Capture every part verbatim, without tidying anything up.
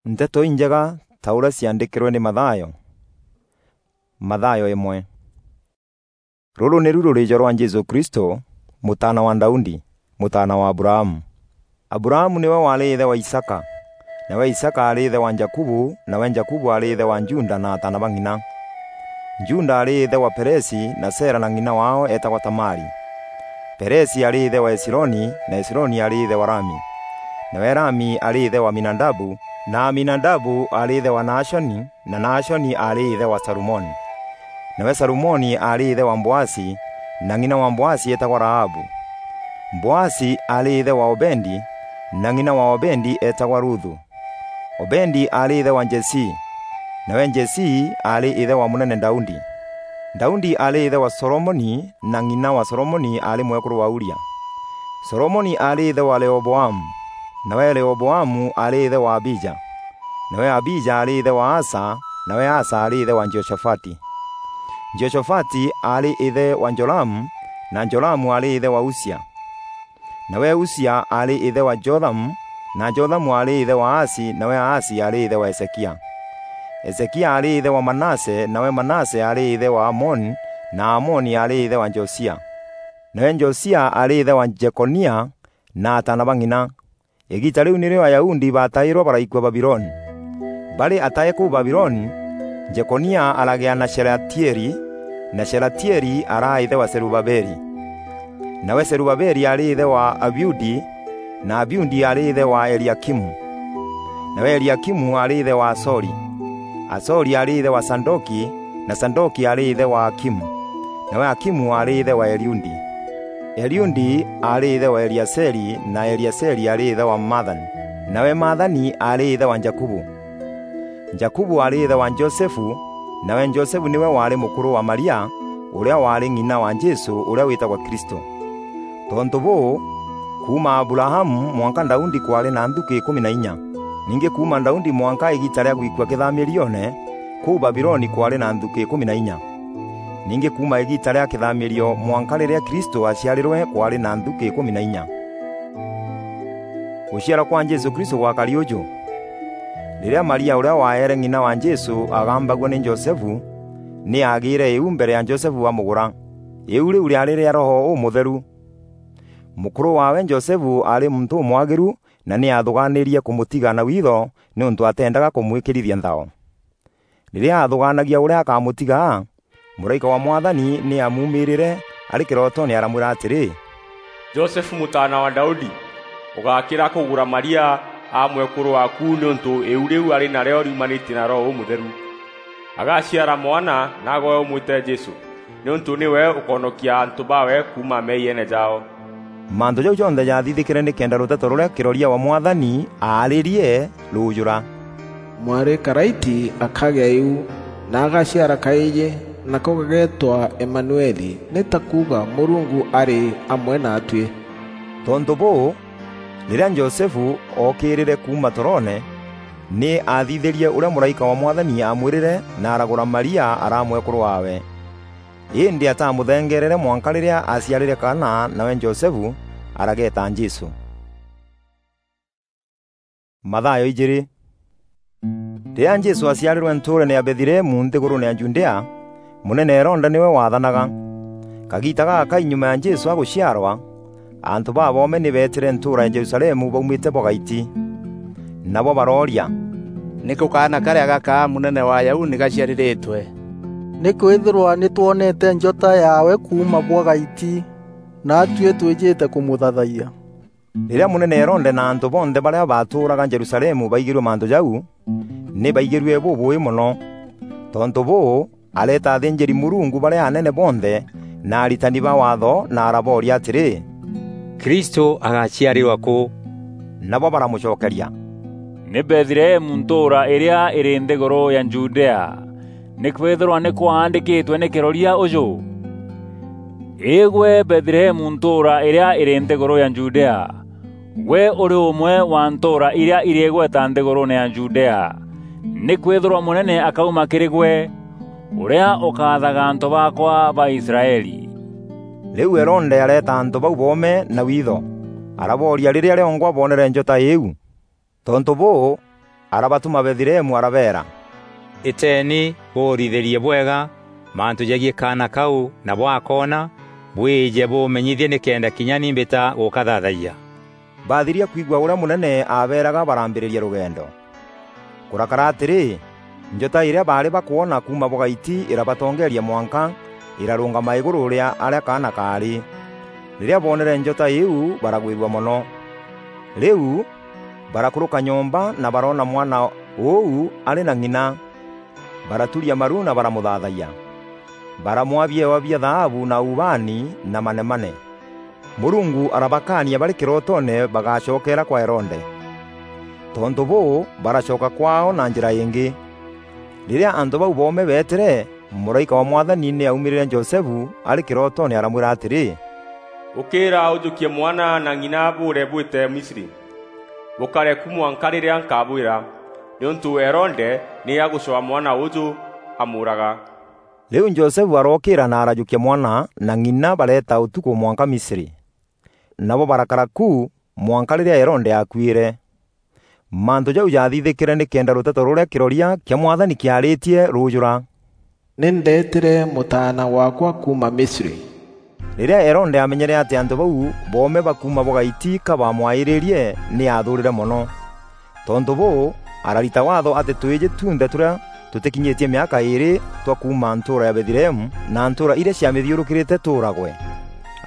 Nteto Injega ta uria ciandikirwe ni Mathayo. Mathayo imwe. Ruru niru rurijo rwa Jesu Kristo, mutaana wa Daudi, mutaana wa Abrahamu. Abrahamu niwe waari ithe wa Isaka, nawe Isaka aari ithe wa Jakubu, nawe Jakubu aari ithe wa Juda na ataana ba ng'ina. Juda aari ithe wa Peresi na Sera na ng'ina wao eetagwa Tamari. Peresi aari ithe wa Hesironi, na Hesironi aari ithe wa Rami. Nawe Rami aari ithe wa Aminadabu, na Aminadabu aari ithe wa Naashoni, na Naashoni aari ithe wa Salumoni. Nawe Salumoni aari ithe wa Mboasi, na ng'ina wa Mboasi eetagwa Rahabu. Mboasi aari ithe wa Obedi, na ng'ina wa Obedi eetagwa Ruthu. Obedi aari ithe wa Jesii, nawe Jesii aari ithe wa munene Daudi. Daudi aari ithe wa Solomoni, na ng'ina wa Solomoni aari mwekuru wa Uria. Solomoni aari ithe wa Rehoboamu, nawe Rehoboamu aari ithe wa Abija. Nawe Abija aari ithe wa Asa, nawe Asa aari ithe wa Jehoshafati. Jehoshafati aari ithe wa Joramu, na Joramu aari ithe wa Usia. Nawe Usia aari ithe wa Jothamu, na Jothamu aari ithe wa Ahasi, nawe Ahasi aari ithe wa Hezekia. Hezekia aari ithe wa Manase, nawe Manase aari ithe wa Amoni, na Amoni aari ithe wa Josia. Nawe Josia aari ithe wa Jekonia na ataana ba ng'ina. Igiita riu nirio Ayahudi baatairwe baraikua Babiloni. Bari atae kuu Babiloni, Jekonia aragea na Shelatieli, na Shelatieli araa ithe wa Zerubabeli. Nawe Zerubabeli aari ithe wa Abiudi, na Abiudi aari ithe wa Eliakimu. Nawe Eliakimu aari ithe wa Azori. Azori aari ithe wa Sadoki, na Sadoki aari ithe wa Akimu. Nawe Akimu aari ithe wa Eliudi. Eliudi aari ithe wa Eliaseli, na Eliaseli aari ithe wa Mathani. Nawe Mathani aari ithe wa Jakubu. Jakubu aari ithe wa Josefu, nawe Josefu niwe waari mukuru wa Maria, uria waari ng'ina wa Jesu, uria witagwa Kristo. Tontu buu, kuuma Abrahamu mwanka Daudi kwaari na nthuki ikumi na inya. Ningi kuuma Daudi mwanka igiita ria gwikua kithamirione kuu Babiloni kwaari na nthuki ikumi na inya. Ningi kuuma igiita ria kithamirio mwanka riria Kristo aciarirwe kwaari na nthuki ikumi na inya. Guciarwa kwa Jesu Kristo gwakari uju. Riria Maria uria waere ng'ina wa Jesu agambagua ni Josefu, ni aagiire iu mbere ya Josefu amugura. Iu riu riaari ria Roho Umutheru. Mukuru waawe Josefu aari muntu umwagiru na ni aathugaanirie kumutiga na witho niuntu ateendaga kumwikirithia nthao. Riria aathugaanagia uria akamutiga, muraika wa Mwathani ni aamuumiirire ari kirotoone aramwira atiri, "Josefu mutaana wa Daudi, ugakira kugura Maria aa mwekuru waaku niuntu iu riu ari nario riumanitie na Roho Umutheru. Agaciara mwana na agwe umwite Jesu, niuntu niwe ukonokia antu bawe kuuma meeyiene jao." Mantu jau jonthe jaathithikire nikenda ruteto ruria kiroria wa Mwathani aaririe ruujura. Mwari Karaiti akagea iu, na agaciara kaiji, nako gageetwa Emanueli, ni ta kuuga, "Murungu ari amwe naatui." Tontu buu, riria Josefu ookirire kuuma toroone, ni aathithirie uria muraika wa Mwathani aamwirire, na aragura Maria araa mwekuru waawe. Indi atamuthengeerere mwanka riria aaciarire kaana, nawe Josefu arageeta Jesu. Mathayo ijiri. Riria Jesu aaciarirwe ntuurene ya Bethlehemu nthiguruune ya Judea, munene Herode niwe waathanaga. Kagiita gagakai nyuma ya Jesu aguciarwa, antu baboome ni beetire ntuura ya Jerusalemu baumite bwa gaiti. Nabo barooria, "Niku kaana karia gakaa munene wa Ayahudi gaciariritwe? Nikwithirwa ni twonete njota yaawe kuuma bwa gaiti, naatui twijite kumuthaathayia." Riria munene Herode na antu bonthe baria baatuuraga Jerusalemu baigirue mantu jau, ni baigirue bubui mono. Tontu buu, areeta athînjîri-Murungu baria anene bonthe na aritani ba Waatho, na arabooria atîrî, "Kristû agaciarîrwa kû?" Nabo baramucokeria, "Nî Bethlehemu, ntûûra îrîa îrî nthîgûrû ya Judea, nîkwîthîrwa nî kwaandîkîtwe nî kîroria ûjû: 'Îgwe Bethlehemu, ntûûra îrîa îrî nthîgûrû ya Judea, gwe ûrî ûmwe wa ntûûra irîa irî îgweta nthîgûrûûne ya Judea, nîkwîthîrwa mûnene akauma kîrî gwe, ûrîa ûkathaga antû baakwa ba Israeli.'" Rîu Herode areeta antû bau boome na witho, arabooria rîrîa rîongwa boonere njota îîu. Tontû bûû, arabatuma Bethilehemu arabeera, "Îteeni bûûrithîrie bwega mantû jegiî kaana kau, na bwakoona, bwîje bûmenyithie nîkenda kinya ni mbîta gûkathaathayia." Baathiria kwigua ûrîa mûnene aabeeraga, barambîrîria rûgendo. Kûrakara atîrî, njota îrîa baarî bakwona kuuma bûgaiti îrabatongeeria mwanka îrarûngama îgûrû rîa arîa kaana kaarî. Rîrîa boonere njota îîu, baragwîrua mono. Rîu barakûrûka nyomba na baroona mwana ûu arî na ng'ina. Baraturia maru na baramûthaathayia. Baramwaa biewa bia thaabu na ubaani na manemane. Mûrungu arabakaania barî kîrotoone bagacokeera kwa Herode. Tontû bûû, baracoka kwaao na njîra îngî. Rîrîa antû bau boome beetîre, mûraîka wa Mwathani nî aumîrîre Josefu arî kîrotoone aramwîra atîrî, "Ûkîîra ûjûkie mwana na ng'ina bûûre bwîte Misri. Bûkare ku mwanka rîrîa nkabwîra, nîûntû Herode nî agûcwaa mwana ûûjû amûûraga." Rîu Josefu arookîîra na arajûkia mwana na ng'ina bareeta ûtukû mwanka Misri. Nabo barakara ku mwanka rîrîa Herode aakuîre. Mantû jau jaathithîkîre nîkenda rûteto rûrîa kîroria kîa Mwathani kîaarîtie rûûjûra, "Nî ndeetîre mûtaana waakwa kuuma Misri." Rîrîa Herode aamenyere atî antû bau boome ba kuuma bûgaiti ka baamwaîrîrie, nî aathûûrîre mono. Tontû bûû, ararita waatho atî twîjî tunthe tûrîa tûtîkinyîtie mîaka îîrî twa kuuma ntûûra ya Bethlehemu na ntûûra irîa ciamîthiûrûkîrîte tûûragwe.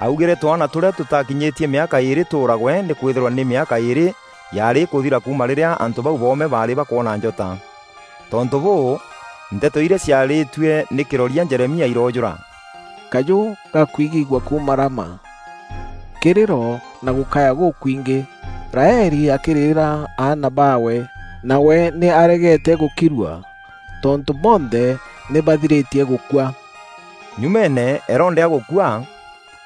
Augîre twaana tûrîa tûtakinyîtie mîaka îîrî tûûragwe, nîkwîthîrwa nî mîaka îîrî yaarî îkûthira kuuma rîrîa antû bau boome baarî bakwona njota. Tontû bûû, nteto irîa ciarîtue nî kîroria Jeremia iroojûra, "Kajû gakwigîgua kuuma Rama, kîrîro na gûkaya gûkwingî, Raeli akîrîrîra aana baawe, nawe nî aregete gûkirua, tontû bonthe nî bathirîtie gûkua." Nyumeene Herode agûkua,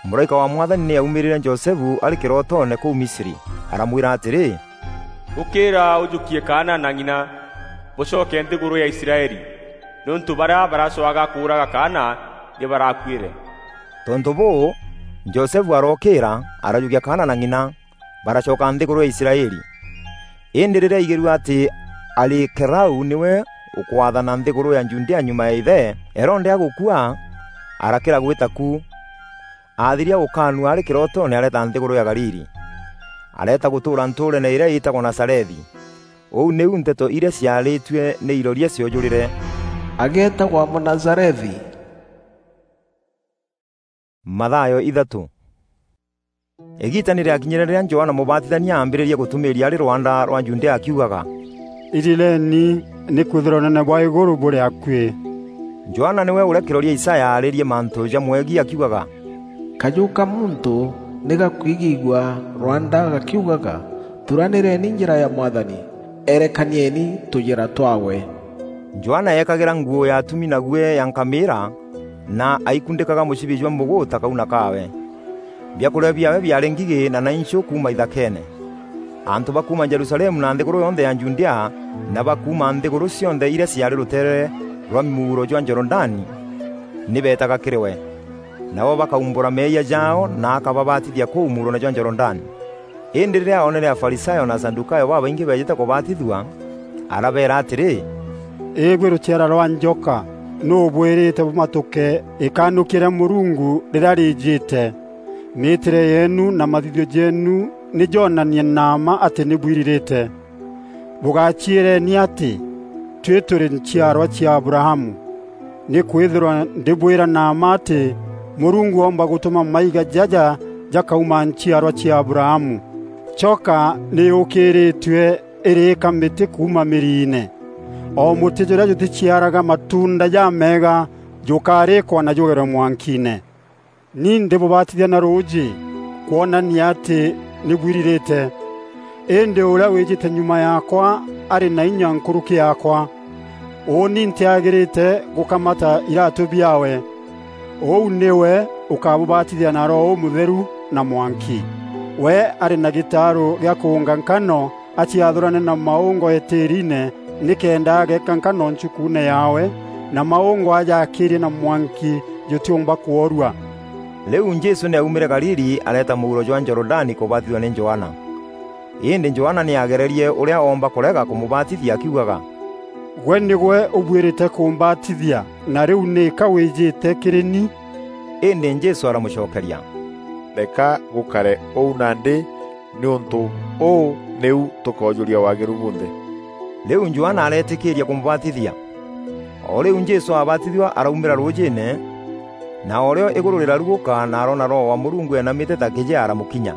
mûraîka wa Mwathani nî aumîrîre Josefu arî kîrotoone kûu Misri, aramwîra atîrî, "Ûkîîra ûjûkie kaana na ng'ina, bûcoke nthîgûrû ya Israeli, nîûntû barîa baracwaga kûûraga kaana nî barakuîre." Tontû bûû, Josefu arookîîra, arajûkia kaana na ng'ina, baracoka nthîgûrû ya Israeli. Îndî rîrîa aigîrue atî Arikelau nîwe ûkwathana nthîgûrû ya Judea nyuma ya îthe, Herode agûkua, arakîra gwîta ku. Aathiria gûkaanua arî kîrotoone areeta nthîgûrû ya Galili. Areeta gûtûûra ntûûreene îrîa îtagwa Nazarethi. Ûu nîu nteto irîa ciarîtue nî iroria ciojûrîre, "Ageetagwa Mûnazarethi." Mathayo ithatû. Îgiita nî rîakinyîre rîrîa Johana Mûbatithania aambîrîrie gûtumîîria arî rwanda rwa Judea akiugaga, "Irireni, nîkwîthîrwa ûnene bwa îgûrû bûrî akuî." Johana nîwe ûrîa kîroria Isaya aarîrie mantû jamwegiî akiugaga, "Kajû ka muntû nî gakwigîgua rwanda gakiugaga, 'Thuranîreni njîra ya Mwathani, erekanieni tûjîra twaawe.'" Johana eekagîra nguû ya atumi na guî ya nkamîîra, na aikundîkaga mûcibi jwa mûgûûta kauna kaawe. Biakûrîa biaawe biaarî ngigî na nainchû kuuma ithakeene. Antû ba kuuma Jerusalemu na nthîgûrû yonthe ya Judea, na ba kuuma nthîgûrû cionthe irîa ciaarî rûteere rwa muuro jwa Jorodani, nî beetaga kîrî we. Nabo bakaumbûra meeyia jaao na akababatithia kûu muuroone jwa Jorodani. Îndî rîrîa oonere Afarisayo na Asadukayo babaingî beejîte kûbatithua, arabeera atîrî, "Îgwî rûciara rwa njoka, nû ûbwîrîte bûmatûke îkanûkia rîa Mûrungu rîrîa rîîjîte? Mîîtîre yeenu na mathithio jeenu nî joonanie na mma atî nî bwirirîte. Bûgaciîreni atî, 'Tuî tûrî nchiarwa cia Abrahamu.' Nîkwîthîrwa ndîbwîra na mma atî, Mûrungu oomba gûtûma maiga jaja jakauma nchiarwa cia Abrahamu. Choka nî yûkîrîtue îrîîka mîtî kuuma mîriine. O mûtî jûrîa jûtîciaraga matuunda jameega jûkarîkwa na jûgerwe mwankiine. Ni ndîbûbatithia na rûûjî kwonania atî nî bwirirîte. Îndî ûrîa wîjîte nyuma yaakwa arî na inya nkûrûkî yaakwa. Ûûni ntîagîrîte gûkamata iratû biaawe. Ûu nîwe ûkabûbatithia na Roho Ûmûtheru na mwanki. We arî na gîtaarû gîa kûûnga nkano aciathûrane na maûngo îtîîriine, nîkenda ageeka nkano nchukuune yaawe, na maûngo aja akîîrie na mwanki jûtîûmba kworua. Rîu Jesû nî aumîre Galili areeta mûuro jwa Jorodani kûbatithua nî Johana. Îndî Johana nî aagererie ûrîa oomba kûrega kûmûbatithia akiugaga, "Gwe nîgwe ûbuîrîte kûmbatithia, na rîu nîka wîjîte kîrî ni?" Îndî Jesû aramûcokeria, "Reka gûkare ûu nandî, nîûntû ûû nîu tûkoojûria waagîru bunthe." Rîu Johana areetîkîîria kûmûbatithia. O rîu Jesû aabatithua araumîra rûûjîîne, na o rîo îgûrû rîrarugûka na aroona Roho wa Mûrungu eenamîte ta kîjea aramûkinya.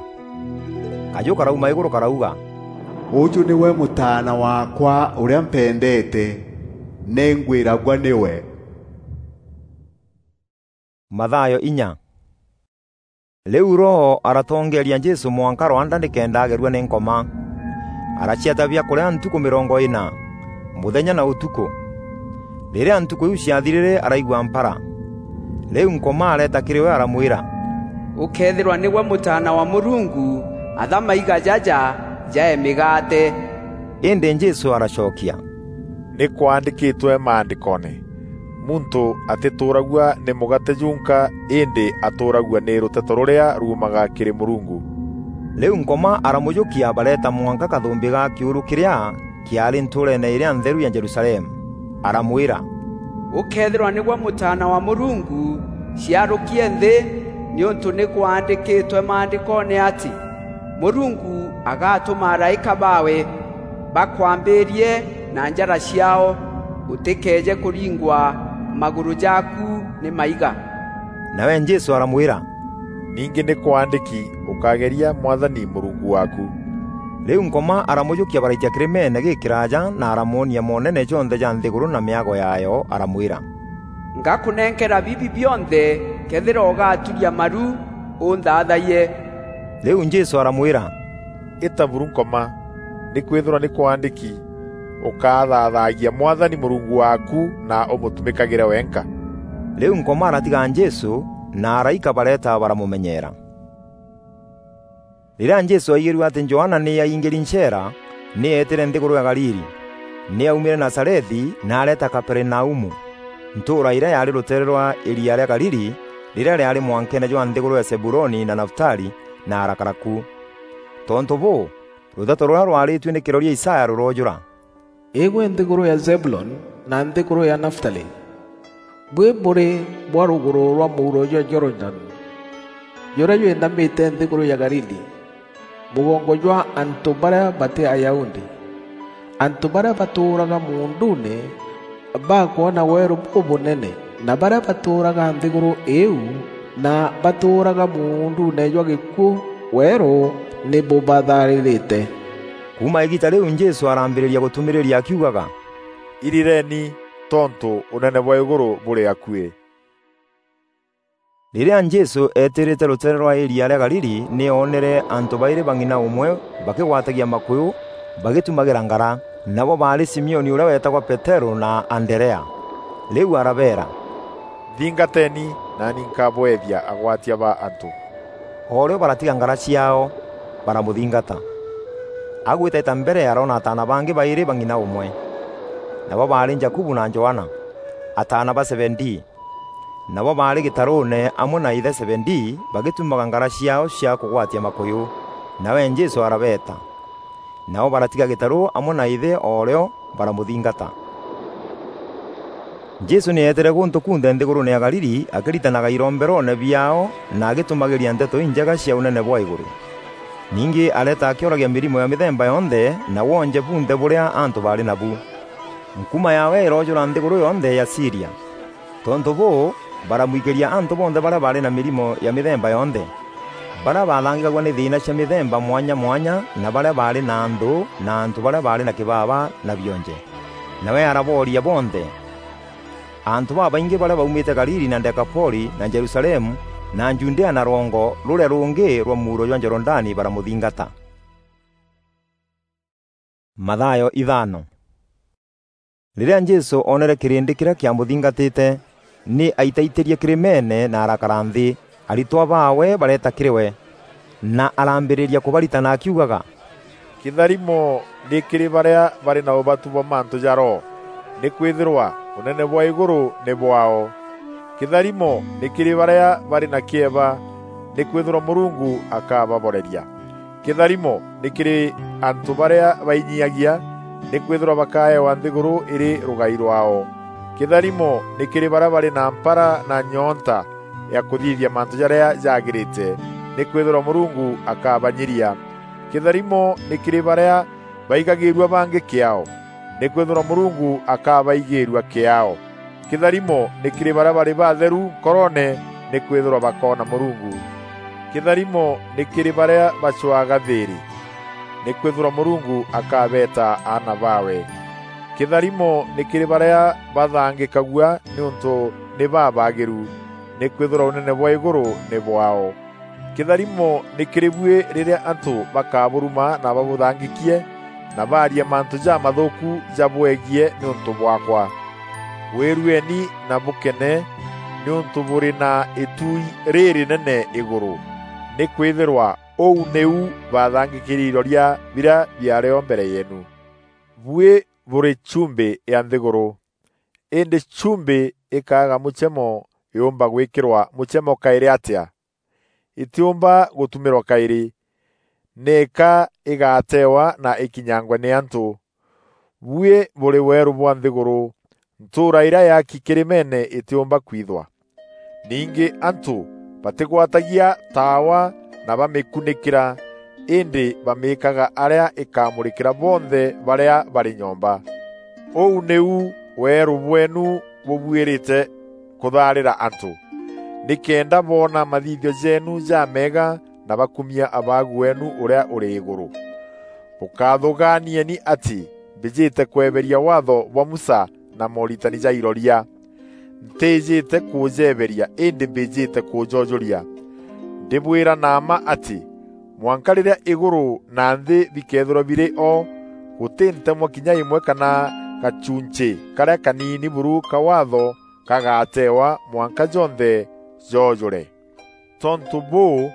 Kajû karauma îgûrû karauga, "Ûjû nîwe Mûtaana waakwa ûrîa mpendeete, nî ngwîragua nîwe." Mathayo inya. Rîu Roho aratongeeria Jesû mwanka rwanda nîkenda agerua nî Nkoma. Araciata biakûrîa ntukû mîrongo îna, mûthenya na ûtukû. Rîrîa ntukû iu ciathirîre, araigua mpara. Rîu Nkoma areeta kîrî we aramwîra, "Ûkëethîrwa nîgwe Mûtaana wa Mûrungu, atha maiga jaja jae mîgaate." Îndî Jesû aracokia, "Nî kwaandîkîtwe Maandîkoone, 'Muntû atîtûûragua nî mûgaate junka, îndî atûûragua nî rûteto rûrîa ruumaga kîrî Mûrungu.'" Rîu Nkoma aramûjûkia bareeta mwanka kathûmbî ga kîûrû kîrîa kîaarî ntûûreene îrîa ntheru ya Jerusalemu. Aramwîra, "Ûkëethîrwa nîgwe Mûtaana wa Mûrungu, ciarûkie nthî, nîûntû nî kwaandîkîtwe Maandîkoone atî, 'Mûrungu agatûma araîka baawe bakwambîîrie na njara ciaao, ûtîkeeje kûringwa magûrû jaaku nî maiga.'" Nawe Jesû aramwîra, "Ningî nî kwaandîki, 'Ûkageria Mwathani Mûrungu waaku.'" Rîu Nkoma aramûjûkia baraitia kîrîmeene gîkîraaja na aramwonia moonene jonthe ja nthîgûrû na mîago yaayo, aramwîra, "Ngakûnenkera bibi bionthe këethîra ûgaturia maru ûnthathayie." Rîu Jesû aramwîra, "Îta buru Nkoma, nîkwîthîrwa nî kwaandîki, 'Ûkathathaagia Mwathani Mûrungu waaku na ûmûtumîkagîre wenka.'" Rîu Nkoma aratiga Jesû, na araîka bareeta baramûmenyeera. Rîrîa Jesû aigîrue atî Johana nî aingîri ncheera, nî eetîre nthîgûrû ya Galili. Nî aumîre Nazarethi na areeta Kaperinaumu, ntûûra îrîa yaarî rûteere rwa îria rîa Galili, rîrîa rîaarî mwankeene jwa nthîgûrû ya Zebuloni na Nafutali, na arakara ku. Tontû bûû, rûteto rûrîa rwarîtue nî kîroria Isaya rûroojûra, "Îgwe nthîgûrû ya Zebuloni na nthîgûrû ya Nafutali, buî bûrî bwa rûgûrû rwa mûuro jwa Jorodani, jûrîa jwînamîte nthîgûrû ya Galili, mûgongo jwa antû barîa batî Ayahudi, antû barîa batûûraga muunduune bakwona weerû bûbûnene, na barîa batûûraga nthîgûrû îîu na batûûraga muunduune jwa gîkuû weerû nî bûbatharîrîte." Kuuma îgiita rîu Jesû arambîrîria gûtumîrîria akiugaga, "Irireni, tontû ûnene bwa îgûrû bûrî akuî." Rîrîa Jesû eetîrîte rûteere rwa îria rîa Galili, nî oonere antû baîrî ba ng'ina ûmwe bakîgwatagia makûyû bagîtumagîra ngara. Nabo baarî Simioni ûrîa weetagwa Peterû na Anderea. Rîu arabeera, "Nthingateni, naani nkabweethia agwatia ba antû." O rîo baratiga ngara ciaao, baramûthingata. Agwîtaîta mbere aroona ataana bangî baîrî ba ng'ina ûmwe. Nabo baarî Jakubu na Johana, ataana ba Zebedii. Nabo baarî gîtarûûne amwe na îthe Zebedii bagîtumaga ngara ciaao cia kûgwatia makûyû. Nawe Jesû arabeeta. Nao baratiga gîtarû amwe na îthe o rîo baramûthingata. Jesû nî eetîre gûntû kunthe nthîgûrûûne ya Galili akîritanaga iromberoone biaao na agîtumagîria nteto injega cia ûnene bwa îgûrû. Ningî areeta akîoragia mîrimo ya mîthemba yonthe na wonje bunthe bûrîa antû baarî nabu. Nkuma yaawe îroojûra nthîgûrû yonthe ya Siria. Tontû bûû, baramwikîria antû bonthe barîa baarî na mîrimo ya mîthemba yonthe, barîa baathangîkagua nî thîîna cia mîthemba mwanya mwanya, na barîa baarî na nthû, na antû barîa baarî na kîbaba na bionje. Nawe arabooria bonthe. Antû babaingî barîa baumîte Galili na Dekapoli na Jerusalemu na Judea na rwongo rûrîa rûngî rwa mûuro jwa Jorodani baramûthingata. Mathayo ithano. Rîrîa Jesû oonere kîrîndî kîrîa kîamûthingatîte, nî aitaitîrie kîrîmeene na arakara nthî. Aritwa baawe bareeta kîrî we, na arambîrîria kûbaritana akiugaga, "Kîtharimo nî kîrî barîa barî na ûbatu bwa mantû ja Roho, nîkwîthîrwa ûnene bwa îgûrû nî bwaao. Kîtharimo nî kîrî barîa barî na kîeba, nîkwîthîrwa Mûrungu akababoreria. Kîtharimo nî kîrî antû barîa bainyiagia, nîkwîthîrwa bakaewa nthîgûrû îrî rûgai rwaao. Kîtharimo nî kîrî barîa barî na mpara na nyoonta ya kûthithia mantû jarîa jagîrîte, nîkwîthîrwa Mûrungu akabanyiria. Kîtharimo nî kîrî barîa baigagîîrua bangî kîaao, nîkwîthîrwa Mûrungu akabaigîîrua kîaao. Kîtharimo nî kîrî barîa barî batheru nkoroone, nîkwîthîrwa bakoona Mûrungu. Kîtharimo nî kîrî barîa bacwaga thîîrî, nîkwîthîrwa Mûrungu akabeeta aana baawe. Kîtharimo nî kîrî barîa bathangîkagua nîûntû nî babaagîru, nîkwîthîrwa ûnene bwa îgûrû nî bwaao. Kîtharimo nî kîrî buî rîrîa antû bakabûruma na babûthangîkie, na baaria mantû jamathûûku jabwegie nîûntû bwaakwa. Wîrueni na bûkene, nîûntû bûrî na îtuui rîrînene îgûrû, nîkwîthîrwa ûu nîu bathangîkîri iroria birîa biarîo mbere yeenu. Buî bûrî chumbî ya nthîgûrû. Îndî chumbî îkaaga mûchemo yûûmba gwîkîrwa mûchemo kaîrî atîa? Îtîûmba gûtumîrwa kaîrî, nîka îgateewa na îkinyangwe nî antû. Buî bûrî weerû bwa nthîgûrû, ntûûra îrîa yaaki kîrîmeene îtîûmba kwithwa. Ningî antû batîgwatagia taawa na bamîkunîkîra, îndî bamîîkaga arîa îkamûrîkîra bonthe barîa barî nyomba. Ûu nîu weerû bweenu bûbuîrîte kûthaarîra antû, nîkenda boona mathithio jeenu jameega na bakumia Abaagu weenu ûrîa ûrî îgûrû. Bûkathûgaanieni atî mbîjîte kweberia Waatho bwa Musa na mooritani ja iroria. Ntîîjîte kûjeberia, îndî mbîjîte kûjojûria. Ndîbwîra na mma atî, mwanka rîrîa îgûrû na nthî bikeethîrwa birî o, gûtî ntemwa kinya îmwe kana gachunchî karîa kaniini buru ka Waatho kagateewa mwanka jonthe jojûre. Tontû bûû,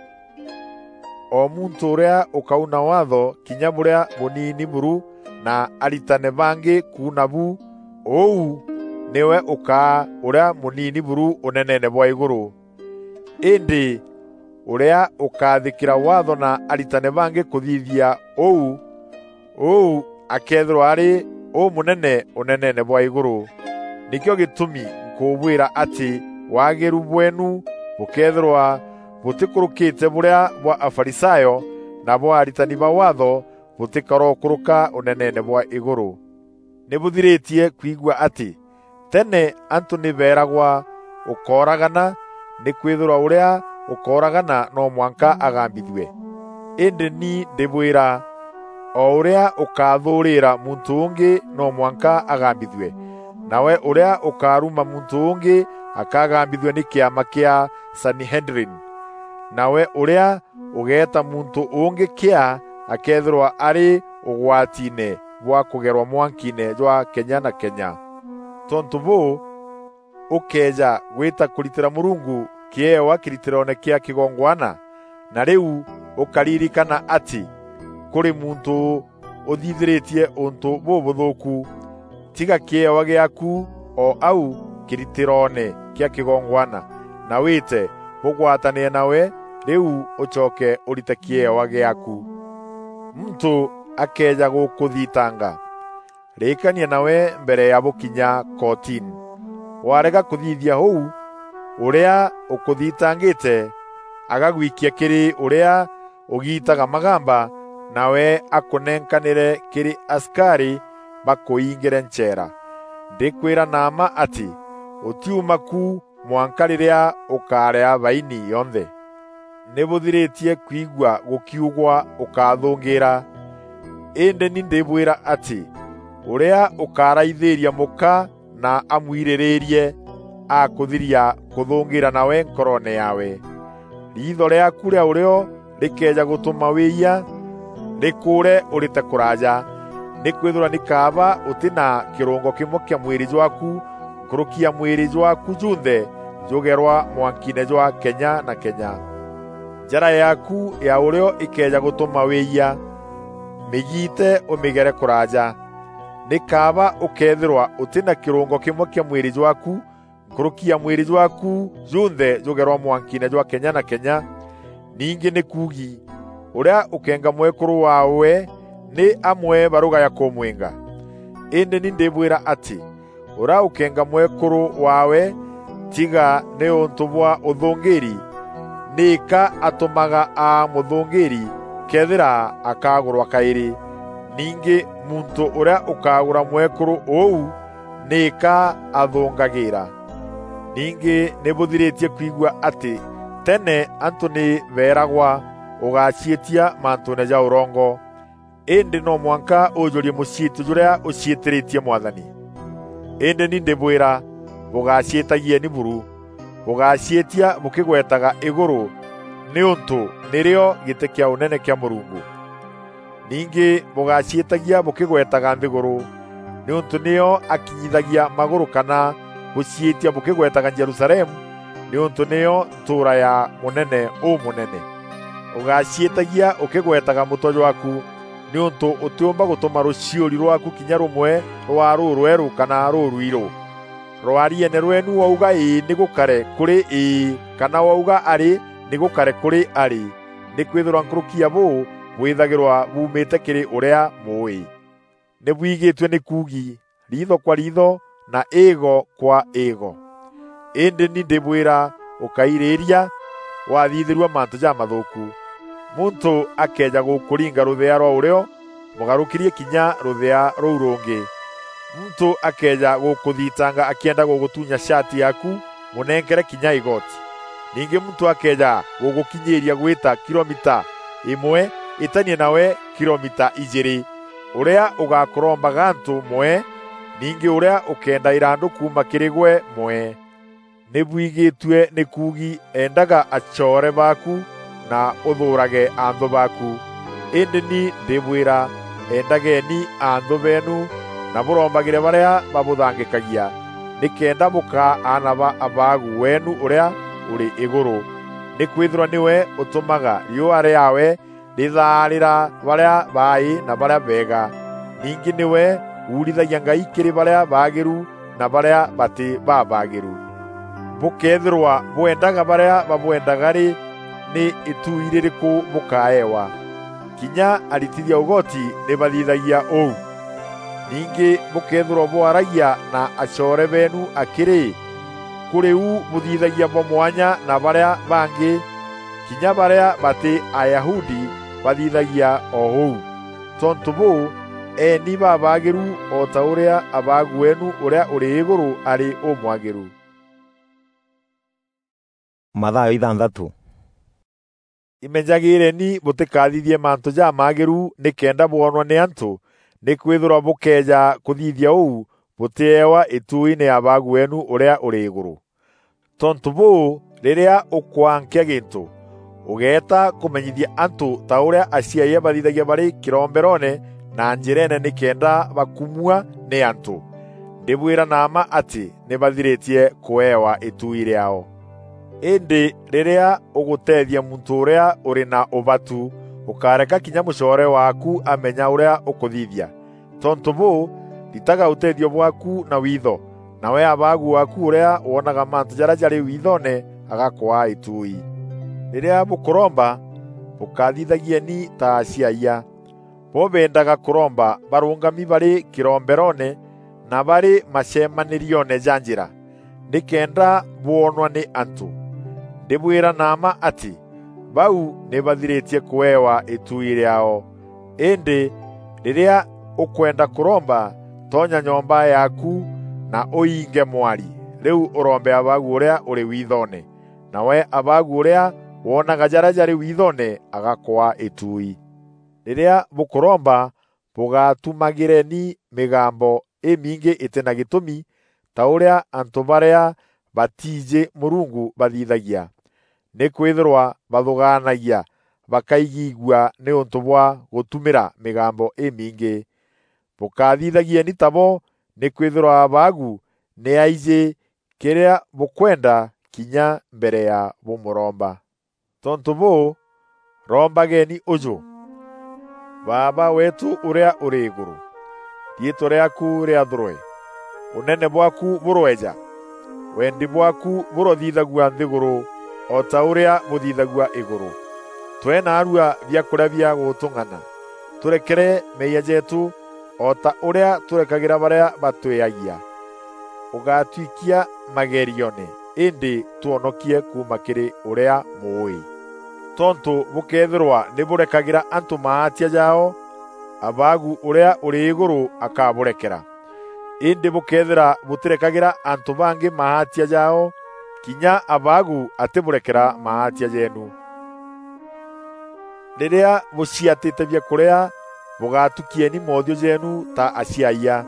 o muntû ûrîa ûkauna Waatho kinya bûrîa bûniini buru na aritane bangî kuuna bu, ûu nîwe ûkaa ûrîa mûniini buru ûneneene bwa îgûrû. Îndî ûrîa ûkathîkîra Waatho na aritane bangî kûthithia ûu, ûu akeethîrwa arî ûmûnene ûneneene bwa îgûrû. Nîkîo gîtûmi nkûbwîra atî waagîru bweenu bûkeethîrwa bûtîkûrûkîte bûrîa bwa Afarisayo na bwa aritani ba Waatho bûtîkarokûrûka ûneneene bwa îgûrû. Nî bûthirîtie kwigua atî tene antû nî beeragwa, "Ûkooragana, nîkwîthîrwa ûrîa ûkooragana no mwanka agambithue." Îndî ni ndîbwîra, o ûrîa ûkathûûrîîra muntû ûngî no mwanka agambithue, nawe ûrîa ûkaruma muntû ûngî akagambithua nî kîama kîa Sanhedrin. Nawe ûrîa ûgeeta muntû ûngî kîa akeethîrwa arî ûgwatiine bwa kûgerwa mwankiine jwa kenya na kenya. Tontû bûû, ûkëeja gwîta kûritîra Mûrungu kîewa kîritîroone kîa kîgongwana, na rîu ûkaririkana atî kûrî muntû ûthithîrîtie ûntû bûbûthûûku. Tiga kîewa gîaaku o au kîritîroone kîa kîgongwana, na wîte bûgwatanîre nawe, rîu ûcoke ûrite kîewa gîaaku. Muntû akëeja gûkûthitanga, rîîkania nawe mbere ya bûkinya kootini. Warega kûthithia ûu, ûrîa ûkûthitangîte agagwikia kîrî ûrîa ûgiitaga magamba, nawe akûnenkanîre kîrî asikarî bakûingîre ncheera. Ndîkwîra na mma atî, ûtiuma ku mwanka rîrîa ûkarîa baini yonthe. Nî bûthirîtie kwigua gûkiugwa, "Ûkathûngîîra." Îndî ni ndîbwîra atî, ûrîa ûkaraithîîria mûka na amwirîrîîrie, akûthiria kûthûngîîra nawe nkoroone yaawe. Riitho rîaaku rîa ûrîo rîkëeja gûtûma wîîyia, rîkûûre ûrîte kûraaja. Nîkwîthîrwa nî kaaba ûtî na kîrûngo kîmwe kîa mwîrî jwaaku nkûrûki ya mwîrî jwaaku junthe jûgerwa mwankiine jwa kenya na kenya. Njara yaaku ya ûrîo îkëeja gûtûma wîîyia, mîgiite ûmîgere kûraaja. Nî kaaba ûkeethîrwa ûtî na kîrûngo kîmwe kîa mwîrî jwaaku nkûrûki ya mwîrî jwaaku junthe jûgerwa mwankiine jwa kenya na kenya, ningî nî kuugi, Ûrîa ûkenga mwekûrû waawe nî amwe barûga ya kûmwînga. Îndî ni ndîbwîra atî, ûrîa ûkenga mwekûrû waawe, tiga nîûntû bwa ûthûngîîri, nîka atûmaga aa mûthûngîîri, këethîra akagûrwa kaîrî. Ningî muntû ûrîa ûkagûra mwekûrû ûu, nîka athûngagîîra. Ningî nî bûthirîtie kwigua atî tene antû nî beeragwa, "Ûgaciîtia mantûûne ja ûrongo." Îndî no mwanka ûjûrie mûciîtio jûrîa ûciîtîrîtie Mwathani. Îndî ni ndîbwîra, bûgaciîtagieni buru. Bûgaciîtia bûkîgwetaga îgûrû, nîûntû nîrîo gîtî kîa ûnene kîa Mûrungu. Ningî bûgaciîtagia bûkîgwetaga nthîgûrû, nîûntû nîyo akinyithagia magûrû, kana bûciîtia bûkîgwetaga Jerusalemu, nîûntû nîyo ntûûra ya Mûnene Ûmûnene. Ûgaciîtagia ûkîgwetaga mûtwe jwaaku, nîûntû ûtîûmba gûtûma rûciûri rwaaku kinya rûmwe rwaa rûrwerû kana rûrwirû. Rwarieene rweenu wauga, "Îî," nî gûkare kûrî, "Îî," kana wauga, "Arî," nî gûkare kûrî, "Arî." Nîkwîthîrwa nkûrûki ya bûû bwîthagîrwa buumîte kîrî ûrîa mûûî. Nî bwigîtue nî kuugi, riitho kwa riitho na îîgo kwa îîgo. Îndî ni ndîbwîra, ûkairîîria wathithîrua mantû jamathûûku. Muntû akëeja gûkûringa rûthea rwa ûrîo, mûgarûkîrie kinya rûthea rûu rûngî. Muntû akëeja gûkûthitanga akîenda gûgûtunya shati yaaku, mûnenkere kinya îgoti. Ningî muntû akëeja gûgûkinyîîria gwîta kilomita îmwe, îtania nawe kilomita ijîîrî. Ûrîa ûgakûromba gantû, mwee, ningî ûrîa ûkeenda îrandû kuuma kîrî gwe, mwee. Nî bwigîtue nî kuugi, "Endaga acoore baaku na ûthûûrage anthû baaku." Îndî ni ndîbwîra, endageni anthû beenu na bûrombagîre barîa babûthangîkagia, nîkenda bûkaa aana ba Abaagu weenu ûrîa ûrî îgûrû. Nîkwîthîrwa nîwe ûtûmaga riûa rîaawe rîthaarîra barîa baaî na barîa beega. Ningî nîwe uurithagia ngai kîrî barîa baagîru na barîa batî babaagîru. Bûkeethîrwa bwendaga barîa babwendaga rî, nî îtuui rîrîkû bûkaewa? Kinya aritithia ûgoti nî bathithagia ûu. Ningî bûkeethîrwa bwaragia na acoore beenu akî rî, kûrî u bûthithagia bwa mwanya na barîa bangî? Kinya barîa batî Ayahudi bathithagia o ûu. Tontû bûû, eeni babaagîru o ta ûrîa Abaagu weenu ûrîa ûrî îgûrû arî ûmwagîru. Mathayo ithanthatû. Imenyagîîreni bûtîkathithie mantû jamaagîru nîkenda bwonwa nî antû, nîkwîthîrwa bûkëeja kûthithia ûu, bûtîewa îtuuine ya Abaagu weenu ûrîa ûrî îgûrû. Tontû bûû, rîrîa ûkwankia gîntû, ûgeeta kûmenyithia antû ta ûrîa aciayia bathithagia barî kîromberoone na njîreene nîkenda bakumua nî antû. Ndîbwîra na mma atî nî bathirîtie kûewa îtuui rîaao. Îndî rîrîa ûgûteethia muntû ûrîa ûrî na ûbatu, ûkáreka kinya mûcoore waaku amenya ûrîa ûkûthithia. Tontû bûû, ritaga ûteethio bwaaku na witho, nawe Abaagu waaku ûrîa wonaga mantû jarîa jarî withoone agakwaa îtuui. Rîrîa bûkûromba, bûkathithagieni ta aciayia. Bo beendaga kûromba barûngami barî kîromberoone na barî macemanîrioone ja njîra, nîkenda bwonwa nî antû. Ndîbwîra na mma atî, bau nî bathirîtie kûewa îtuui rîaao. Îndî rîrîa ûkwenda kûromba, tonya nyomba yaaku na ûinge mwari, rîu ûrombe Abaagu ûrîa ûrî withoone. Nawe Abaagu ûrîa wonaga jarîa jarî withoone agakwaa îtuui. Rîrîa bûkûromba, bûgatumagîreni mîgambo îmingî îtî na gîtûmi, ta ûrîa antû barîa batiijî Mûrungu bathithagia. Nîkwîthîrwa bathûgaanagia bakaigigua nîûntû bwa gûtumîra mîgambo îmingî. Bûkathithagieni tabo, nîkwîthîrwa Abaagu nî aijî kîrîa bûkwenda kinya mbere ya bûmûromba. Tontû bûû, rombageni ûjû: Baaba weetû ûrîa ûrî îgûrû, riîtwa rîaaku rîathûrwe, ûnene bwaaku bûroeja, wendi bwaaku bûrothithagua nthîgûrû o ta ûrîa bûthithagua îgûrû. Twe naarua biakuria bia gutung'ana. Turekere meeyia jeetu, o ta uria turekagera baria batweeagia. Ugatwikia magerioone, indi twonokie kuuma kiri uria muui. Tontu bukeethirwa ni burekagera antu maatia jaao, Abaagu uria uri iguru akaburekera. Indi bukeethira butirekagera antu bangi maatia jaao, kinya Abaagu atiburekera maatia jeenu. Riria buciatite biakuria, bugatukieni moothiu jeenu ta aciayia,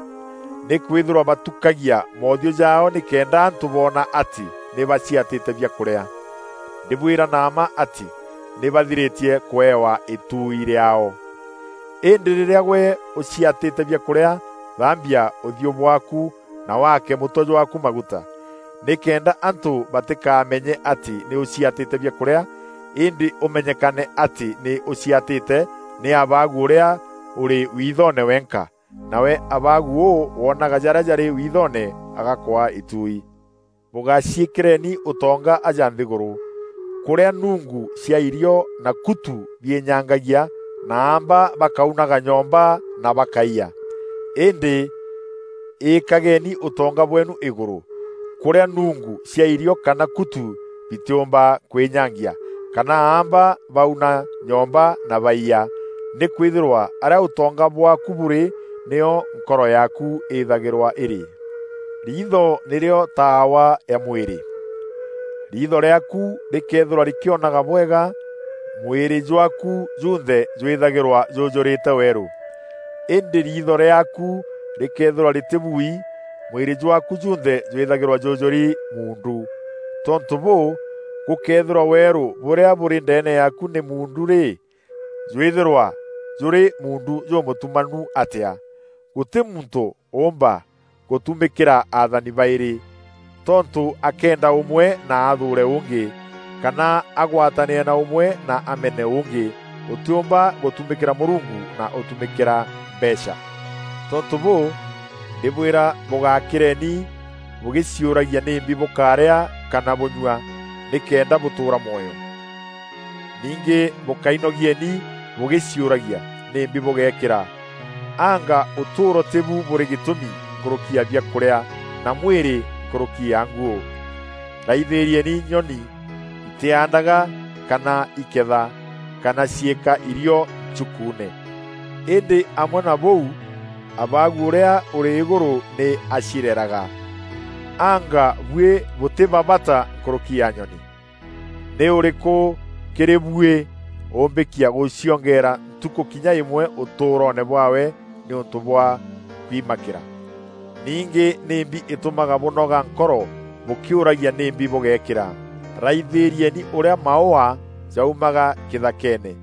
nikwithirwa batukagia moothiu jaao nikenda antu boona ati ni baciatite biakuria. Ndibwira na mma ati ni bathiritie kuewa ituui riaao. Indi riria gwe uciatite biakuria, thambia uthiu bwaaku na waake mutwe jwaaku maguta, nikenda antu batikamenye ati ni uciatite biakuria, indi umenyekane ati ni uciatite ni Abaagu uria uri withoone wenka, nawe Abaagu uu woonaga jaria jari withoone agakwaa ituui. Bugaciikireni utonga aja nthiguru, kuria nungu cia irio na kutu biinyangagia, na aamba bakaunaga nyomba na bakaiya. Indi iikageni utonga bweenu iguru, kuria nungu cia irio kana kutu bitiumba kwinyangia, kana aamba bauna nyomba na baiya, nikwithirwa aria utonga bwaaku buri, nio nkoro yaaku ithagirwa iri. Riitho nirio taawa ya mwiri. Riitho riaaku rikeethirwa rikionaga bwega, mwiri jwaaku junthe jwithagirwa jujurite weeru. Indi riitho riaaku rikeethirwa ritibui, mwiri jwaaku junthe jwithagirwa jujuri muundu. Tontu buu, gukeethirwa weeru buria buri ndeene yaaku ni muundu ri, jwithirwa juri muundu jumutumanu atia! Guti muntu uumba gutumikira athani bairi, tontu akeenda umwe na athuure ungi, kana agwatanire na umwe na amene ungi. Utiumba gutumikira Murungu na utumikira mbeecha. Tontu buu, ndibwira, bugakireni bugiciuragia nimbi bukaria kana bunyua, nikenda butuura mwoyo. Ningi bukainogieni bugiciuragia nimbi bugeekira. Anga utuuro tibu buri gitumi nkuruki ya biakuria, na mwiri nkuruki ya nguu? Raithiirieni nyoni, itiandaga kana iketha, kana ciika irio nchukuune. Indi amwe na buu, Abaagu uria uri iguru ni acireraga. Anga bui buti ba bata nkuruki ya nyoni? Ni uriku kiri bui umbikia guciongeera ntuku kinya imwe utuuroone bwaawe niuntu bwa kwimakira? Ningi nimbi itumaga bunoga nkoro bukiuragia nimbi bugeekira? Raithiirieni uria maua jaumaga kithakeene,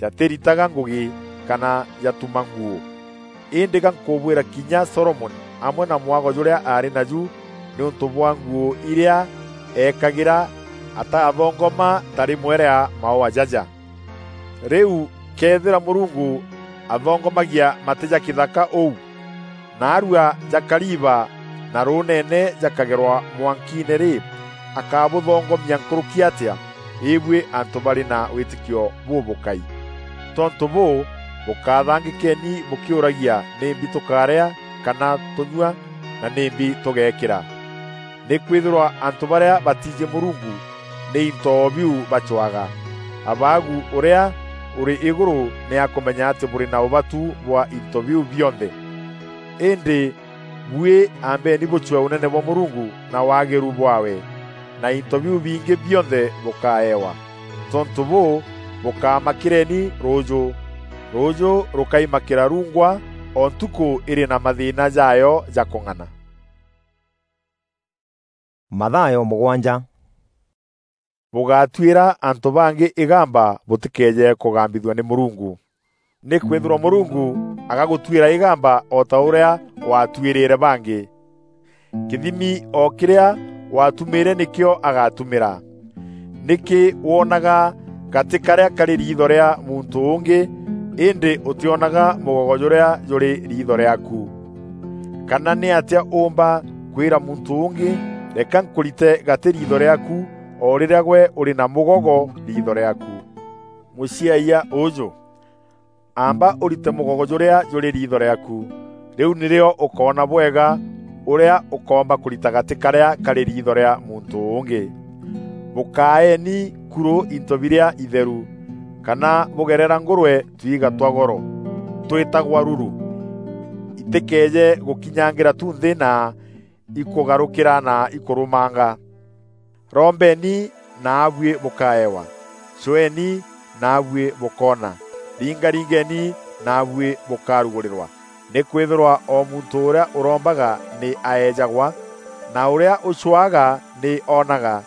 jatiritaga ngugi kana jatuma nguu. Indi ga nkubwira kinya Solomoni amwe na mwago juria aari naju niuntu bwa nguu iria eekagira, atathongoma ta rimwe ria maua jaja. Riu kethira Murungu athongomagia mati ja kithaka uu, naarua ja kariba na ruuneene jakagerwa mwankiine ri, akabuthongomia nkuruki atia, ibui antu bari na witikio bubukai? Tontu buu, bukathangikeni bukiuragia, nimbi tukaria kana tunyua, na nimbi tugeekira? Nikwithirwa antu baria batiiji Murungu ni into biu bacwaga. Abaagu uria uri iguru ni akumenya ati buri na ubatu bwa into biu bionthe. Indi bui ambeni bucwe unene bwa Murungu na wagiru bwaawe, na into biu bingi bionthe bukaewa. Tontu buu, bukamakireni ruuju. Ruuju rukaimakira rungwa, o ntuku iri na mathiina jaayo ja kung'ana. Mathayo mugwanja. Bugatuira antu bangi igamba butikeeje kugambithua ni Murungu. Nikwithirwa Murungu agagutuira igamba o ta uria waatuirire bangi. Kithimi o kiria waatumiire nikio agatumira. Niki wonaga gati karia kari riitho ria muntu ungi, indi utionaga mugogo juria juri riitho riaaku? Kana ni atia uumba kwira muntu ungi, "Reka nkurite gati riitho riaaku," o riria gwe uri na mugogo riitho riaaku? Muciaia uju, amba urite mugogo juria juri riitho riaku, riu nirio ukoona bwega uria ukoomba kurita gati karia kari riitho ria muntu ungi. Bukaeni kuru into biria itheru, kana bugerera ngurwe twiga twa goro twitagwa ruru. Itikeeje gukinyangira tu nthi na ikugarukira na ikurumanga. Rombeni, naabui bukaewa. Cweeni, naabui bukoona. Ringaringeni, naabui bukarugurirwa. Nikwithirwa o muntu uria urombaga ni aejagwa, na uria ucwaga ni oonaga,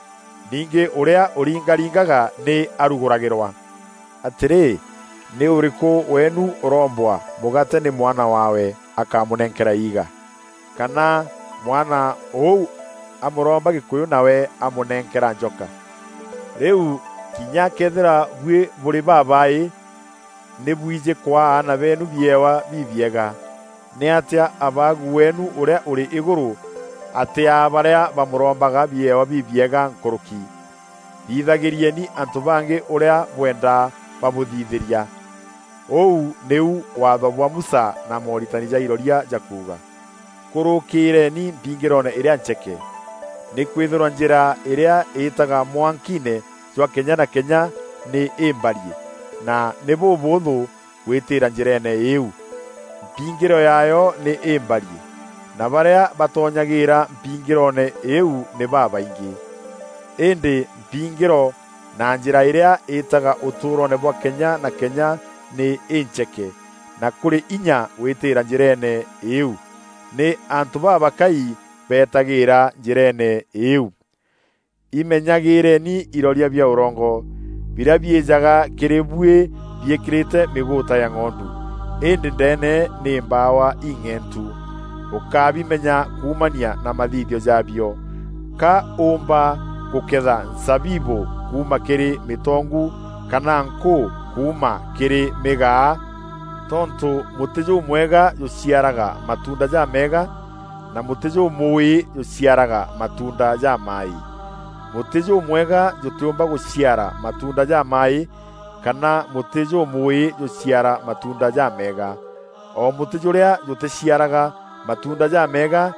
ningi uria uringaringaga ni aruguragirwa. Atiri, ni uriku weenu urombwa mugate ni mwana waawe akamunenkera iiga? Kana mwana uu amuromba gikuyu nawe amunenkera njoka? Riu kinya kethira bui buri babai ni bwiji kwaa aana beenu biewa bibiega, niatia Abaagu weenu uria uri iguru atiaa baria bamurombaga biewa bibiega nkuruki? Thithagirieni antu bangi uria bwenda babuthithiria. Uu niu Waatho bwa Musa na mooritani ja iroria jakuuga. Kurukiireni mpingiroone iria ncheke, nikwithirwa njira iria iitaga mwankiine jwa kenya na kenya ni imbarie, na ni bubuuthu gwitiira njireene iiu. Mpingiro yaayo ni imbarie, na baria batonyagiira mpingiroone iiu ni babaingi. Indi mpingiro na njira iria iitaga utuuroone bwa kenya na kenya ni incheke, na kuri inya gwitiira njireene iiu. Ni antu babakai beetagiira njireene iiu. Imenyagiireni iroria bia urongo, biria biijaga kiri buui biikirite miguuta ya ng'ondu, indi ndeene ni mbaawa ing'entu. Ukabimenya kuumania na mathithio jaabio. Ka uumba guketha nzabibu kuuma kiri mitongu, kana nkuu kuuma kiri migaa? Tontu muti jumwega juciaraga matunda jameega, na muti jumuui juciaraga matunda jamai. Muti jumwega jutiumba guciara matunda jamai, kana muti jumuui juciara matunda jameega. O muti juria juticiaraga matunda jameega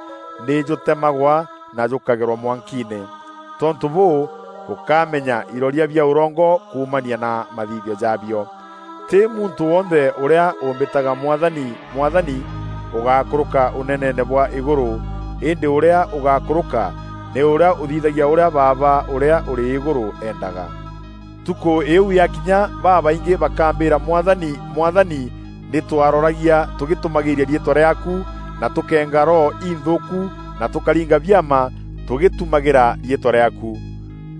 ni jutemagwa na jukagerwa mwankiine. Tontu buu, bukamenya iroria bia urongo kuumania na mathithio jaabio. Ti muntu wonthe uria umbitaga, "Mwathani, Mwathani," ugakuruka uneneene bwa iguru, indi uria ugakuruka ni uria uthithagia uria Baaba uria uri iguru endaga. Ntuku iu yakinya, babaingi bakambira, "Mwathani, Mwathani, ni twaroragia tugitumagiria riitwa riaaku, na tukeenga roho inthuuku, na tukaringa biama tugitumagira riitwa riaaku?"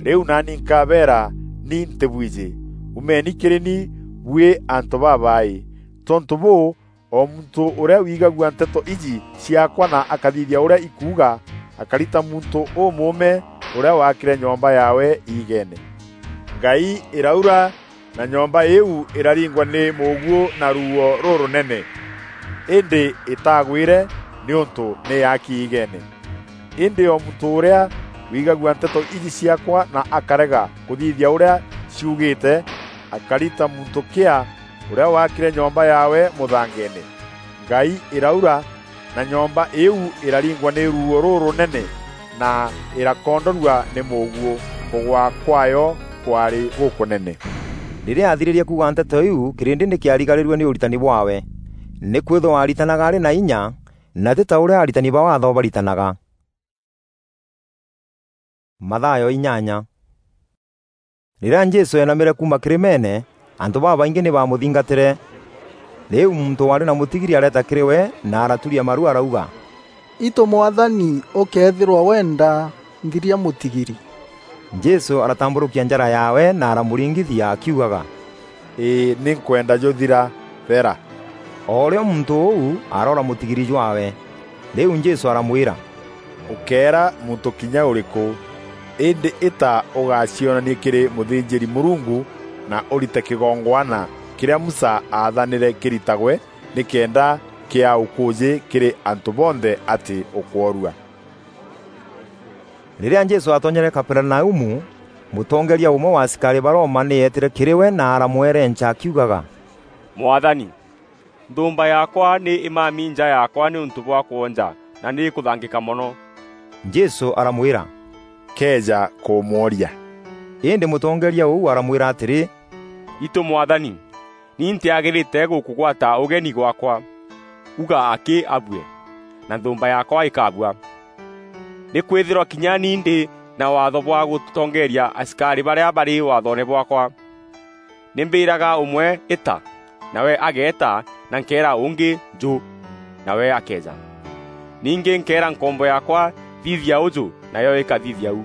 Riu naani nkabeera, "Ni ntibwiji. Umeni kiri ni, bui antu babai." Tontu buu, o muntu uria wigagua nteto iji ciaakwa na akathithia uria ikuuga, akari ta muntu umuume uria waakire nyomba yaawe iigeene. Ngai iraura, na nyomba iiu iraringwa ni muuguo na ruuo rurunene, indi itagwire, niuntu ni yaaki iigeene. Indi o muntu uria wigagua nteto iji ciaakwa na akarega kuthithia uria ciugite, akari ta muntu kia uria waakire nyomba yaawe muthangeene. Ngai iraura, na nyomba iiu iraringwa ni ruuo rurunene, na irakondorua ni muuguo. Kugwa kwaayo kwaari gukunene. Riria aathiririe kuuga nteto iu, kirindi ni kiarigarirue ni uritani bwaawe, nikwithirwa aaritanaga ari na inya, na ti ta uria aritani ba Waatho baritanaga. Mathayo inyanya. Riria Jesu eenamire kuuma kirimeene, antu babaingi ni baamuthingatire. Riu muntu waari na mutigiri areeta kiri we na araturia maru arauga, "Itu Mwathani, ukeethirwa wenda, nthiria mutigiri." Jesu aratamburukia njara yaawe na aramuringithia akiugaga, "Ii, ni nkwenda juthira, thera." O rio muntu uu aroora mutigiri jwaawe. Riu Jesu aramwira, "Ukeera muntu kinya uriku, indi ita ugacionanie kiri muthinjiri-Murungu na urite kigongwana kiria Musa aathanire kiritagwe, nikenda kia ukuuji kiri antu bonthe ati ukwoorua." Riria Jesu aatonyere Kaperinaumu, Mutongeeria umwe wa asikari ba Roma ni eetire kiri we na aramwerenca akiugaga, "Mwathani, nthumba yaakwa ni imami nja yaakwa niuntu bwa kwonja na ni ikuthangika mono." Jesû aramwîra, "Keeja kumworia." Îndî mûtongeeria ûu aramwîra atîrî, "Itû Mwathani, ni ntîagîrîte gûkûgwata ûgeni gwaakwa. Uga akî abue, na nthûûmba yaakwa îkabua. Nîkwîthîrwa kinya ni ndî na waatho bwa gûtongeeria asikarî barîa barî waathoone bwaakwa. Nî mbîraga ûmwe, 'Îta,' nawe ageeta, na nkeera ûngî, 'Njû,' nawe akeeja. Ningî nkeera nkombo yaakwa, 'Thithia ûjû,' nayo îkathithia ûu."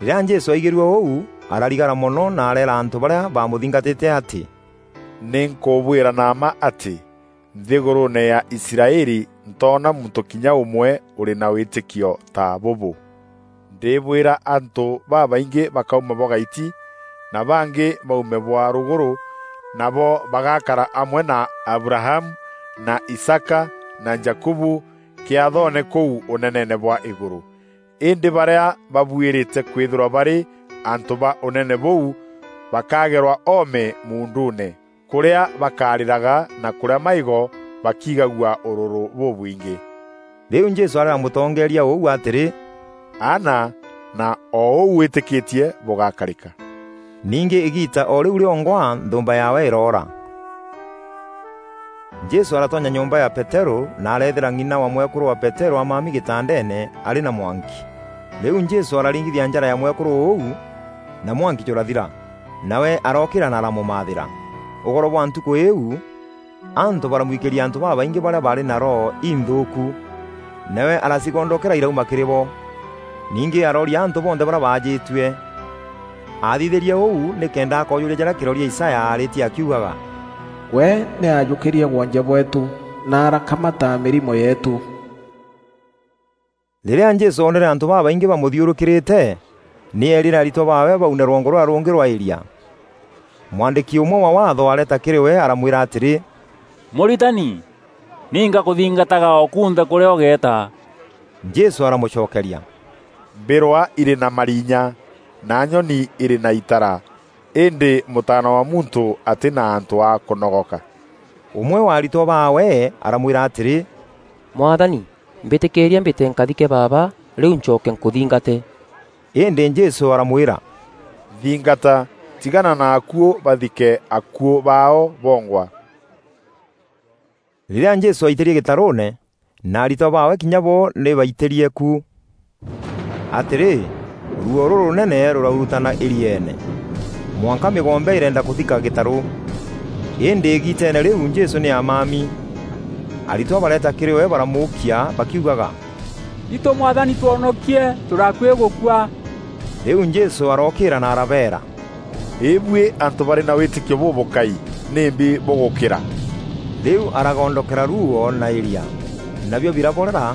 Rîrîa Jesû aigîrue ûu, ararigara mono na areera antû barîa baamûthingatîte atî, "Nî nkûbwîra na mma atî, nthîgûrûûne ya Israeli ntoona muntû kinya ûmwe ûrî na wîtîkio ta bûbû. Ndîbwîra antû babaingî bakauma bwa gaiti, na bangî baume bwa rûgûrû, nabo bagakara amwe na Abrahamu, na Isaaka, na Jakubu kîathoone kûu ûneneene bwa îgûrû. Îndî barîa babuîrîte kwîthîrwa barî antû ba ûnene bûu bakagerwa oome muunduune, kûrîa bakarîraga na kûrîa maîgo bakigagua ûrûrû bûbwingî." Rîu Jesû areera mûtongeeria ûu atîrî, "Aana, na o ûu wîtîkîtie bûgakarîka." Ningî îgiita o rîu rîongwa nthûûmba yaawe îroora. Jesû aratonya nyomba ya Peterû na areethîra ng'ina wa mwekûrû wa Peterû amami gîtandeene arî na mwanki. Rîu Jesû araringithia njara ya mwekûrû ûu, na mwanki jûrathira. Nawe arookîra na aramûmaathîra. Ûgoro bwa ntukû îîu, antû baramwikîria antû babaingî barîa baarî na roho inthûûku. Nawe aracigondokera irauma kîrî bo. Ningî arooria antû bonthe barîa baajîtue. Aathithîrie ûu nîkenda akoojûria jarîa kîroria Isaya aarîtie akiugaga, "We nî aajûkîrie gwonje bweetû, na arakamata mîrimo yeetû." Rîrîa Jesû oonere antû babaingî bamûthiûrûkîrîte, nî eerîre aritwa baawe baune rwongo rûrîa rûngî rwa îria. Mwandîki ûmwe wa Waatho areeta kîrî we aramwîra atîrî, "Mûritani, ni ngakûthingataga o kunthe kûrîa ûgeeta." Jesû aramûcokeria, "Mbîrwa irî na marinya, na nyoni irî na itara, îndî Mûtaana wa Muntû atî na antû a kûnogoka." Ûmwe wa aritwa baawe aramwîra atîrî, "Mwathani, mbîtîkîîria mbîte nkathike baaba, rîu ncoke nkûthingate." Îndî Jesû aramwîra, "Nthingata, tigana na akuû bathike akuû baao bongwa." Rîrîa Jesû aitîrie gîtarûûne, na aritwa baawe kinya bo nî baitîrie ku. Atîrî, ruuo rûrûnene rûraurutana îrieene, mwanka mîgombe îrenda kûthika gîtarû. Îndî îgiiteene rîu Jesû nî aamami. Aritwa bareeta kîrî we baramûûkia bakiugaga, "Itû Mwathani, twonokie, tûrakuî gûkua!" Rîu Jesû arookîîra na arabeera, "Îbuî antû barî na wîtîkio bûbûkai, nîmbi bûgûkîra?" Rîu aragondokera ruuo na îria, nabio biraborera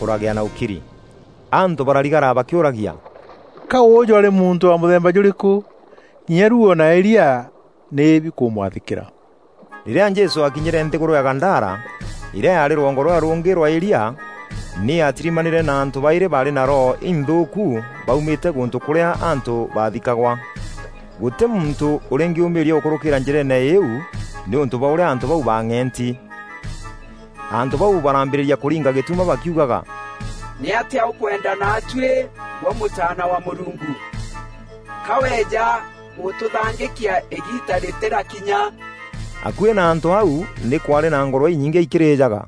kûragîa na ûkiri. Antû bararigara bakîûragia, "Ka ûûjû arî muntû wa mûthemba jûrîkû? Kinya ruuo na îria nî bikûmwathîkîra." Rîrîa Jesû aakinyîre nthîgûrû ya Gadara, îrîa yaarî rwongo rûrîa rûngî rwa îria, nî aatirimanîre na antû baîrî baarî na roho inthûûku baumîte gûntû kûrîa antû baathikagwa. Gûtî muntû ûrîngîûmîîria gûkûrûkîîra njîreene îîu nîûntû bwa ûrîa antû bau baang'enti. Antû bau barambîrîria kûringa gîtuma bakiugaga, "Nîatîa ûkwenda naatuî, gwe Mûtaana wa Mûrungu? Ka weeja gûtûthangîkia îgiita rîtîrakinya?" Akuî na antû au nî kwaarî na ngûrwe inyingî ikîrîjaga.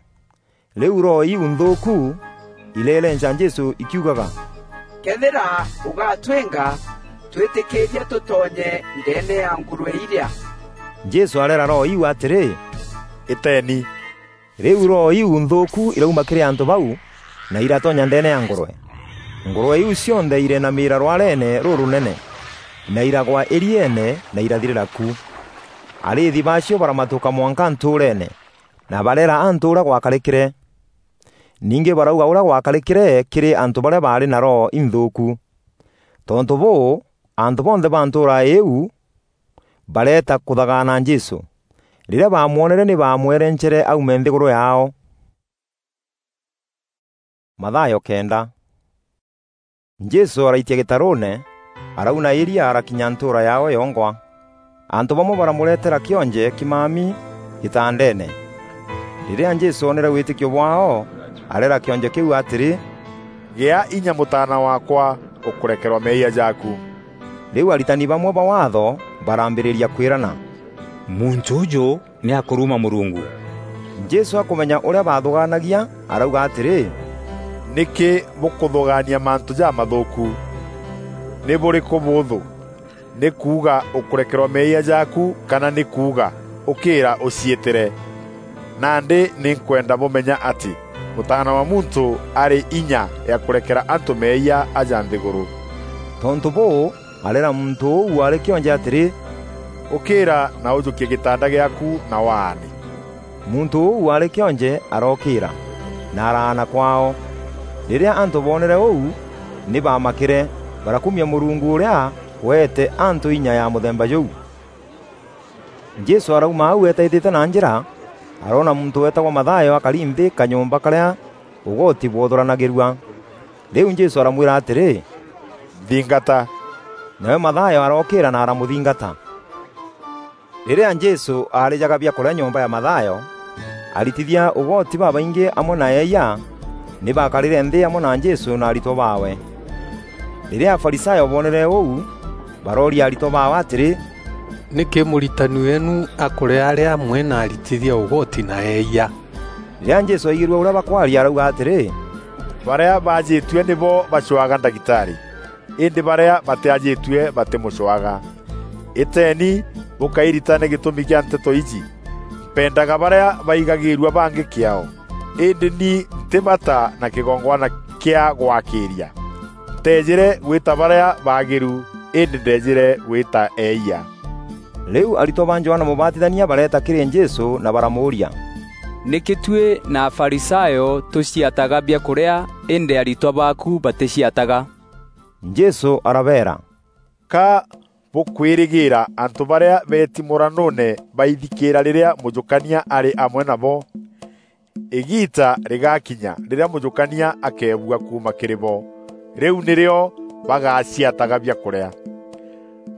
Rîu roho iu nthûûku ireerenca Jesû ikiugaga, "Këethîra ûgatwînga, twîtîkîîria tûtonye ndeene ya ngûrwe irîa." Jesû areera roho iu atîrî, "Îteeni." Rîu roho iu nthûûku irauma kîrî antû bau, na iratonya ndeene ya ngûrwe. Ngûrwe iu cionthe ireenamîîra rwareene rûrûnene, na iragwa îrieene, na irathirîra ku. Arîîthi baacio baramatûka mwanka ntûûreene, na bareera antû ûrîa gwakarîkîre. Ningî barauga ûrîa gwakarîkîre kîrî antû barîa baarî na roho inthûûku. Tontû bûû, antû bonthe ba ntûûra îîu bareeta kûthagaana Jesû. Rîrîa baamwonere, nî baamwerencere aume nthîgûrû yaao. Mathayo kenda. Jesû araitia gîtarûûne, arauna îria arakinya ntûûra yaawe yongwa. Antû bamwe baramureetera kîonje kîmami gîtandeene. Rîrîa Jesû oonere wîtîkio bwaao, areera kîonje kîu atîrî, "Gîa inya mûtaana waakwa, ûkûrekerwa meeyia jaaku." Rîu aritani bamwe ba Waatho barambîrîria kwîrana, "Muntû ûjû nî akûruma Mûrungu." Jesû akûmenya ûrîa baathûgaanagia, arauga atîrî, "Nîkî bûkûthûgaania mantû jamathûûku? Nî bûrîkû bûûthû? Nî kuuga, 'Ûkûrekerwa meeyia jaaku,' kana nî kuuga, 'Ûkîîra ûciîtîre?' Nandî nî nkwenda bûmenya atî Mûtaana wa Muntû arî inya ya kûrekera antû meeyia aja nthîgûrû." Tontû bûû, areera muntû ûu waarî kîonje atîrî, "Ûkîîra na ûjûkie gîtanda gîaaku na waane." Muntû ûu waarî kîonje arookîîra, na araana kwaao. Rîrîa antû boonere ûu, nî baamakîre, barakumia Mûrungu ûrîa weete antû inya ya mûthemba jûu. Jesû arauma au eetaîtîte na njîra, aroona muntû weetagwa Mathayo akari nthî kanyomba karîa ûgoti bwothûranagîrua. Rîu Jesû aramwîra atîrî, "Nthingata." Nawe Mathayo arookîîra na aramûthingata. Rîrîa Jesû aarîjaga biakûrîa nyomba ya Mathayo, aritithia ûgoti babaingî amwe na eeyia nî baakarîre nthî amwe na Jesû na aritwa baawe. Rîrîa Afarisayo boonere ûu, barooria aritwa baawe atîrî, "Nîkî mûritani weenu akûrîa arî amwe na aritithia ûgoti na eeyia?" Rîrîa Jesû aigîrue ûrîa bakwaria, arauga atîrî, "Barîa baajîtue nîbo bacwaga ndagîtarî, îndî barîa batîajîtue batîmûcwaga. Îteeni bûkairitane gîtûmi kîa nteto iji: 'Mpendaga barîa baigagîîrua bangî kîaao, îndî ni ntî bata na kîgongwana kîa gwakîîria. Nteejîre gwîta barîa baagîru, îndî ndeejîre gwîta eeyia.'" Rîu aritwa ba Johana Mûbatithania bareeta kîrî Jesû na baramûûria, "Nîkî tuî na Afarisayo tûciataga biakûrîa, îndî aritwa baaku batîciataga?" Jesû arabeera, "Ka bûkwîrîgîîra antû barîa beeti mûranûûne baithikîîra rîrîa mûjûkania arî amwe nabo? Îgiita rîgakinya rîrîa mûjûkania akeebua kuuma kîrî bo, rîu nîrîo bagaciataga biakûrîa.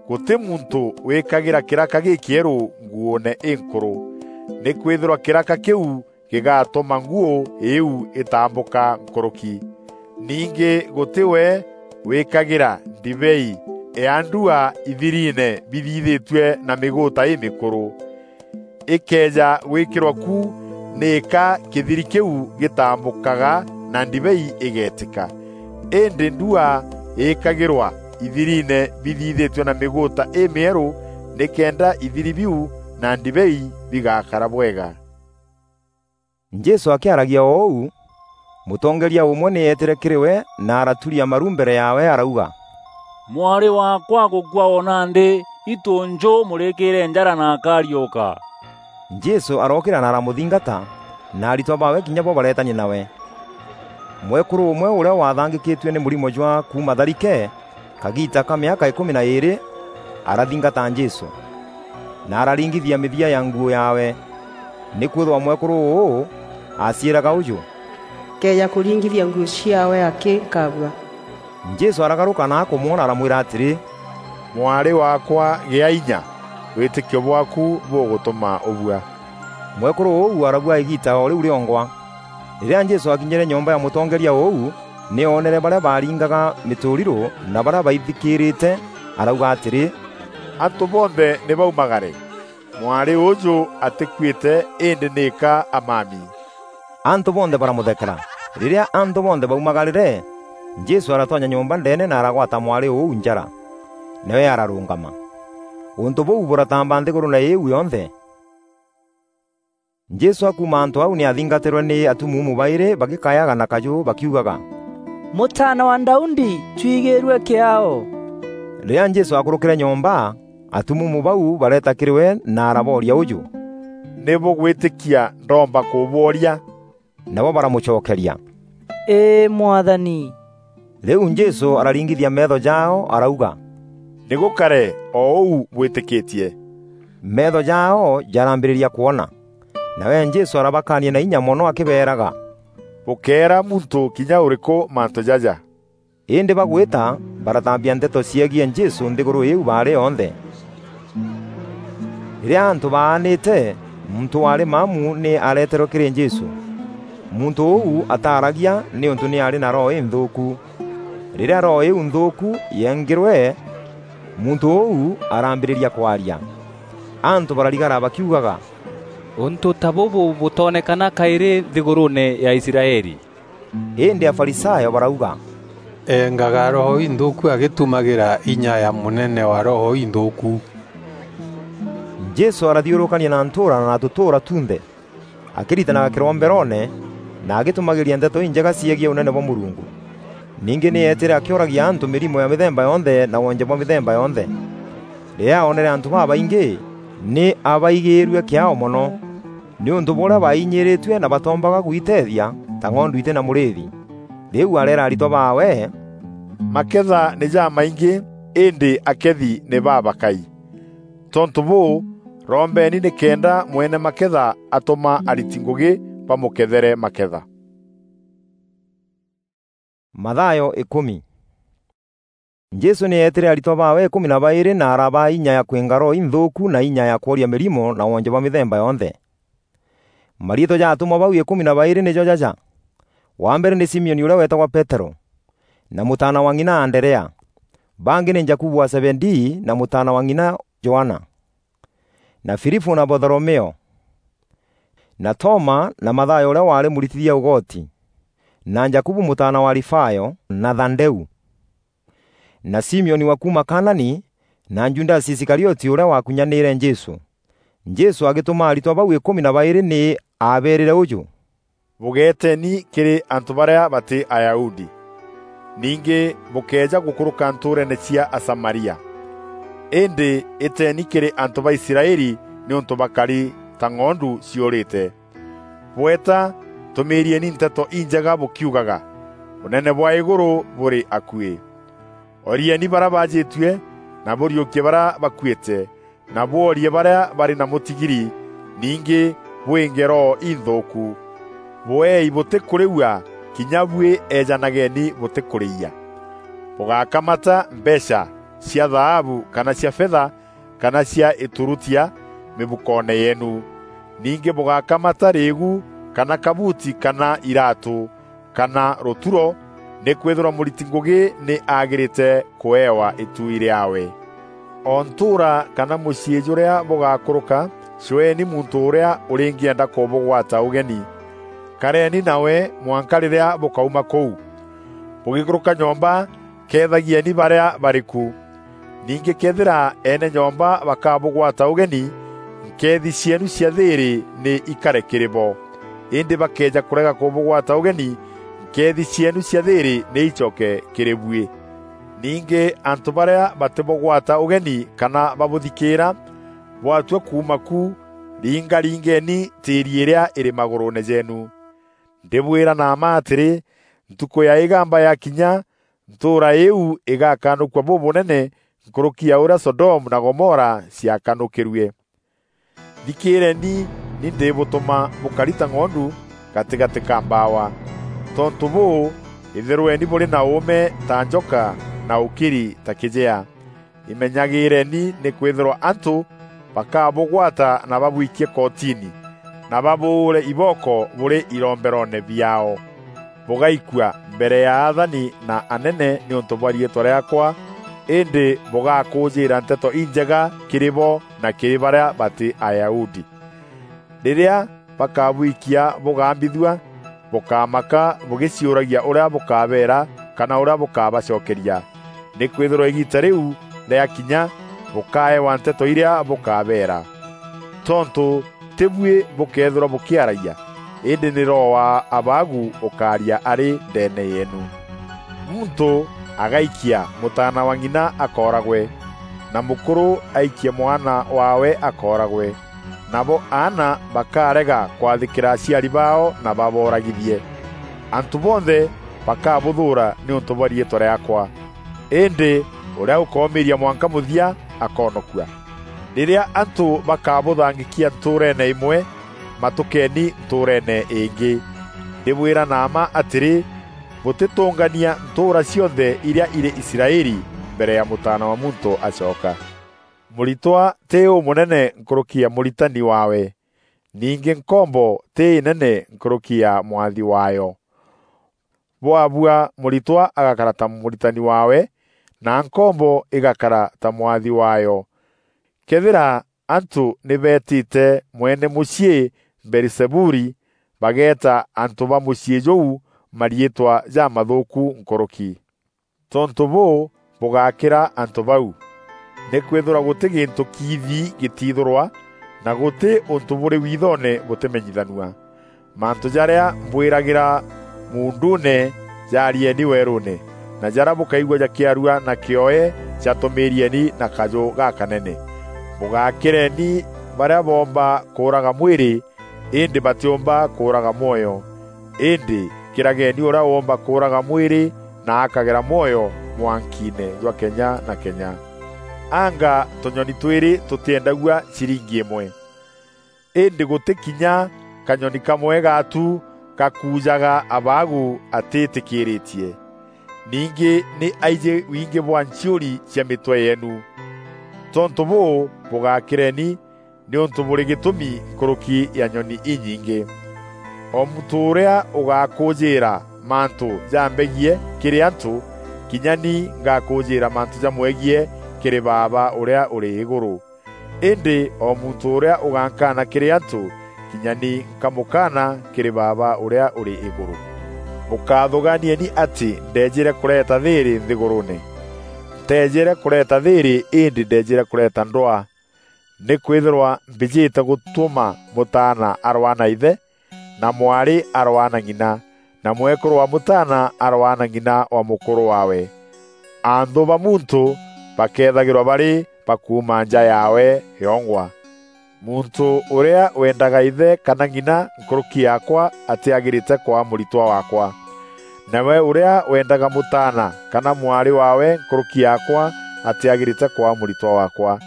Gûtî muntû wîkagîra kîraka gîkîerû nguûne înkûrû, nîkwîthîrwa kîraka kîu gîgatûma nguû îîu îtambûka nkûrûki. Ningî gûtî we wîkagîra ndibei ya ndua ithiriine bithithîtue na mîgûûta îmîkûrû. Îkeeja gwîkîrwa ku, nîka kîthiri kîu gîtambûkaga na ndibei îgeetîka. Îndî ndua îîkagîrwa ithiriine bithithîtue na mîgûûta îmîerû, nîkenda ithiri biu na ndibei bigakara bwega." Jesû akîaragia o ûu, mûtongeeria ûmwe nî eetîre kîrî we na araturia maru mbere yaawe, arauga, "Mwarî waakwa agûkua o nandî, itû njû mûrîkîîre njara na akariûka." Jesû arookîra na aramûthingata, na aritwa baawe kinya bo bareetania nawe. Mwekûrû ûmwe ûrîa waathangîkîtue nî mûrimo jwa kuuma tharike, kagiita ka mîaka îkûmi na îîrî arathingata Jesû, na araringithia mîthia ya nguû yaawe. Nîkwîthîrwa mwekûrû ûû aaciîraga ûjû, "Nkeeja kûringithia nguû ciaawe akî nkabua." Jesû aragarûka na akûmwona aramwîra atîrî, "Mwarî waakwa, gîa inya, wîtîkio bwaaku bûgûtûma ûbua." Mwekûrû ûu arabua îgiita o rîu rîongwa. Rîrîa Jesû aakinyîre nyomba ya mûtongeeria ûu, nî oonere barîa baaringaga mîtûrirû na barîa baithikîrîte, arauga atîrî, "Antû bonthe nî baumagare! Mwarî ûûjû atîkuîte, îndî nîka amami." Antû bonthe baramûthekera. Rîrîa antû bonthe baumagarîre, Jesû aratonya nyomba ndeene na aragwata mwarî ûu njara, nawe ararûngama. Ûntû bûu bûratamba nthîgûrûûne îîu yonthe. Jesû akuuma antû au, nî aathingatîrwe nî atumuumu baîrî bagîkayaga na kajû bakiugaga, "Mûtaana wa Daudi, twigîîrue kîaao!" Rîrîa Jesû aakûrûkîre nyomba, atumuumu bau bareeta kîrî we na arabooria ûjû, "Nî bûgwîtîkia ndoomba kûbworia?" Nabo baramûcokeria, "Îî, Mwathani." Rîu Jesû araringithia meetho jaao, arauga, "Nî gûkare o ûu bwîtîkîtie." Meetho jaao jarambîrîria kwona. Nawe Jesû arabakaania na inya mono akîbeeraga, "Bûkeera muntû kinya ûrîkû mantû jaja." Îndî bagwîta, Baratambia nteto ciegiî Jesû nthîgûrû îîu baarî yonthe. Rîrîa antû baanîte, muntû waarî maamu nî areeterwe kîrî Jesû. Muntû ûu ataaragia nîûntû nî aarî na roho înthûûku. Rîrîa roho îîu nthûûku yeengîrwe, muntû ûu arambîrîria kwaria. Antû bararigara bakiugaga, "Ûntû ta bûbû bûtoonekana kaîrî nthîgûrûûne ya Israeli." Îndî Afarisayo barauga, "Engaga roho inthûûku agîtumagîra inya ya mûnene wa roho inthûûku." Jesû arathiûrûkania na ntûûra na tûtûûra tunthe, akîritanaga kîromberoone na agîtumagîria nteto injega ciegiî Ûnene bwa Mûrungu. Ningî nî eetîre akîoragia antû mîrimo ya mîthemba yonthe na wonje bwa mîthemba yonthe. Rîrîa oonere antû babaingî, nî abaigîîrue kîaao mono, nîûntû bwa ûrîa bainyîîrîtue na batoombaga gwiteethia ta ng'ondu itî na mûrîîthi. Rîu areera aritwa baawe, "Maketha nî jamaingî, îndî akethi nî babakai. Tontû bûû, rombeeni nîkenda mwene maketha atûma ariti ngûgî bamûkethere maketha." Mathayo îkûmi. Jesû nî eetîre aritwa baawe îkûmi na baîrî na arabaa inya ya kwînga roho inthûûku na inya ya kworia mîrimo na wonje bwa mîthemba yonthe. Mariîtwa ja atûmwa bau îkûmi na baîrî nîjo jaja: wa mbere nî Simioni ûrîa weetagwa Peterû, na mûtaana wa ng'ina Anderea. Bangî nî Jakubu wa Zebedii na mûtaana wa ng'ina Johana, na Filipû na Batholomeo, na Toma na Mathayo ûrîa waarî mûritithia ûgoti, na Jakubu mûtaana wa Alifayo, na Thadeu, na Simioni wa kuuma Kanani, na Judasi Isikarioti ûrîa wakunyanîîre Jesû. Jesû agîtûma aritwa bau îkûmi na baîrî nî aabeerîre ûjû, "Bûgeeteni kîrî antû barîa batî Ayahudi. Ningî bûkëeja gûkûrûka ntûûreene cia Asamaria. Îndî îteeni kîrî antû ba Israeli nîûntû bakari ta ng'ondu ciûrîte. Bweta, tûmîîrieni nteto injega bûkiugaga, 'Ûnene bwa îgûrû bûrî akuî.' Orieni barîa baajîtue, na bûriûkie barîa bakuîte, na bworie barîa barî na mûtigiri, ningî bwînge roho inthûûku. Bûeei bûtîkûrîua, kinya buî eejanageni bûtîkûrîîa. Bûgákamata mbeecha cia thaabu kana cia fetha kana cia îturutia mîbukoone yeenu. Ningî bûgákamata rîîgu kana kabuuti kana iraatû, kana rûturo, nîkwîthîrwa mûriti ngûgî nî aagîrîte kûewa îtuui rîaawe. O ntûûra kana mûciî jûrîa bûgakûrûka, cweeni muntû ûrîa ûrîngîenda kûbûgwata ûgeni. Kareeni nawe mwanka rîrîa bûkauma kûu. Bûgîkûrûka nyomba, keethagieni barîa barî ku. Ningî këethîra eene nyomba bakabûgwata ûgeni, nkeethi cieenu cia thîîrî nî ikare kîrî bo. Îndî bakeeja kûrega kûbûgwata ûgeni, nkeethi cieenu cia thîîrî nî icoke kîrî buî. Ningî antû barîa batîbûgwata ûgeni kana babûthikîîra, bwatua kuuma ku, ringaringeni tîîri îrîa îrî magûrûûne jeenu. Ndîbwîra na mma atîrî, ntukû ya îgamba yakinya, ntûûra îîu îgakanûkua bûbûnene nkûrûki ya ûrîa Sodomu na Gomora ciakanûkîrue. Thikîîreni, ni ndîbûtûma bûkari ta ng'ondu gatîgatî ka mbaawa. Tontû bûû, îthîrweni bûrî na ûûme ta njoka na ûkiri ta kîjea. Imenyagîîreni, nîkwîthîrwa antû bakabûgwata na babwikie kotini, na babûûre ibooko bûrî iromberoone biaao. Bûgaikua mbere ya athani na anene nîûntû bwa riîtwa rîaakwa, îndî bûgakûûjîîra nteto injega kîrî bo na kîrî barîa batî Ayahudi. Rîrîa bakabwikia bûgambithua, bûkamaka bûgîciûragia ûrîa bûkabeera kana ûrîa bûkabacokeria. Nîkwîthîrwa îgiita rîu rîakinya, bûkaewa nteto irîa bûkabeera. Tontû tî buî bûkeethîrwa bûkîaragia, îndî nî Roho wa Abaagu ûkaaria arî ndeene yeenu. Muntû agaikia mûtaana wa ng'ina akooragwe, na mûkûrû aikie mwana waawe akooragwe. Nabo aana bakarega kwathîkîra aciari baao na babooragithie. Antû bonthe bakabûthûûra nîûntû bwa riîtwa rîaakwa, îndî ûrîa ûkoomîîria mwanka mûthia akoonokua. Rîrîa antû bakabûthangîkia ntûûreene îmwe, matûkeeni ntûûreene îngî. Ndîbwîra na mma atîrî, Bûtîtûngania ntûûra cionthe irîa irî Israeli mbere ya Mûtaana wa Muntû acoka. Mûritwa tî ûmûnene nkûrûki ya mûritani waawe, ningî nkombo tî înene nkûrûki ya mwathi waayo. Bwabua mûritwa agakara ta mûritani waawe, na nkombo îgakara ta mwathi waayo. Këethîra antû nî beetîte mwene mûciî Beelizebuli, bageeta antû ba mûciî jûu mariîtwa jamathûûku nkûrûki. Tontû bûû, bûgakîra antû bau. Nîkwîthîrwa gûtî gîntû kiithi gîtiithûrwa, na gûtî ûntû bûrî withoone bûtîmenyithanua. Mantû jarîa mbwîragîra muunduune, jaarieni weerûûne, na jarîa bûkaigua jakîarua na kîoe, jatûmîîrieni na kajû gakanene. Bûgakîreni barîa boomba kûûraga mwîrî, îndî batîûmba kûûraga mwoyo. Îndî kîrageni ûrîa woomba kûûraga mwîrî na akagera mwoyo mwankiine jwa kenya na kenya. Anga tûnyoni twîrî tûtîendagua ciringi îmwe? Îndî gûtî kinya kanyoni kamwe gaatu gakuujaga abaagu atîtîkîîrîtie. Ningî nî aijî wingî bwa nchiûri cia mîtwe yeenu. Tontû bûû, bûgakîreni nîûntû bûrî gîtûmi nkûrûki ya nyoni inyingî. O muntû ûrîa ûgakûûjîîra mantû jambegie kîrî antû, kinya ni ngakûûjîîra mantû jamwegie kîrî Baaba ûrîa ûrî îgûrû. Îndî o muntû ûrîa ûgankaana kîrî antû, kinya ni nkamûkaana kîrî Baaba ûrîa ûrî îgûrû. Bûkathûgaanieni atî ndeejîre kûreeta thîîrî nthîgûrûûne. Nteejîre kûreeta thîîrî, îndî ndeejîre kûreeta ndwaa. Nîkwîthîrwa mbîjîte gûtûma mûtaana arwaa na îthe, na mwarî arwaa na ng'ina, na mwekûrû wa mûtaana arwaa na ng'ina wa mûkûrû waawe. Anthû ba muntû bakeethagîrwa barî ba kuuma nja yaawe yongwa. Muntû ûrîa wendaga îthe kana ng'ina nkûrûki yaakwa atîagîrîte kwaa mûritwa waakwa. Nawe ûrîa wendaga mûtaana kana mwarî waawe nkûrûki yaakwa atîagîrîte kwaa mûritwa waakwa.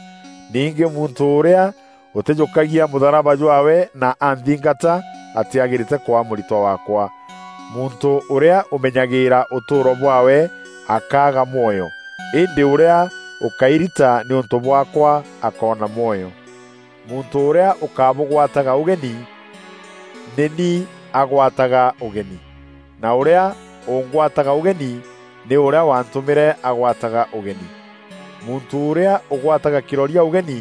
Ningî muntû ûrîa ûtîjûkagia mûtharaba jwaawe na anthingata atîagîrîte kwaa mûritwa waakwa. Muntû ûrîa ûmenyagîîra ûtûûro bwaawe akaaga mwoyo, îndî ûrîa ûkairita nîûntû bwaakwa akoona mwoyo. Muntû ûrîa ûkabûgwataga ûgeni, nî ni agwataga ûgeni, na ûrîa ûngwataga ûgeni, nî ûrîa wantûmîre agwataga ûgeni. Muntû ûrîa ûgwataga kîroria ûgeni,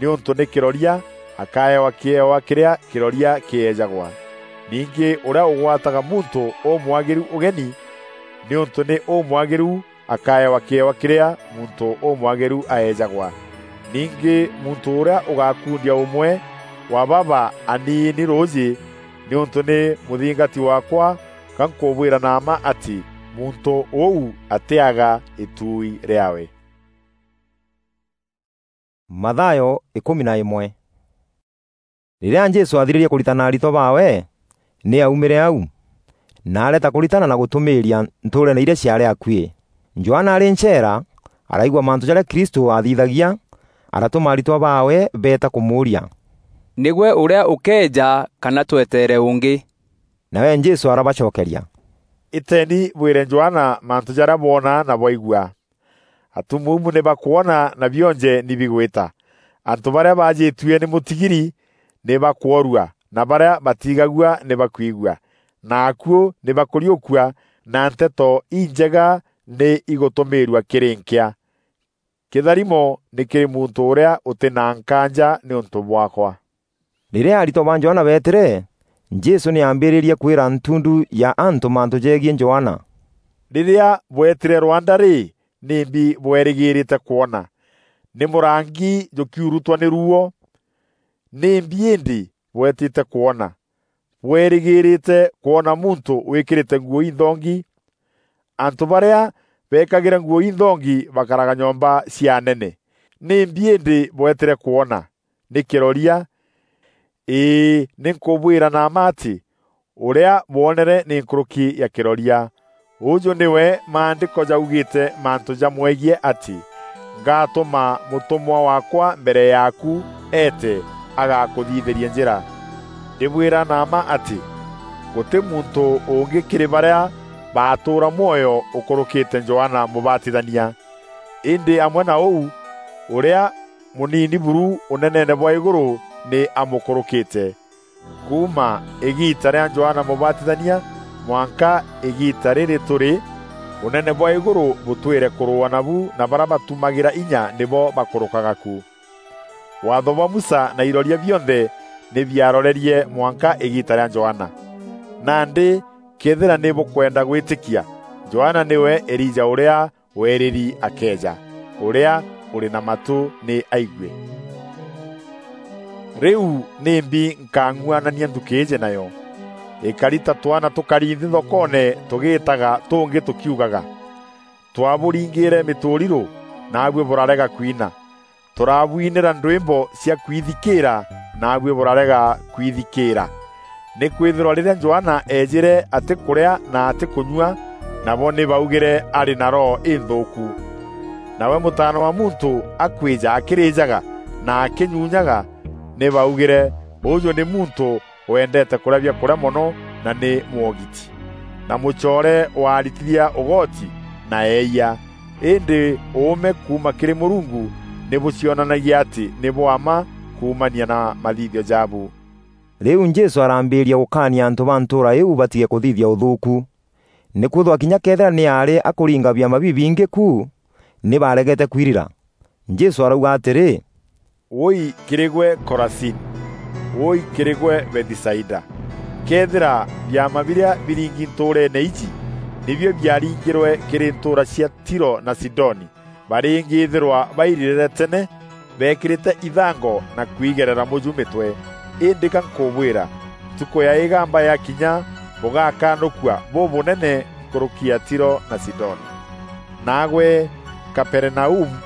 nîûntû nî kîroria, akaewa kîewa kîrîa kîroria kîeejagwa. Ningî ûrîa ûgwataga muntû ûmwagîru ûgeni, nîûntû nî ûmwagîru, akaewa kîewa kîrîa muntû ûmwagîru aeejagwa. Ningî muntû ûrîa ûgakundia ûmwe wa baba aniini rûûjî nîûntû nî mûthingati waakwa, ga nkûbwîra na mma atî muntû ûu atîaga îtuui rîaawe. Mathayo ikûmi na îmwe. Rîrîa Jesû aathirîrie kûritana aritwa baawe, nî aaumîre au, na areeta kûritana na gûtûmîîria ntûûreene irîa ciaarî akuî. Johana arî ncheera, araigua mantû jarîa Kristû aathithagia, aratûma aritwa baawe beeta kûmûûria, "Nîgwe ûrîa ûkeeja kana tweteere ûngî?" Nawe Jesû arabacokeria, "Îteeni bwîre Johana mantû jarîa bwona na bwaigua. Atumuumu nî bakwona na bionje nî bigwîta. Antû barîa baajîtue nî mûtigiri nî bakworua, na barîa batiigagua nî bakwigua, na akuû nî bakûriûkua, na nteto injega nî igûtûmîîrua kîrî nkîa. Kîtharimo nî kîrî muntû ûrîa ûtî na nkaanja nîûntû bwaakwa." Rîrîa aritwa ba Johana beetîre, Jesû nî aambîrîrie kwîra ntundu ya antû mantû jegiî Johana. "Rîrîa bweetîre rwanda rî, nîmbi bweerîgîîrîte kwona? Nî mûrangi jûkiurutwa nî ruuo? Nîmbi îndî bweetîte kwona? Bweerîgîîrîte kwona muntû wîkîrîte nguû inthongi? Antû barîa beekagîra nguû inthongi bakaraga nyomba cia anene. Nîmbi îndî bweetîre kwona? Nî kîroria? Îî, nî nkûbwîra na mma atî, ûrîa bwonere nî nkûrûki ya kîroria. Ûjû nîwe Maandîko jaugîîte mantû jamwegiî atî, 'Ngatûma mûtûmwa waakwa mbere yaaku eete, agakûthithîria njîra.' Ndîbwîra na mma atî, gûtî muntû ûngî kîrî barîa baatûûra mwoyo ûkûrûkîte Johana Mûbatithania. Îndî amwe na ûu, ûrîa mûnini buru ûneneene bwa îgûrû nî amûkûrûkîte. Kuuma îgiita rîa Johana Mûbatithania mwanka îgiita rîrî tûrî, ûnene bwa îgûrû bûtwîre kûrûûa nabu na barîa batumagîra inya nîbo bakûrûkaga ku. Waatho bwa Musa na iroria bionthe nî biarorerie mwanka îgiita rîa Johana. Nandî këethîra nî bûkwenda gwîtîkia, Johana nîwe Elija ûrîa weerîri akeeja. Ûrîa ûrî na matû nî aigue. Rîu nîmbi nkang'uanania nthukî îîjî nayo? Îkari ta twaana tûkari nthî thokoone tûgîîtaga tûngî tûkiugaga, "Twabûringîîre mîtûrirû, naabuî bûrarega kwina. Tûrabwinîra ndwîmbo cia kwithikîîra, naabuî bûrarega kwithikîîra." Nîkwîthîrwa rîrîa Johana eejîre atîkûrîa na atîkûnyua, nabo nî baugîre arî na roho înthûûku. Nawe Mûtaana wa Muntû akwîja akîrîjaga na akînyunyaga, nî baugîre, "Ûjû nî muntû wendeete kûrîa biakûrîa mono na nî mwogiti, na mûcoore wa aritithia ûgoti na eeyia." Îndî ûûme kuuma kîrî Mûrungu nî bûcionanagia atî nî bwa mma kuumania na mathithio jaabu. Rîu Jesû arambîîria gûkaania antû ba ntûûra îîu batige kûthithia ûthûûku, nîkwîthîrwa kinya këethîra nî aarî akûringa biama bibingî ku, nî baaregete kwirira. Jesû arauga atîrî, "Wûûi kîrî gwe Korazini! Wûûi kîrî gwe Bethisaida! Këethîra biama birîa biringi ntûûreene iji nîbio biaringîrwe kîrî ntûûra cia Tiro na Sidoni, barîngîîthîrwa bairîrîre tene, beekîrîte ithango na kwigerera mûju mîtwe. Îndî ga nkûbwîra, ntukû ya îgamba yakinya, bûgakanûkua bûbûnene nkûrûki ya Tiro na Sidoni. Naagwe Kaperinaumu,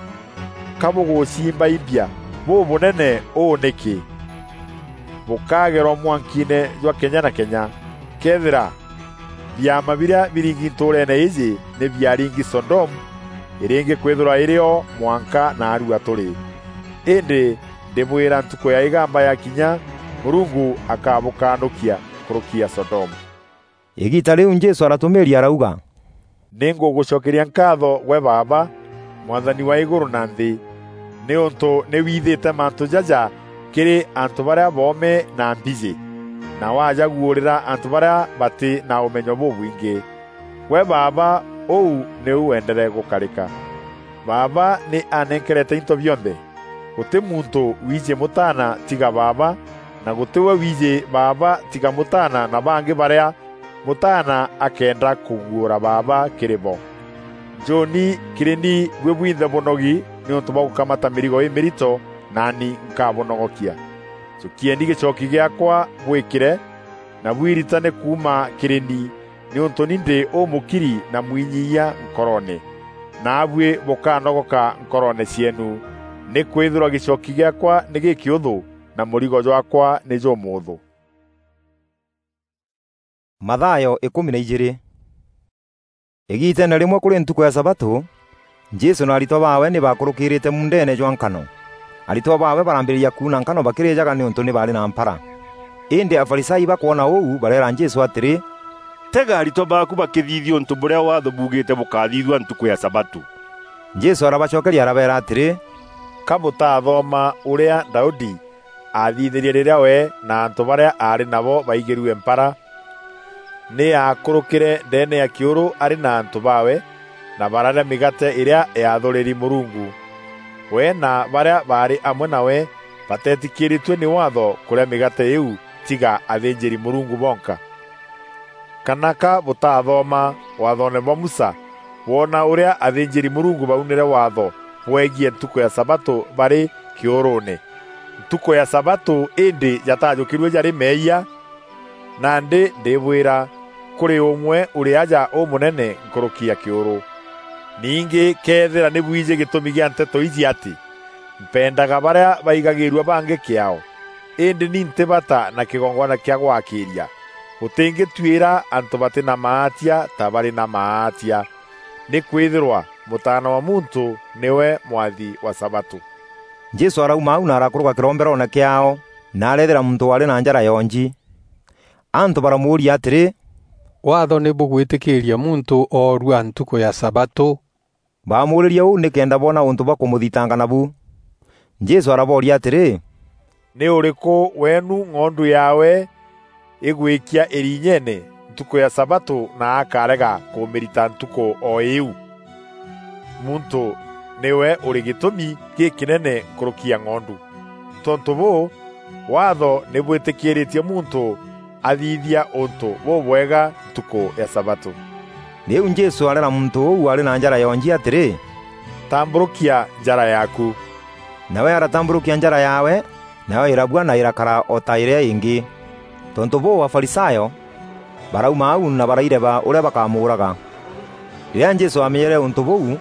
ka bûgûcimbaimbia bûbûnene ûû nîkî? Bûkagerwa mwankiine jwa kenya na kenya. Këethîra biama birîa biringi ntûûreene îîjî nî biaringi Sodomu, îrîngî kwîthîrwa îrî o mwanka naarua tûrî. Îndî ndîbwîra, ntukû ya îgamba yakinya, Mûrungu akabûkanûkia nkûrûki ya Sodomu." Îgiita rîu Jesû aratûmîîria arauga, "Nî ngûgûcokeria nkaatho gwe Baaba, Mwathani wa îgûrû na nthî, nîûntû nî withîte mantû jaja kîrî antû barîa boome na mbijî, na wajaguûrîra antû barîa batî na ûmenyo bûbwingî. Gwe Baaba, ûu nîu wendere gûkarîka. Baaba nî anenkerete into bionthe. Gûtî muntû wiijî Mûtaana tiga Baaba, na gûtî we wiijî Baaba tiga Mûtaana na bangî barîa Mûtaana akenda kûguûra Baaba kîrî bo. Njûûni kîrî ni buî bwinthe bûnogi nîûntû bwa gûkamata mîrigo îmîrito, naani nkabûnogokia. Jûkieni gîcoki gîaakwa bwîkîre, na bwiritane kuuma kîrî ni, nîûntû ni ndî ûmûkiri na mwinyiyia nkoroone. Naabuî bûkanogoka nkoroone cieenu, nîkwîthîrwa gîcoki gîaakwa nî gîkîûthû, na mûrigo jwaakwa nî jûmûûthû. Mathayo îkûmi na ijîîrî. Îgiiteene rîmwe kûrî ntukû ya sabatû, Jesû na aritwa baawe nî baakûrûkîrîte muundeene jwa nkano. Aritwa baawe barambîrîria kuuna nkano bakîrîjaga nîûntû nî baarî na mpara. Îndî Afarisai bakwona ûu, bareera Jesû atîrî, "Tega aritwa baaku bakîthithia ûntû bûrîa Waatho buugîîte bûkathithua ntukû ya sabatû." Jesû arabacokeria arabeera atîrî, "Ka bûtathoma ûrîa Daudi aathithîrie rîrîa we na antû barîa aarî nabo baigîrue mpara? Nî aakûrûkîre ndeene ya kîûrû arî na antû baawe, na bararîa mîgaate îrîa yaathûrîri Mûrungu. We na barîa baarî amwe nawe bateetikîrîtue nî Waatho kûrîa mîgaate îîu, tiga athînjîri-Mûrungu bonka. Kana ka bûtathoma Waathoone bwa Musa, bwona ûrîa athînjîri-Mûrungu baunîre Waatho bwegiî ntukû ya sabatû barî kîûrûûne? Ntukû ya sabatû îndî jatajûkîrue jarî meeyia? Nandî ndîbwîra, kûrî ûmwe ûrî aja ûmûnene nkûrûki ya kîûrû. Ningî këethîra nî bwijî gîtûmi gîa nteto iji atî, 'Mpendaga barîa baigagîîrua bangî kîaao, îndî ni ntî bata na kîgongwana kîa gwakîîria,' bûtîngîtuîra antû batî na maatia ta barî na maatia, nîkwîthîrwa Mûtaana wa Muntû nîwe mwathi wa sabatû." Jesû arauma au na arakûrûka kîromberoone kîaao, na areethîra muntû waarî na njara yonji. Antû baramûûria atîrî, "Waatho nî bûgwîtîkîîria muntû oorua ntukû ya sabatû?" Baamuûrîrie ûu nîkenda boona ûntû bwa kûmûthitanga nabu. Jesû arabooria atîrî, "Nî ûrîkû weenu ng'ondu yaawe îgwîkia îrinyeene ntukû ya sabatû na akarega kûmîrita ntukû o îîu? Muntû nîwe ûrî gîtûmi gîkînene nkûrûki ya ng'ondu. Tontû bûû, Waatho nî bwîtîkîîrîtie muntû athithia ûntû bûbwega ntukû ya sabatû." Rîu Jesû areera muntû ûu waarî na njara yonji atîrî, "Tambûrûkia njara yaaku." Nawe aratambûrûkia njara yaawe, nayo îrabua na îrakara o ta îrîa îngî. Tontû bûû, Afarisayo barauma au na baraireba ûrîa bakamûûraga. Rîrîa Jesû aamenyere ûntû bûu,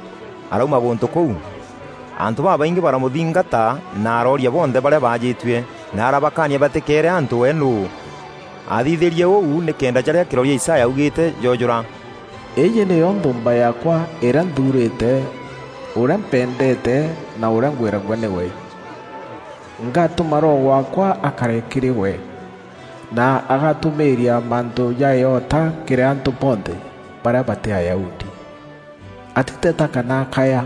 arauma gûntû kûu. Antû babaingî baramûthingata na arooria bonthe barîa baajîtue, na arabakaania batîkeere antû we nûû. Aathithîrie ûu nîkenda jarîa kîroria Isaya augîîte joojûra, "Îîjî nîyo nthûûmba yaakwa îrîa nthuurîte, ûrîa mpendeete na ûrîa ngwîragua nîwe. Ngatûma Roho waakwa akare kîrî we, na agatûmîîria mantû ja îota kîrî antû bonthe barîa batî Ayahudi. Atîteta kana akaya.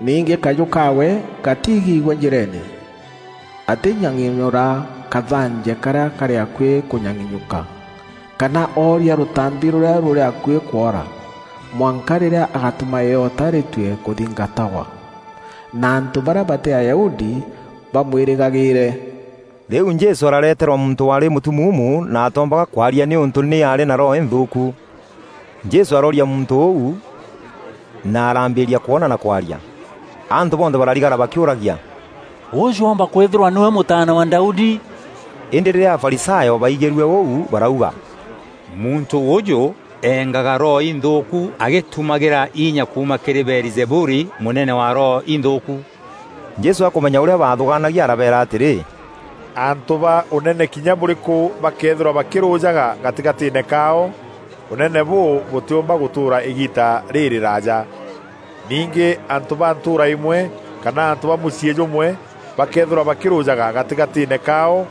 Ningî kajû kaawe gatiigîîgua njîreene. Atînyang'inyûra kathanje karîa karî akuî kûnyang'inyûka, kana ooria rûtambi rûrîa rûrî akuî kwora, mwanka rîrîa agatûma îota rîtue kûthingatagwa, na antû barîa batî Ayahudi bamwîrîgagîîre." Rîu Jesû arareterwa muntû waarî mûtumuumu na atoombaga kwaria nîûntû nî aarî na roho înthûûku. Jesû arooria muntû ûu, na arambîîria kwona na kwaria. Antû bonthe bararigara bakîûragia, "Ûûjû oomba kwîthîrwa nîwe Mûtaana wa Daudi?" Îndî rîrîa Afarisayo baigîrue ûu, barauga, "Muntû ûûjû eengaga roho inthûûku agîtumagîra inya kuuma kîrî Beelizebuli, mûnene wa roho inthûûku." Jesû akûmenya ûrîa baathûgaanagia, arabeera atîrî, "Antû ba ûnene kinya bûrîkû bakeethîrwa bakîrûjaga gatîgatîîne kaao, ûnene bûû bûtîûmba gûtûûra îgiita rîrîraaja. Ningî antû ba ntûûra îmwe kana antû ba mûciî jûmwe bakeethîrwa bakîrûjaga gatîgatîîne kaao,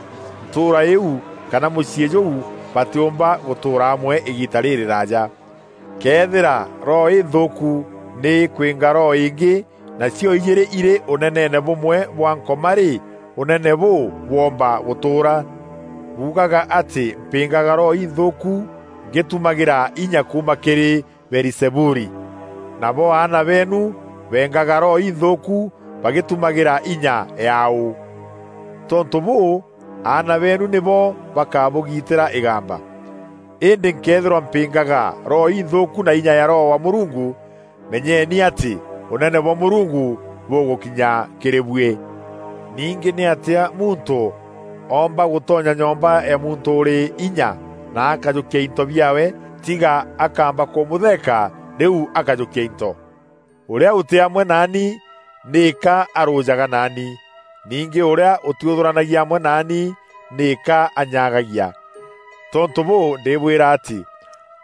ntûûra îîu kana mûciî jûu batîûmba gûtûûra amwe îgiita rîrîraaja. Këethîra roho înthûûku nî îkwînga roho îngî, nacio ijîîrî irî ûneneene bûmwe bwa Nkoma-rî, ûnene bûû bwoomba gûtûûra? Buugaga atî mpîngaga roho inthûûku ngîtumagîra inya kuuma kîrî Beelizebuli. Nabo aana beenu beengaga roho inthûûku bagîtumagîra inya yaaû? Tontû bûû, aana beenu nîbo bakabûgiitîra îgamba. Îndî nkëethîrwa mpîngaga roho inthûûku na inya ya Roho wa Mûrungu, menyeni atî ûnene bwa Mûrungu bûgûkinya kîrî buî. Ningî nîatîa muntû oomba gûtonya nyomba ya muntû ûrî inya na akajûkia into biaawe, tiga akaamba kûmûtheeka, rîu akajûkia into? Ûrîa ûtî amwe naani nîka arûjaga naani, ningî ûrîa ûtîûthûranagia amwe naani nîka anyagagia. Tontû bûû, ndîbwîra atî,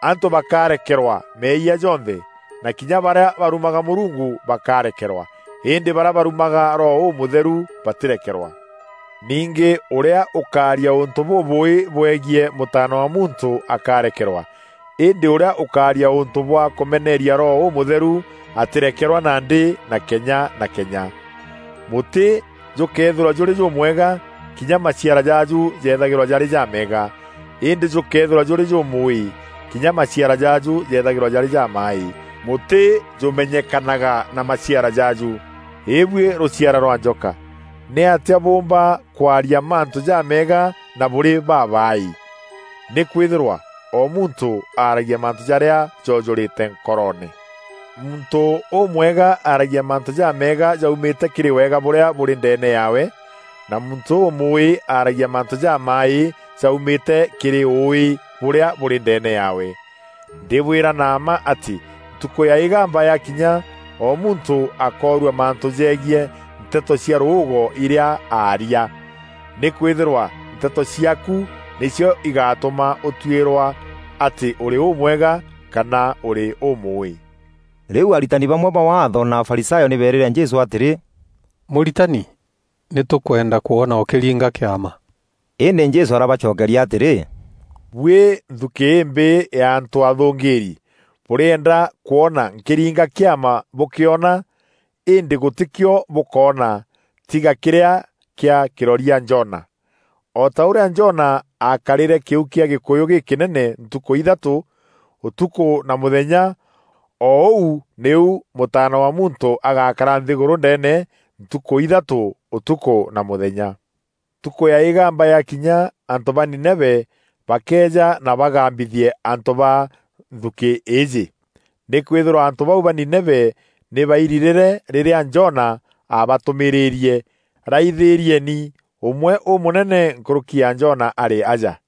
antû bakarekerwa meeyia jonthe, na kinya barîa barumaga Mûrungu bakarekerwa, îndî barîa barumaga Roho Ûmûtheru batîrekerwa. Ningî ûrîa ûkaaria ûntû bûbûûî bwegiî Mûtaana wa Muntû akarekerwa, îndî ûrîa ûkaaria ûntû bwa kûmeneeria Roho Ûmûtheru atîrekerwa nandî na kenya na kenya. Mûtî jûkeethîrwa jûrî jûmwega, kinya maciara jaaju jeethagîrwa jarî jameega. Îndî jûkeethîrwa jûrî jûmûûî, kinya maciara jaaju jeethagîrwa jarî jamaaî. Mûtî jûmenyekanaga na maciara jaaju. Îbuî rûciara rwa njoka, nîatîa bûûmba kwaria mantû jameega na bûrî babaaî? Nîkwîthîrwa o muntû aaragia mantû jarîa joojûrîte nkoroone. Muntû ûmwega aaragia mantû jameega jaumîte kîrî wega bûrîa bûrî ndeene yaawe, na muntû ûmûûî aaragia mantû jamaaî jaumîte kîrî ûûî bûrîa bûrî ndeene yaawe. Ndîbwîra na mma atî, ntukû ya îgamba yakinya, o muntû akoorua mantû jegiî nteto cia rûûgo irîa aaria. Nîkwîthîrwa nteto ciaaku nîcio igatûma ûtuîrwa atî ûrî ûmwega kana ûrî ûmûûî. Rîu aritani bamwe ba Waatho na Afarisayo nî beerîre Jesû atîrî, "Mûritani, nî tûkwenda kwona ûkîringa kîama." Îndî Jesû arabacokeria atîrî, Buî nthuki îmbîî ya antû athûngîîri, bûrîenda kwona nkîringa kîama bûkîona, îndî gûtîkîo bûkoona, tiga kîrîa kîa kîroria Jona. O ta ûrîa Jona aakarîre kîu kîa gîkûyû gîkînene ntukû ithatû, ûtukû na mûthenya, o ûu nîu Mûtaana wa Muntû agakara nthîgûrû ndeene ntukû ithatû, ûtukû na mûthenya. Ntukû ya îgamba yakinya, antû ba Nineve bakeeja na bagambithie antû ba nthukî îîjî. Nîkwîthîrwa antû bau ba Nineve nî bairirîre rîrîa Jona aabatûmîîrîrie, "Raithîrieni, ûmwe ûmûnene nkûrûki ya Jona arî aja."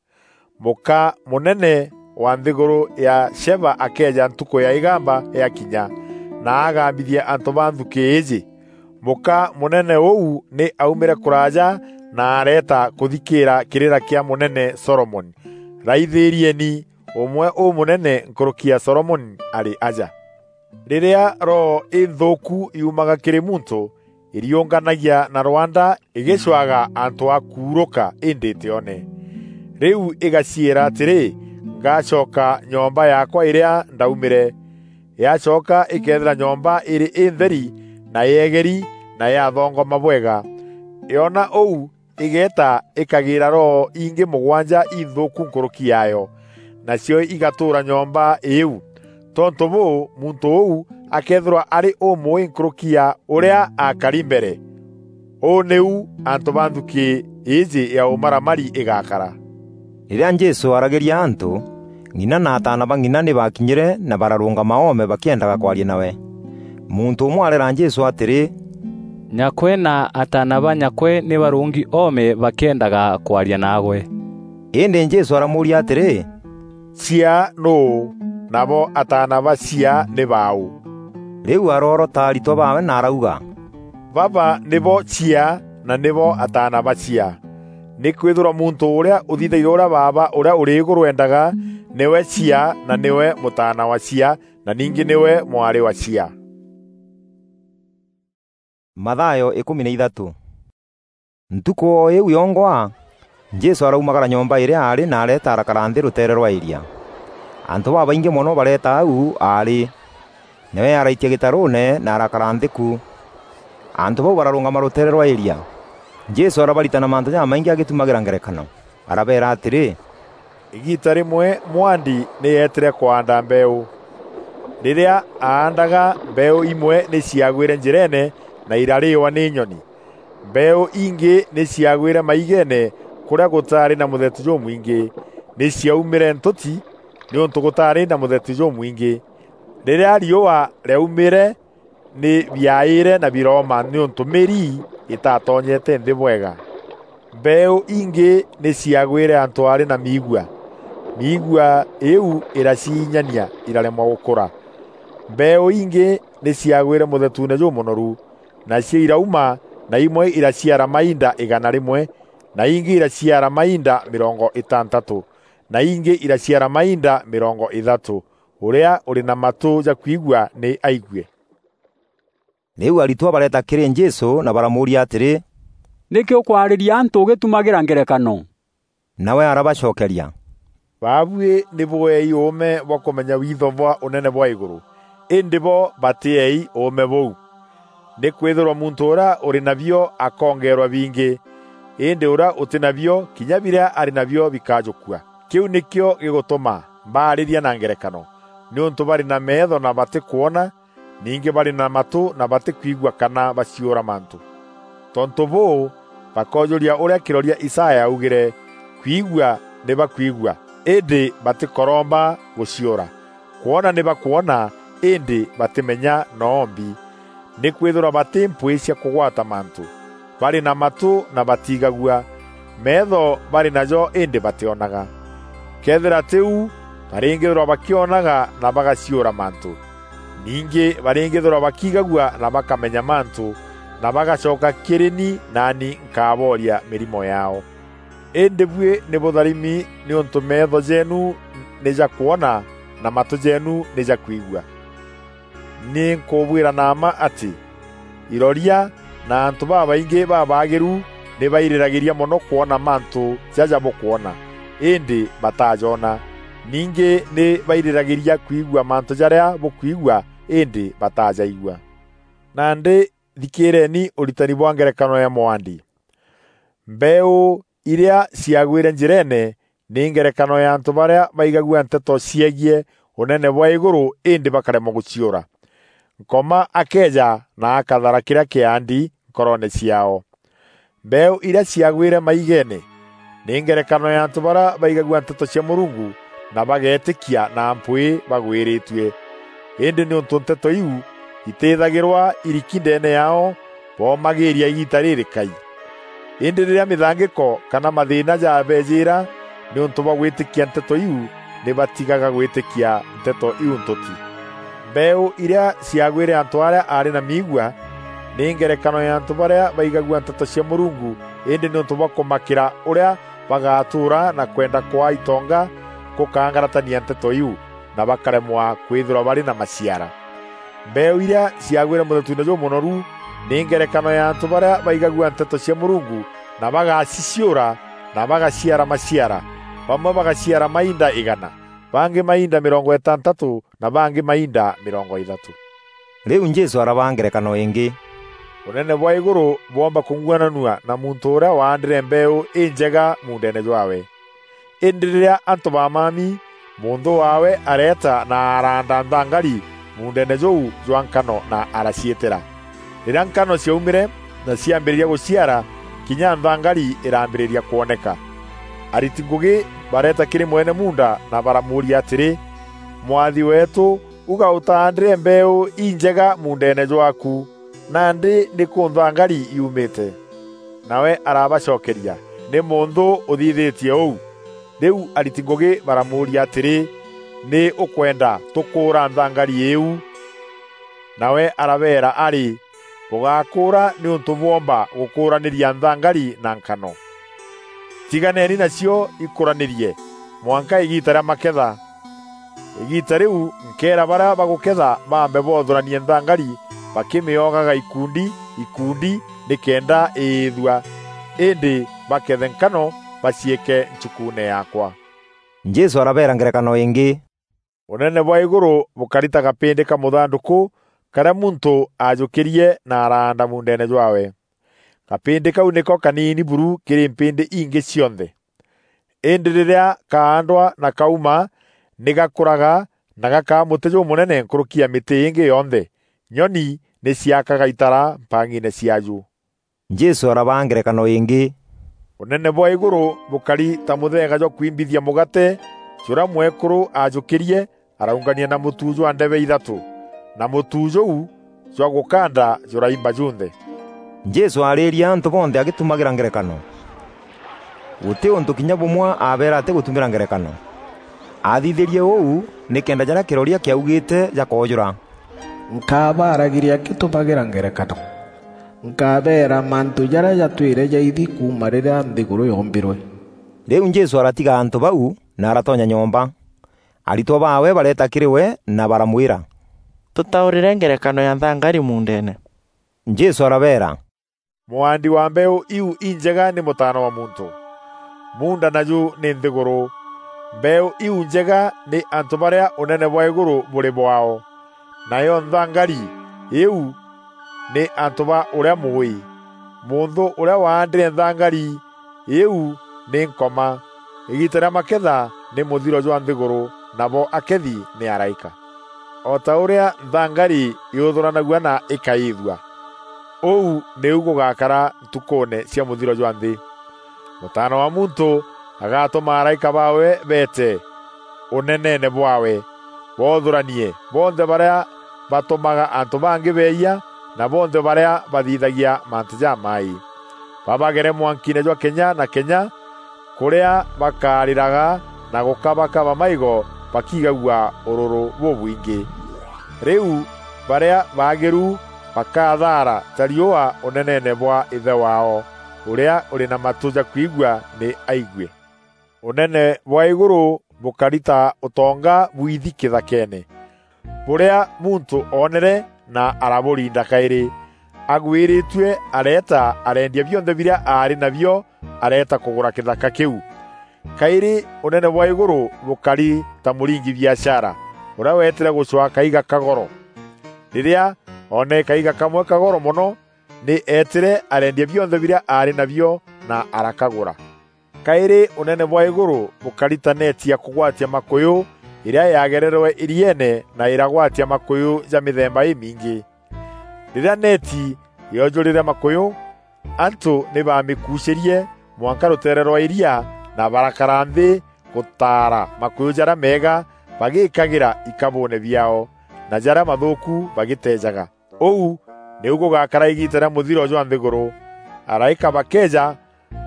Mûka mûnene wa nthîgûrû ya Sheba akeeja ntukû ya îgamba yakinya, na agambithia antû ba nthukî îîjî. Mûka mûnene ûu nî aumîre kûraaja na areeta kûthikîîra kîrîra kîa mûnene Solomoni. Raithîrieni, ûmwe ûmûnene nkûrûki ya Solomoni arî aja. Rîrîa roho înthûûku yumaga kîrî muntû, îriûnganagia na rwanda îgîcwaga antû a kuurûka îndî îtîone. Rîu îgaciîra atîrî, "Ngacoka nyomba yaakwa îrîa ndaumîre." Yacoka îkeethîra nyomba îrî întheri na yeegeri na yathongoma bwega. Yoona ûu, îgeeta îkagîîra roho ingî mûgwanja inthûûku nkûrûki yaayo, nacio igatûûra nyomba îîu. Tontû bûû, muntû ûu akeethîrwa arî ûmûûî nkûrûki ya ûrîa aakari mbere. Ûû nîu antû ba nthukî îîjî ya ûmaramari îgakara. Rîrîa Jesû aaragîria antû, ng'ina na ataana ba ng'ina nî baakinyîre na bararûngama oome bakîendaga kwaria nawe. Muntû ûmwe areera Jesû atîrî, "Nyakwe na ataana ba nyakwe nî barûngi oome bakîendaga kwaria naagwe." Îndî Jesû aramûûria atîrî, "Cia nûû, nabo ataana ba cia nî baaû?" Rîu aroorota aritwa baawe na arauga, "Baba nîbo cia na nîbo ataana ba cia. Nîkwîthîrwa muntû ûrîa ûthithagia ûrîa Baaba ûrîa ûrî îgûrû eendaga, nîwe cia na nîwe mûtaana wa cia na ningî nîwe mwarî wa cia." Mathayo ikûmi na ithatû. Ntukû o îîu yongwa, Jesû araumagara nyomba îrîa aarî na areeta arakara nthî rûteere rwa îria. Antû babaingî mono bareeta au aarî. Nawe araitia gîtarûûne na arakara nthî ku. Antû bau bararûngama rûteere rwa îria. Jesû arabaritana mantû jamaingî agîtumagîra ngerekano. Arabeera atîrî, "Îgiita rîmwe mwandi nî eetîre kwaanda mbeeû. Rîrîa aandaga, mbeeû imwe nî ciagwîre njîreene na irarîîwa nî nyoni. Mbeeû ingî nî ciagwîre maigeene kûrîa gûtaarî na mûthetu jûmwingî, nî ciaumîre ntûti nîûntû gûtaarî na mûthetu jûmwingî. Rîrîa riûa rîaumîre, nî biaaîre na birooma nîûntû mîri îtatonyete nthî bwega. Mbeeû ingî nî ciagwîre antû aarî na miigua. Miigua îîu îraciinyania, iraremwa gûkûra. Mbeeû ingî nî ciagwîre mûthetuune jûmûnoru, nacio irauma, na imwe iraciara mainda îgana rîmwe, na ingî iraciara mainda mîrongo îtantatû, na ingî iraciara mainda mîrongo îthatû. Ûrîa ûrî na matû ja kwigua nî aigue." Rîu aritwa bareeta kîrî Jesû na baramûûria atîrî, "Nîkî ûkwarîria antû ûgîtumagîra ngerekano?" Nawe arabacokeria, "Baabuî nî bûeei ûûme bwa kûmenya witho bwa ûnene bwa îgûrû, îndî bo batîeei ûûme bûu. Nîkwîthîrwa muntû ûrîa ûrî nabio akongeerwa bingî, îndî ûrîa ûtî nabio, kinya birîa arî nabio bikajûkua. Kîu nîkîo gîgûtûma mbaarîria na ngerekano, nîûntû barî na meetho na batîkwona, ningî barî na matû na batîkwigua kana baciûra mantû. Tontû bûû, bakoojûria ûrîa kîroria Isaya aaugîre, 'Kwigua nî bakwigua, îndî batîkoromba gûciûra. Kwona nî bakwona, îndî batîmenya noombi. Nîkwîthîrwa batî mpwîî cia kûgwata mantû. Barî na matû na batiigagua, meetho barî najo îndî batîonaga. Këethîra tî u, barîngîthîrwa bakîonaga na bagaciûra mantû. Ningî barîngîthîrwa bakiigagua na bakamenya mantû, na bagacoka kîrî ni, naani nkabooria mîrimo yaao. Îndî buî nî bûtharimi nîûntû meetho jeenu nî ja kwona na matû jeenu nî ja kwigua. Nî nkûbwîra na mma atî, iroria na antû babaingî babaagîru nî bairîragîria mono kwona mantû jaja bûkwona, îndî batajoona. Ningî nî bairîragîria kwigua mantû jarîa bûkwigua, îndî batajaigua. Nandî thikîîreni ûritani bwa ngerekano ya mûandi. Mbeeû irîa ciagwîre njîreene nî ngerekano ya antû barîa baigagua nteto ciegiî Ûnene bwa îgûrû, îndî bakaremwa gûciûra. Nkoma akeeja na akathara kîrîa kîandi nkoroone ciaao. Mbeeû irîa ciagwîre maigeene nî ngerekano ya antû barîa baigagua nteto cia Mûrungu na bageetîkia na mpwîî bagwîrîtue. Îndî nîûntû nteto iu itîîthagîrwa iriki ndeene yaao, boomagîîria îgiita rîrîkai. Îndî rîrîa mîthangîko kana mathîîna jabeejîîra nîûntû bwa gwîtîkia nteto iu, nî batigaga gwîtîkia nteto iu ntûti. Mbeeû irîa ciagwîre antû arîa aarî na miigua, nî ngerekano ya antû barîa baigagua nteto cia Mûrungu, îndî nîûntû bwa kûmakîra ûrîa bagatûûra na kwenda kwaa itonga kûkangaratania nteto iu, na bakaremwa kwîthîrwa barî na maciara. Mbeeû irîa ciagwîre mûthetuune jûmûnoru nî ngerekano ya antû barîa baigagua nteto cia Mûrungu na bagaciciûra na bagaciara maciara. Bamwe bagaciara mainda îgana, bangî mainda mîrongo îtantatû na bangî mainda mîrongo îthatû. Rîu Jesû arabaa ngerekano îngî: Ûnene bwa îgûrû bwoomba kûng'uananua na muntû ûrîa waandîre mbeeû înjega muundeene jwaawe. Îndî rîrîa antû bamami, mûnthû waawe areeta na araanda nthangari muundeene jûu jwa nkano na araciîtîra. Rîrîa nkano ciaumîre na ciambîrîria gûciara, kinya nthangari îrambîrîria kwoneka. Ariti ngûgî bareeta kîrî mwene muunda na baramûûria atîrî, "Mwathi weetû, uga ûtaandîre mbeeû injega muundeene jwaaku, nandî nîkû nthangari yumîte?" Nawe arabacokeria, "Nî mûnthû ûthithîtie ûu." Rîu ariti ngûgî baramûûria atîrî, "Nî ûkwenda tûkûûra nthangari îîu?" Nawe arabeera arî, "Bûgakûûra nîûntû bwoomba gûkûûranîria nthangari na nkano. Tiganeni nacio ikûranîrie mwanka îgiita rîa maketha. Îgiita rîu nkeera barîa bagûketha baambe boothûranie nthangari bakîmîogaga ikundi ikundi nîkenda îîthua, îndî bakethe nkano baciîke nchukuune yaakwa." Jesû arabeera ngerekano îngî: "Ûnene bwa îgûrû bûkari ta gapîndî ka mûthandûkû karîa muntû aajûkîrie na araanda muundeene jwaawe. Gapîndî kau nîko kaniini buru kîrî mpîndî ingî cionthe. Îndî rîrîa kaandwa na kauma, nî gakûraga na gakaa mûtî jûmûnene nkûrûki ya mîtî îngî yonthe. Nyoni nî ciakaga itara mpang'iine ciaaju." Jesû arabaa ngerekano îngî: "Ûnene bwa îgûrû bûkari ta mûtheega jwa kwimbithia mûgate jûrîa mwekûrû aajûkîrie, araungania na mûtu jwa ndebe ithatû, na mûtu jûu jwa gûkanda jûraimba junthe." Jesû aarîîria antû bonthe agîtumagîra ngerekano. Gûtî ûntû kinya bûmwe aabeera atîgûtumîra ngerekano. Aathithîrie ûu nîkenda jarîa kîroria kîaugîte jakoojûra. "Nkabaaragîria ngîtumagîra ngerekano. Nkabeera mantû jarîa jatwîre jaithi kuuma rîrîa nthîgûrû yoombîrwe." Rîu Jesû aratiga antû bau na aratonya nyomba. Aritwa baawe bareeta kîrî we na baramwîra, "Tûtaûrîre ngerekano ya nthangari muundeene." Jesû arabeera, "Mûaandi wa mbeeû iu injega nî Mûtaana wa Muntû. Muunda naju nî nthîgûrû. Mbeeû iu njega nî antû barîa Ûnene bwa îgûrû bûrî bwaao. Nayo nthangari îîu nî antû ba ûrîa mûûî. Mûnthû ûrîa waandîre nthangari îîu nî Nkoma. Îgiita rîa maketha nî mûthiro jwa nthîgûrû, nabo akethi nî araîka. O ta ûrîa nthangari yûthûranagua na îkaîîthua, ûu nîu gûgakara ntukûûne cia mûthiro jwa nthî. Mûtaana wa Muntû agatûma araîka baawe beete ûneneene bwaawe, boothûranie bonthe barîa batûmaga antû bangî beeyia, na bonthe barîa bathithagia mantû jamaaî. Babagere mwankiine jwa kenya na kenya, kûrîa bakarîraga na gûkabakaba maigo bakigagua ûrûrû bûbwingî. Rîu barîa baagîru bakathaara ta riûa ûneneene bwa Îthe waao, ûrîa ûrî na matû ja kwigua nî aigue." Ûnene bwa îgûrû bûkari ta ûtonga bwithi kîthakeene, bûrîa muntû oonere na arabûrinda kaîrî. Agwîrîtue areeta areendia bionthe birîa aarî nabio, areeta kûgûra kîthaka kîu. Kairi unene bwa iguru bukari ta muringi biashara, uria weetire gucwaa kaiga ka goro. Riria oonere kaiga kamwe ka goro mono, ni eetire areendia bionthe biria aari nabio na arakagura. Kairi unene bwa iguru bukari ta neeti ya kugwatia makuyu iria yagererwe irieene na iragwatia makuyu ja mithemba imingi. Riria neeti yoojurire makuyu, antu ni baamikuucirie mwanka ruteere rwa iria, na barakara nthi gutaara makuyu jaria meega bagikagira ikabuune biaao, na jaria mathuuku bagiteejaga. Uu niu gugakara igiita ria muthiro jwa nthiguru. Araika bakeeja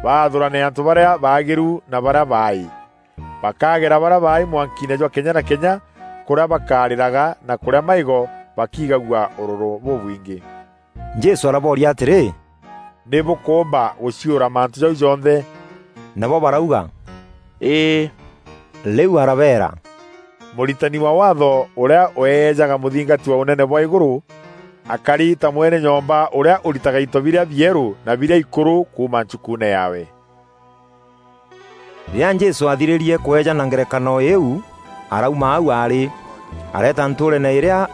baathurane antu baria baagiru na baria baai. Bakagera baria baai mwankiine jwa kenya na kenya, kuria bakariraga na kuria maigo bakigagua ururu bubwingi. Jesu arabooria atiri, "Ni bukuumba guciura mantu jau jonthe?" Nabo barauga, "Ii." Riu arabeera, "Muritani wa Waatho uria ueejaga muthingati wa unene bwa iguru, akari ta mwene nyomba uria uritaga into biria bieru na biria ikuru kuuma nchukuune yaawe." Riria Jesu aathiririe kweejana ngerekano iu, arauma au aari, areeta ntuureene iria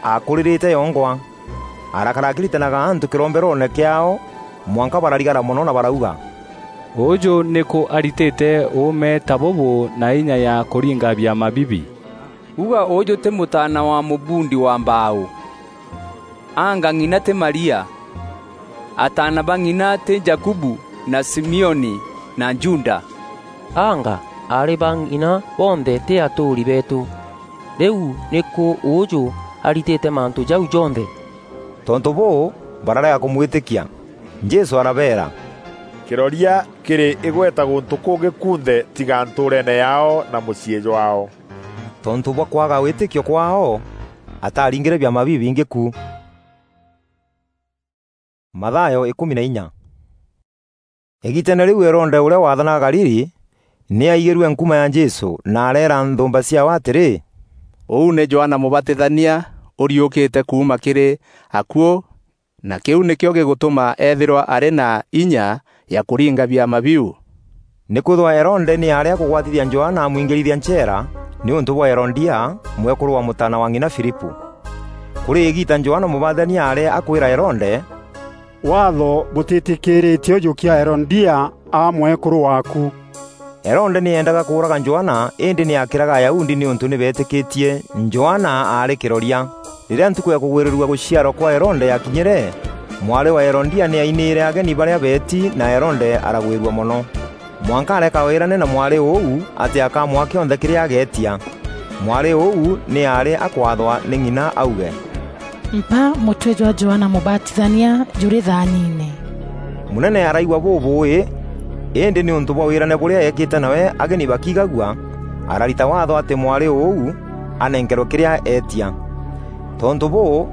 aakuririte yongwa. Arakara akiritanaga antu kiromberoone kiaao, mwanka bararigara mono na barauga, "Uuju niku aritite uume ta bubu na inya ya kuringa biama bibi? Uga uuju ti mutaana wa mubundi wa mbaau? Anga ng'ina ti Maria? Ataana ba ng'ina ti Jakubu na Simioni na Juda? Anga aari ba ng'ina bonthe ti atuuri beetu? Riu niku uuju aritite mantu jau jonthe?" Tontu buu, bararega kumwitikia. Jesu arabeera, "Kiroria kiri igweta guntu kungi kunthe tiga ntuureene yaao na muciī jwaao." Tontu bwa kwaga witikio kwaao, ataaringire biama bibingi ku. Mathayo ikumi na inya. Igiiteene riu Herode uria waathanaga Galili ni aigirue nkuma ya Jesu, na areera nthumba ciaawe atiri, "Uu ni Johana Mubatithania uriukite kuuma kiri akuu, na kiu nikio gigutuma eethirwa ari na inya ya kuringa biama biu." Nikwithirwa Herode ni aari akugwatithia Johana amwingirithia ncheera niuntu bwa Herodia, mwekuru wa mutaana wa ng'ina Filipu. Kuri igiita Johana Mubatithania aari akwira Herode, "Waatho butitikiritie ujukia Herodia aa mwekuru waaku." Herode ni eendaga kuuraga Johana, indi ni akiraga Ayahudi niuntu ni beetikitie Johana aari kiroria. Riria ntuku ya kugwirirua guciarwa kwa Herode yakinyire, mwari wa Herodia ni ainiire ageni baria beeti, na Herode aragwirua mono. Mwanka areka wîrane na mwari ûu atî akamûa kîonthe kîrîa ageetia. Mwari ûu nî aarî akwaathwa nî ng'ina auge, "Mpa mûtwe jwa Johana Mûbatithania jûrî thaaniine." Mûnene araigua bûbûûî, îndî nîûntû bwa wîrane bûrîa eekîte nawe ageni bakigagua, ararita waatho atî mwari ûu anenkerwe kîrîa eetia. Tontû bûû,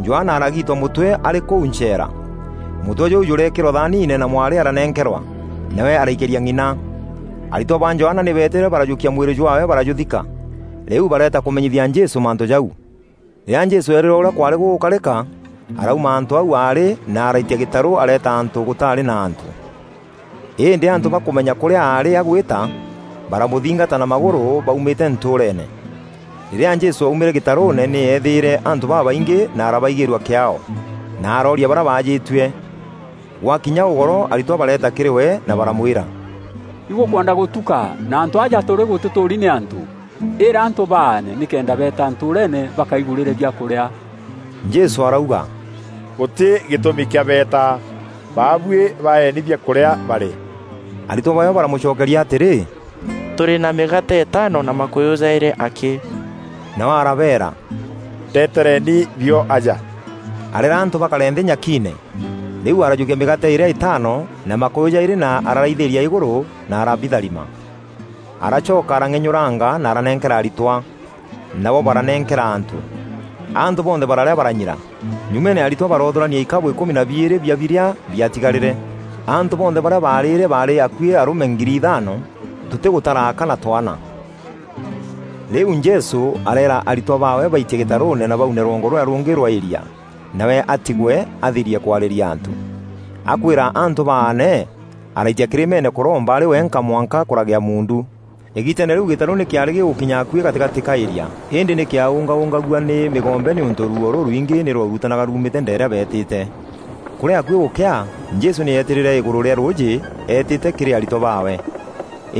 Johana aragiitwa mûtwe arî kûu ncheera. Mûtwe jûu jûreekîrwa thaaniine na mwari aranenkerwa, nawe araikîria ng'ina. Aritwa ba Johana nî beetîre barajûkia mwîrî jwaawe barajûthika. Rîu bareeta kûmenyithia Jesû mantû jau. Rîrîa Jesû eerîrwe ûrîa kwaarî gûgûkarîka, arauma antû au aarî na araitia gîtarû areeta antû gûtaarî na antû. Îndî antû bakûmenya kûrîa aarî agwîta, baramûthingata na magûrû baumîte ntûûreene. Rîrîa Jesû aumîre gîtarûûne nî eethîîre antû babaingî na arabaigîîrua kîaao, na arooria barîa baajîtue. Gwakinya ûgoro aritwa bareeta kîrî we na baramwîra, "Igûkwenda gûtuka na antû aja tûrî gûtîtûûri nî antû? Îra antû baane nîkenda beeta ntûûreene bakaigûrîre biakûrîa." Jesû arauga, "Gûtî gîtûmi kîa beeta. Baabuî baeeni biakûrîa barîe." Aritwa baawe baramûcokeria atîrî, "Tûrî na mîgaate îtaano na makûyû jaîrî akî." Nawe arabeera, "Ndetereeni bio aja." Areera antû bakare nthî nyakiine. Rîu arajûkia mîgaate îrîa îtaano na makûyû jaîrî na araraithîîria îgûrû na arabitharima. Aracoka arang'enyûranga na aranenkera aritwa, nabo baranenkera antû. Antû bonthe bararîa baranyira. Nyumeene aritwa baroothûrania ikabû îkûmi na biîrî bia birîa biatigarîre. Antû bonthe barîa baarîre baarî akuî arûme ngiri ithaano, tûtîgûtara aka na twaana. Rîu Jesû areera aritwa baawe baitie gîtarûûne na baune rwongo rûrîa rûngî rwa îria, nawe atigwe athirie kwarîria antû. Akwîra antû baane, araitia kîrîmeene kûromba arî wenka mwanka kûragîa muundu. Îgiiteene rîu gîtarû nî kîaarî gîgûkinya akuî gatîgatî ka îria, îndî nî kîaûngaûngagua nî mîgombe nîûntû ruuo rûrwingî nî rwarutanaga ruumîte ndeere beetîte. Kûrî akuî gûkea, Jesû nî eetîrîre îgûrû rîa rûûjî eetîte kîrî aritwa baawe.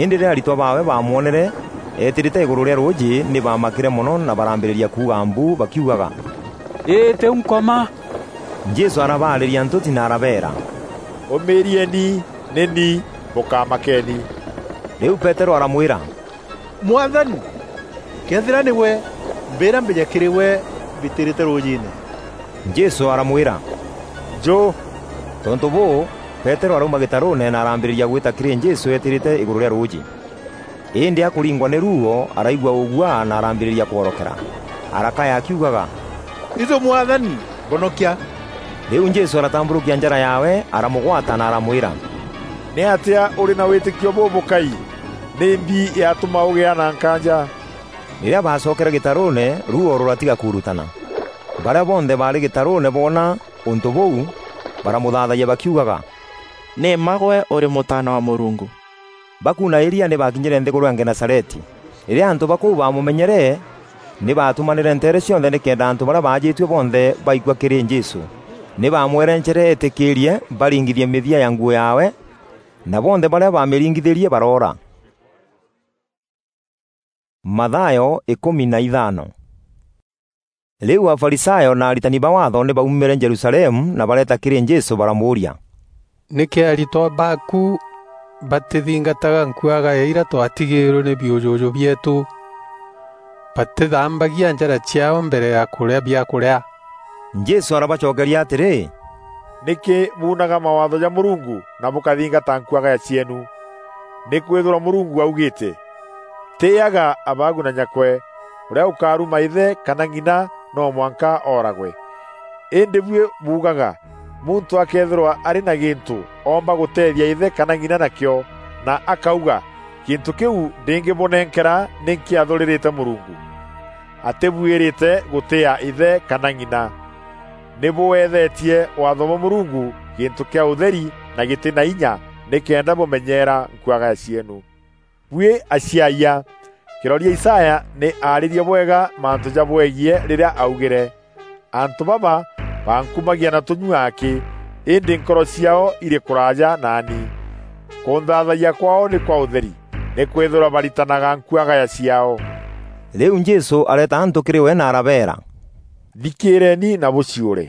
Îndî rîrîa aritwa baawe baamwonere eetîrîte îgûrû rîa rûûjî, nî baamakîre mono na barambîrîria kuuga mbu bakiugaga, "Îî tîu nkoma!" Jesû arabaarîria ntûti na arabeera, "Ûmîîrieni, nî ni, bûkamakeni." Rîu Peterû aramwîra, "Mwathani, këethîra nîgwe, mbîîra mbîje kîrî gwe mbitîrîte rûûjîîne." Jesû aramwîra, "Njû!" Tontû bûû, Peterû arauma gîtarûûne na arambîrîria gwîta kîrî Jesû eetîrîte îgûrû rîa rûûjî. Îndî akûringwa nî ruuo, araigua ûguaa na arambîrîria kworokera. Arakaya akiugaga, "Itû Mwathani, mbonokia!" Rîu Jesû aratambûrûkia njara yaawe, aramûgwata na aramwîra, "Nîatîa ûrî na wîtîkio bûbûkai? Nîmbi yatûma ûgîa na nkaanja?" Rîrîa baacokere gîtarûûne, ruuo rûratiga kuurutana. Barîa bonthe baarî gîtarûûne boona ûntû bûu, baramûthaathayia bakiugaga, "Nî mma gwe ûrî Mûtaana wa Mûrungu." Bakuuna îria nî baakinyîre nthîgûrû ya Genesareti. Rîrîa antû ba kûu baamûmenyere, nî baatûmanîre nteere cionthe nîkenda antû barîa baajîtue bonthe baikua kîrî Jesû. Nî baamwerencere eetîkîîrie baringithie mîthia ya nguû yaawe, na bonthe barîa baamîringithîrie baroora. Mathayo îkûmi na ithano. Rîu Afarisayo na aritani ba Waatho nî baumîre Jerusalemu na bareeta kîrî Jesû baramûûria, "Nîkî aritwa baaku batîthingataga nkuagaya irîa twatigîîrwe nî biûjûjû bieetû? Batîthambagia njara ciaao mbere ya kûrîa biakûrîa." Jesû arabacokeria atîrî, "Nîkî buunaga mawaatho ja Mûrungu na bûkathingata nkuagaya cieenu? Nîkwîthîrwa Mûrungu augîîte, 'Tîîaga abaagu na nyakwe, ûrîa ûkaruma îthe kana ng'ina no mwanka ooragwe.' Îndî buî buugaga, 'Muntû akëethîrwa arî na gîntû oomba gûteethia îthe kana ng'ina nakîo, na akauga, "Gîntû kîu ndîngîbûnenkera nî nkîathûrîrîte Mûrungu," atîbuîrîte gûtîîa îthe kana ng'ina. Nî bûeethetie waatho bwa Mûrungu gîntû kîa ûtheri na gîtî na inya nîkenda bûmenyeera nkuagaya cieenu. Buî aciayia, kîroria Isaya nî aarîrie bwega mantû jabwegiî rîrîa augîre, 'Antû baba bankumagia na tûnyua akî, îndî nkoro ciaao irî kûraaja naani. Kûnthaathagia kwaao nî kwa ûtheri, nîkwîthîrwa baritanaga nkuagaya ciaao.'" Rîu Jesû areeta antû kîrî we na arabeera, "Thikîîreeni na bûciûre.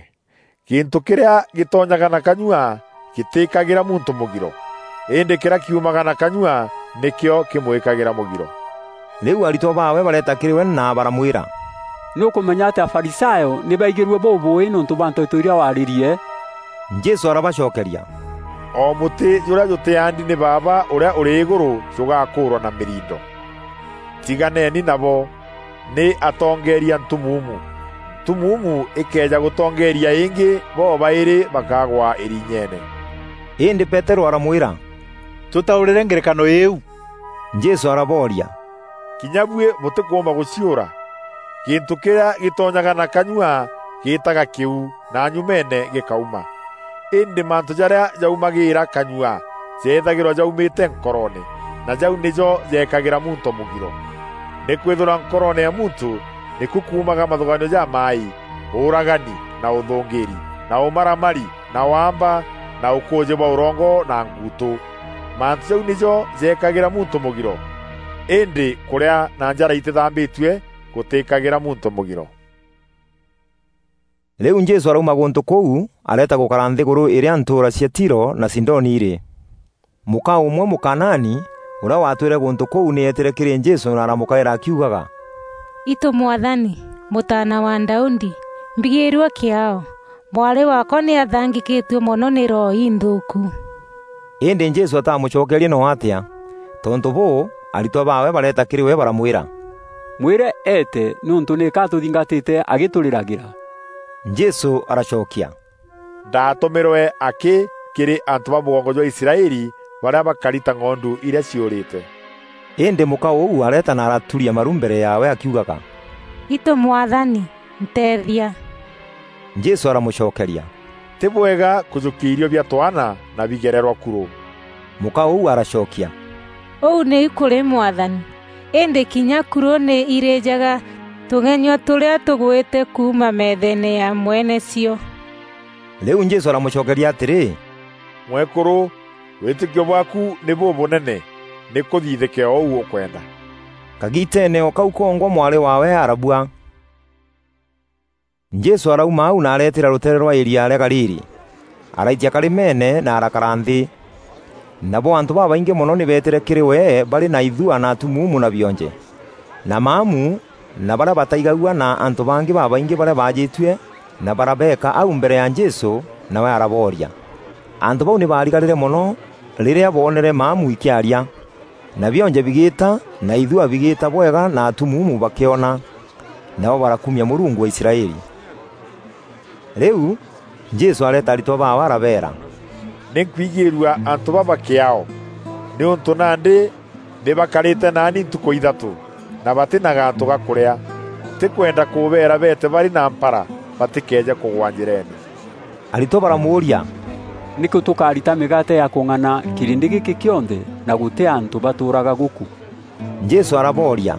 Gîntû kîrîa gîtonyaga na kanyua gîtîîkagîra muntû mûgiro, îndî kîrîa kiumaga na kanyua nîkîo kîmwîkagîra mûgiro." Rîu aritwa baawe bareeta kîrî we na baramwîra, "Nî ûkûmenya atî Afarisayo nî baigîrue bûbûûî nîûntû bwa nteto irîa waarîrie?" Jesû arabacokeria, "O mûtî jûrîa jûtîaandi nî Baaba ûrîa ûrî îgûrû jûgakûûrwa na mîrindo. Tiganeeni nabo, nî atongeeria ntumuumu. Ntumuumu îkeeja gûtongeeria îngî, bo baîrî bakagwa îrinyeene." Îndî Peterû aramwîra, "Tûtaûrîre ngerekano îîu." Jesû arabooria, "Kinya buî bûtîkûûmba gûciûra? Gîntû kîrîa gîtonyaga na kanyua gîîtaga kîu, na nyumeene gîkauma. Îndî mantû jarîa jaumagîîra kanyua jeethagîrwa jaumîte nkoroone, na jau nîjo jeekagîra muntû mûgiro. Nîkwîthîrwa nkoroone ya muntû nîku kuumaga mathûgaanio jamaaî, ûûragani, na ûthûngîîri, na ûmaramari, na waamba, na ûkûûjî bwa ûrongo na nguutû. Mantû jau nîjo jeekagîra muntû mûgiro, îndî kûrîa na njara itîthambîtue gûtîîkagîra muntû mûgiro." Rîu Jesû arauma gûntû kûu, areeta gûkara nthîgûrû îrîa ntûûra cia Tiro na Sidoni irî. Mûka ûmwe Mûkanaani, ûrîa waatwîre gûntû kûu, nî eetîre kîrî Jesû na aramûkaîra akiugaga, "Itû Mwathani, Mûtaana wa Daudi, mbigîîrua kîaao. Mwarî waakwa nî athangîkîtue mono nî roho inthûûku." Îndî Jesû atamûcokerie noo atîa. Tontû bûû, aritwa baawe bareeta kîrî we baramwîra, "Mwîre eete, nîûntû nîka atûthingatîte agîtûrîragîra." Jesû aracokia, "Ndaatûmîrwe akî kîrî antû ba mûgongo jwa Israeli, barîa bakari ta ng'ondu irîa ciûrîte." Îndî mûka ûu areeta na araturia maru mbere yaawe akiugaga, "Itû Mwathani, nteethia." Jesû aramûcokeria, "Tî bwega kûjûkia irio bia twaana na bigererwa kurû." Mûka ûu aracokia, "Ûu nîu kûrî Mwathani, îndî kinya kuro nî irîjaga tûgenyua tûrîa tûgwîte kuuma meetheene ya mwene cio." Rîu Jesû aramûcokeria atîrî, "Mwekûrû, wîtîkio bwaaku nî bûbûnene, nî kûthithîke o ûu ûkwenda." Kagiiteene o kau kongwa mwarî waawe arabua. Jesû arauma au na areetîra rûteere rwa îria rîa Galili, araitia karîmeene na arakara nthî. Nabo antû babaingî mono nî beetîre kîrî we barî na ithua na atumuumu na bionje, na maamu na barîa bataigagua na antû bangî babaingî barîa baajîtue na barabeeka au mbere ya Jesû, nawe arabooria. Antû bau nî baarigarîre mono rîrîa boonere maamu ikîaria, na bionje bigîîta, na ithua bigîîta bwega na atumuumu bakîona, nabo barakumia Mûrungu wa Israeli. Rîu Jesû areeta aritwa baawe arabeera, "Nî nkwigîîrua antû baba kîaao, nîûntû nandî nî bakarîte naani ntukû ithatû, na batî na gantû ga kûrîa. Ntîkwenda kûbeera beete barî na mpara batîkeeje kûgwa njîreene." Aritwa baramûûria, "Nîkû tûkarita mîgaate ya kûng'ana kîrindi gîkî kîonthe na gûtî antû batûûraga gûkû?" Jesû arabooria,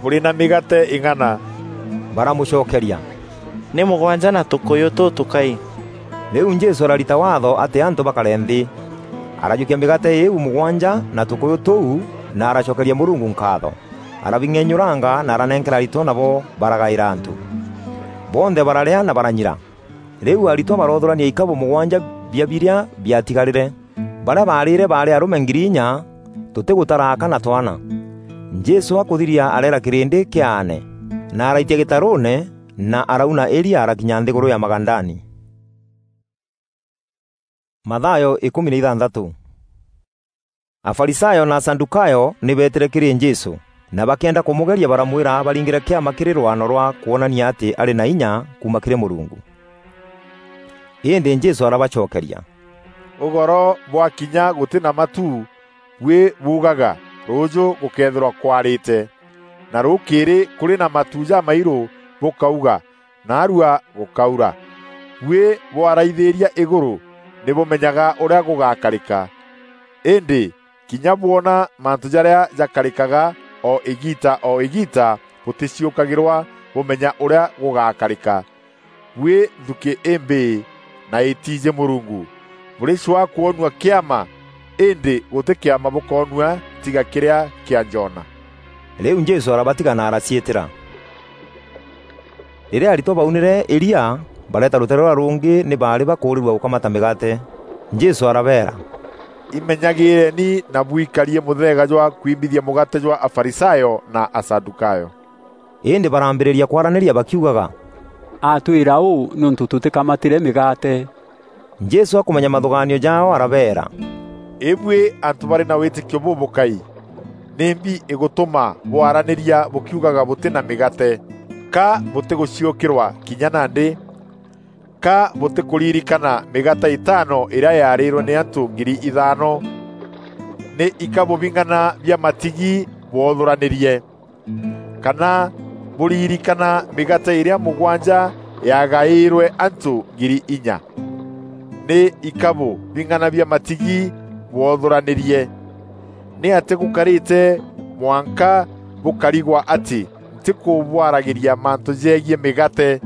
"Bûrî na mîgaate îng'ana?" Baramûcokeria, "Nî mûgwanja na tûkûyû tûtûkai." Rîu Jesû ararita waatho atî antû bakare nthî. Arajûkia mîgaate îîu mûgwanja na tûkûyû tûu na aracokeria Mûrungu nkaatho. Arabing'enyûranga na aranenkera aritwa nabo baragaîra antû. Bonthe bararîa na baranyira. Rîu aritwa baroothûrania ikabû mûgwanja bia birîa biatigarîre. Barîa baarîre baarî arûme ngiri inya, tûtîgûtara aka na twaana. Jesû akûthiria areera kîrîndî kîaane, na araitia gîtarûûne, na arauna îria arakinya nthîgûrû ya Magadani. Mathayo îkûmi na ithanthatû. Afarisayo na Asadukayo nî beetîre kîrî Jesû, na bakîenda kûmûgeria baramwîra baringîre kîama kîrî rwano rwa kwonania atî arî na inya kuuma kîrî Mûrungu. Îndî Jesû arabacokeria, "Ûgoro bwakinya gûtî na matu, buî buugaga, 'Rûûjû gûkeethîrwa kwarîte,' na rûkîîrî kûrî na matu jamairû bûkauga, 'Naarua gûkaura.' Buî bwaraithîîria îgûrû, nî bûmenyaga ûrîa gûgakarîka. Îndî kinya bwona mantû jarîa jakarîkaga o îgiita o îgiita, bûtîciûkagîrwa bûmenya ûrîa gûgakarîka. Buî nthukî îmbîî na îtiijî Mûrungu! Bûrîcwaa kwonua kîama, îndî gûtî kîama bûkoonua tiga kîrîa kîa Jona." Rîu Jesû arabatiga na araciîtîra. Rîrîa aritwa baunîre îria, bareeta rûteere rûrîa rûngî nî baarî bakûûrîrua gûkamata mîgaate. Jesû arabeera, "Imenyagîîreni na bwikarie mûtheega jwa kwimbithia mûgaate jwa Afarisayo na Asadukayo." Îndî barambîrîria kwaranîria bakiugaga, "Atwîra ûû nîûntû tûtîkamatîre mîgaate." Jesû akûmenya mathûgaanio jaao arabeera, "Îbuî antû barî na wîtîkio bûbûkai! Nîmbi îgûtûma bwaranîria bûkiugaga bûtî na mîgaate? Ka bûtîgûciûkîrwa kinya nandî? Ka bûtîkûririkana mîgaate îtaano îrîa yaarîîrwe nî antû ngiri ithaano? Nî ikabû bing'ana bia matigi bwoothûranîrie? Kana bûririkana mîgaate îrîa mûgwanja yaagaîîrwe antû ngiri inya? Nî ikabû bing'ana bia matigi bwoothûranîrie? Nîatîa gûkarîte mwanka bûkarigwa atî ntîkûbwaragîria mantû jegiî mîgaate?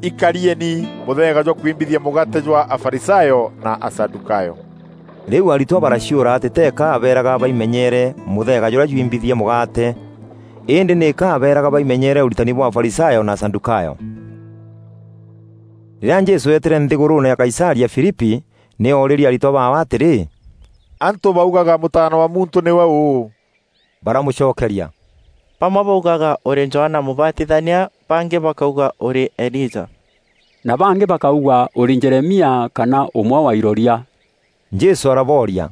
Ikarieni mûtheega jwa kwimbithia mûgaate jwa Afarisayo na Asadukayo." Rîu aritwa baraciûra atî teeka abeeraga baimenyeere mûtheega jûrîa jwimbithia mûgaate, îndî nîka abeeraga baimenyeere ûritani bwa Afarisayo na Asadukayo. Rîrîa Jesû eetîre nthîgûrûûne ya Kaisaria Filipi, nî oorîrie aritwa baawe atîrî, "Antû baugaga Mûtaana wa Muntû nîwe ûû?" Baramûcokeria, "Bamwe baugaga ûrî Johana Mûbatithania, bangî bakauga ûrî Elija, na bangî bakauga ûrî Jeremia kana ûmwe wa iroria." Jesû arabooria,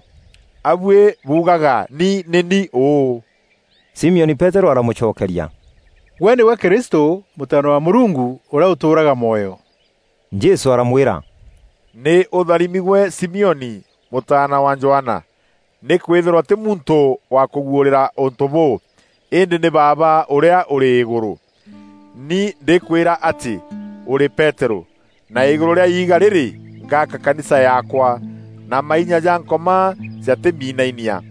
"A buî buugaga ni nî ni ûû?" Simioni Peterû aramûcokeria, "Gwe nîgwe Kristû, Mûtaana wa Mûrungu ûrîa ûtûûraga mwoyo." Jesû aramwîra, "Nî ûtharimi gwe Simioni, mûtaana wa Johana, nîkwîthîrwa tî muntû wa kûguûrîra ûntû bûû, îndî nî Baaba ûrîa ûrî îgûrû. Ni ndîkwîra atî ûrî Peterû, na îgûrû rîa iiga rîrî ngaaka kanisa yaakwa, na mainya ja Nkoma jatiminainia.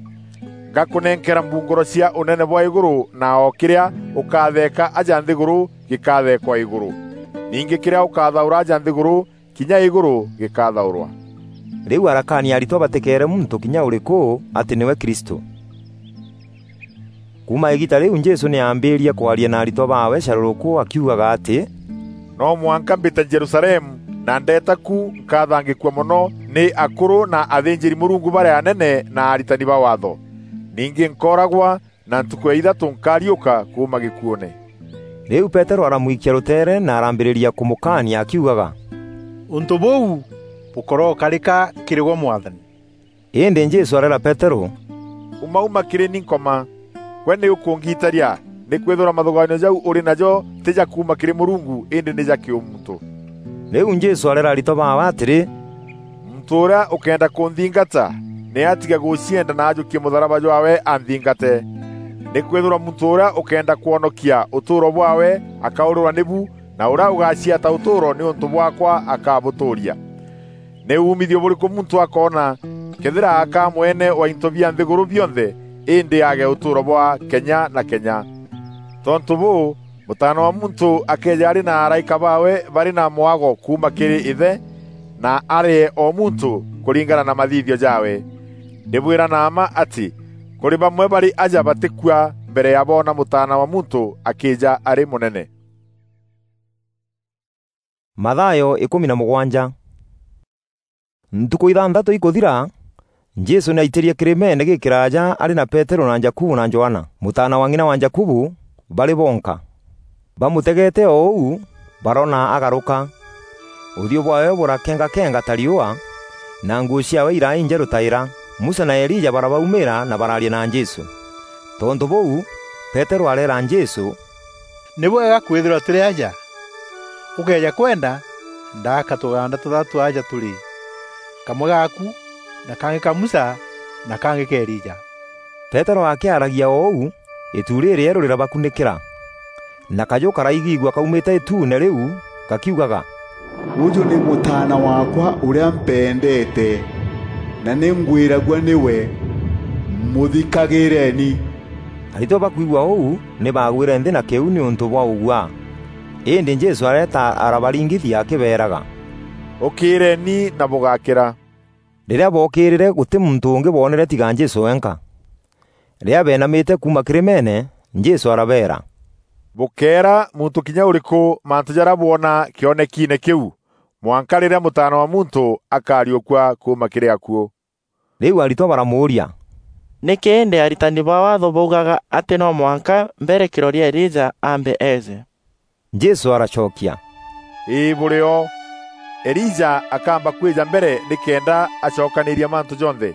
Ngakunenkera mbunguro cia unene bwa iguru, na o kiria ukatheeka aja nthiguru gikatheekwa iguru. Ningi kiria ukathaura aja nthiguru, kinya iguru gikathaurwa." Riu arakaania aritwa batikeere muntu kinya uriku ati niwe Kristo. Kuuma igiita riu Jesu ni aambiirie kwaria na aritwa baawe caruruku akiugaga ati, "No mwanka mbite Jerusalemu, na ndeeta ku nkathangikua mono ni akuru na athinjiri-Murungu baria anene na aritani ba Waatho. Ningi nkooragwa, na ntuku ya ithatu nkariuka kuuma gikuune." Riu Petero aramwikia ruteere na arambiriria kumukaania akiugaga, "Untu buu bukorokarika kiri gwe, Mwathani." Indi Jesu areera Petero, "Uma, uma kiri ni, Nkoma! Gwe ni ukungiitaria, nikwithirwa mathugaanio jau uri najo ti ja kuuma kiri Murungu, indi ni ja kiumuntu." Riu Jesu areera aritwa baawe atiri, "Muntu uria ukenda kunthingata, ni atige gucienda na ajukie mutharaba jwaawe anthingate. Nikwithirwa muntu uria ukenda kwonokia utuuro bwaawe akaurirwa nibu, na uria ugaciata utuuro niuntu bwaakwa akabutuuria. Ni uumithio buriku muntu akoona, kethira akaa mwene wa into bia nthiguru bionthe, indi aage utuuro bwa kenya na kenya? Tontu buu, Mutaana wa Muntu akeeja ari na araika baawe bari na mwago kuuma kiri Ithe, na aree o muntu kuringana na mathithio jaawe. Ndibwira na mma ati, kuri bamwe bari aja batikua mbere ya boona Mutaana wa Muntu akiija ari munene." Mathayo ikumi na mugwanja. Ntuku ithanthatu ikuthira, Jesu ni aitirie kirimeene gikiraaja ari na Petero na Jakubu na Johana, mutaana wa ng'ina wa Jakubu, bari bonka. Bamutegete o uu, baroona agaruka. Uthiu bwaawe burakengakenga ta riua, na nguu ciaawe iraa injeru ta ira. Musa na Elija barabaumira na baraaria na Jesu. Tontu buu, Petero areera Jesu, "Ni bwega kwithirwa turi aja. Ukeeja kwenda, ndaaka tuganda tuthatu aja turi, kamwe gaaku, na kangi ka Musa, na kangi ka Elija." Petero akiaragia o uu, itu ririeru rirabakunukira, na kaju karaigigua kaumite ituune riu, gakiugaga, "Uju ni Mutaana waakwa uria mpendeete, na ni ngwiragua niwe, muthikagireeni." Aritwa bakwigua uu, ni baagwire nthi na kiu niuntu bwa uguaa. Indi Jesu areeta arabaringithia akibeeraga, "Ukiireeni na bugakira." Riria bookirire, guti muntu ungi boonere tiga Jesu wenka. Riria beenamite kuuma kirimeene, Jesu arabeera, "Bukeera muntu kinya uriku mantu jaria bwona kionekiine kiu, mwanka riria Mutaana wa Muntu akariukua kuuma kiri akuu." Riu aritwa baramuuria, "Niki indi aritani ba Waatho baugaga ati no mwanka mbere kiroria Elija aambe eeje?" Jesu aracokia, "Ii, buri o. Elija akaamba kwija mbere nikenda acokaniria mantu jonthe.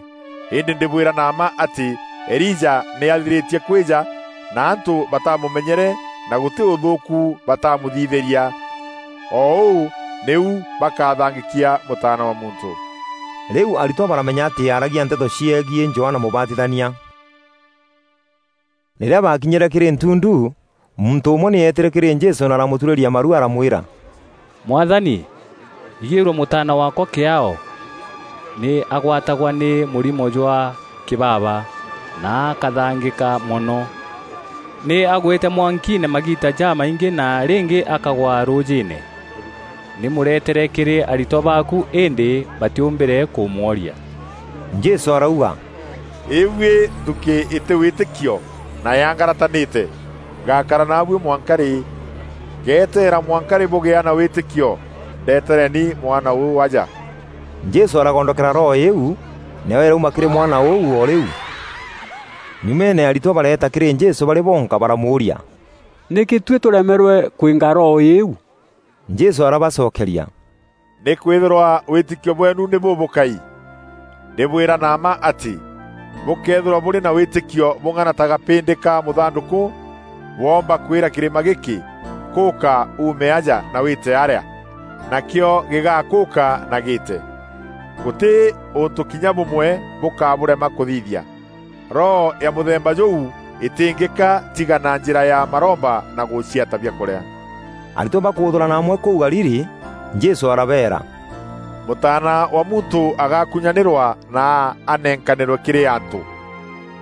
Indi ndibwira na mma ati Elija ni athiritie kwija, na antu batamumenyere, na guti uthuuku batamuthithiria. O uu niu bakathangikia Mutaana wa Muntu." Riu aritwa baramenya ati aaragia nteto ciegie Johana Mubatithania. Riria baakinyire kiri ntundu, muntu umwe ni eetire kiri Jesu na aramuturîria maru, aramwîra, "Mwathani, igîîrua mûtaana waakwa kîaao. Nî agwatagwa nî mûrimo jwa kîbaba na akathangîka mono. Nî agwîte mwankiine magiita jamaingî na rîngî akagwa rûûjîîne. Nî mûretere kîrî aritwa baaku, îndî batîûmbîre kûmworia." Jesû arauga, "Îbuî nthukî îtî wîtîkio na yangaratanîte, ngakara naabuî mwanka rî? Ngeteera mwanka rî bûgîa na wîtîkio? Ndetereni mwana ûû aja." Jesû aragondokera roho îîu, nayo îrauma kîrî mwana ûu o rîu. Nyumeene aritwa bareeta kîrî Jesû barî bonka, baramûûria, "Nîkî tuî tûremerwe kwînga roho îîu?" Jesû arabacokeria, "Nîkwîthîrwa wîtîkio bweenu nî bûbûkai. Ndîbwîra na mma atî, bûkeethîrwa bûrî na wîtîkio bûng'ana ta gapîndî ka mûthandûkû, bwoomba kwîra kîrîma gîkî, 'Kûka uume aja na wîte arîa,' nakîo gîgakûka na gîîte. Gûtî ûntû kinya bûmwe bûkabûrema kûthithia." Roho ya mûthemba jûu îtîngîka tiga na njîra ya maromba na gûciata biakûrîa. Aritwa bakûûthûrana amwe kûu Galili, Jesû arabeera, "Mûtaana wa muntû agakunyanîrwa na anenkanîrwe kîrî antû,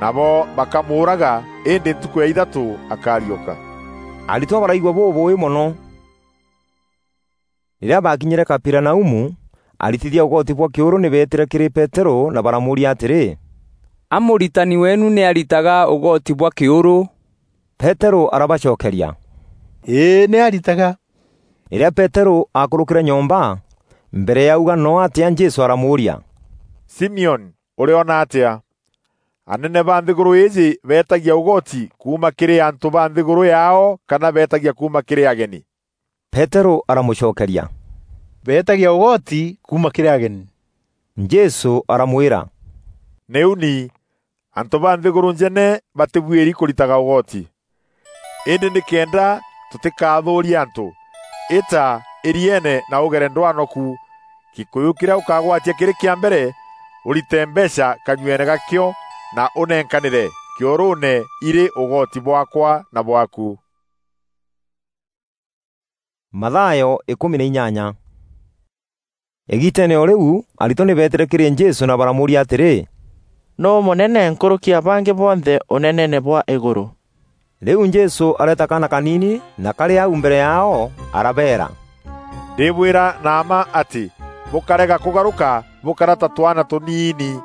nabo bakamuuraga, îndî ntukû ya ithatû akariûka." Aritwa baraigua bûbûûî mono. Rîrîa baakinyîre Kaperinaumu, aritithia ûgoti bwa kîûrû nî beetîre kîrî Peterû na baramûûria atîrî, "A mûritani weenu nî aritaga ûgoti bwa kîûrû?" Peterû arabacokeria, "Îî, nî aritaga." Rîrîa Peterû aakûrûkîre nyomba, mbere ya auga noo atîa, Jesû aramûûria, "Simioni, ûrîona atîa? Anene ba nthîgûrû îîjî beetagia ûgoti kuuma kîrî antû ba nthîgûrû yaao, kana beetagia kuuma kîrî ageni?" Peterû aramûcokeria, "Beetagia ûgoti kuuma kîrî ageni." Jesû aramwîra, "Nî uni, antû ba nthîgûrû njene batîbuîri kûritaga ûgoti. Îndî nîkenda tûtîkathûûrie antû, îta îrieene na ûgere ndwano ku. Gîkûyû kîrîa ûkagwatia kîrî kîa mbere, ûrite mbeecha kanyueene gakîo na ûnenkanîre kîûrûûne irî ûgoti bwaakwa na bwaaku." Mathayo ikûmi na inyanya. Îgiiteene o rîu, aritwa nî beetîre kîrî Jesû na baramûûria atîrî, "Nûû mûnene nkûrûki ya bangî bonthe ûneneene bwa îgûrû?" Rîu Jesû areeta kaana kaniini na karî au mbere yaao, arabeera, "Ndîbwîra na mma atî, bûkarega kûgarûka bûkara ta twaana tûniini,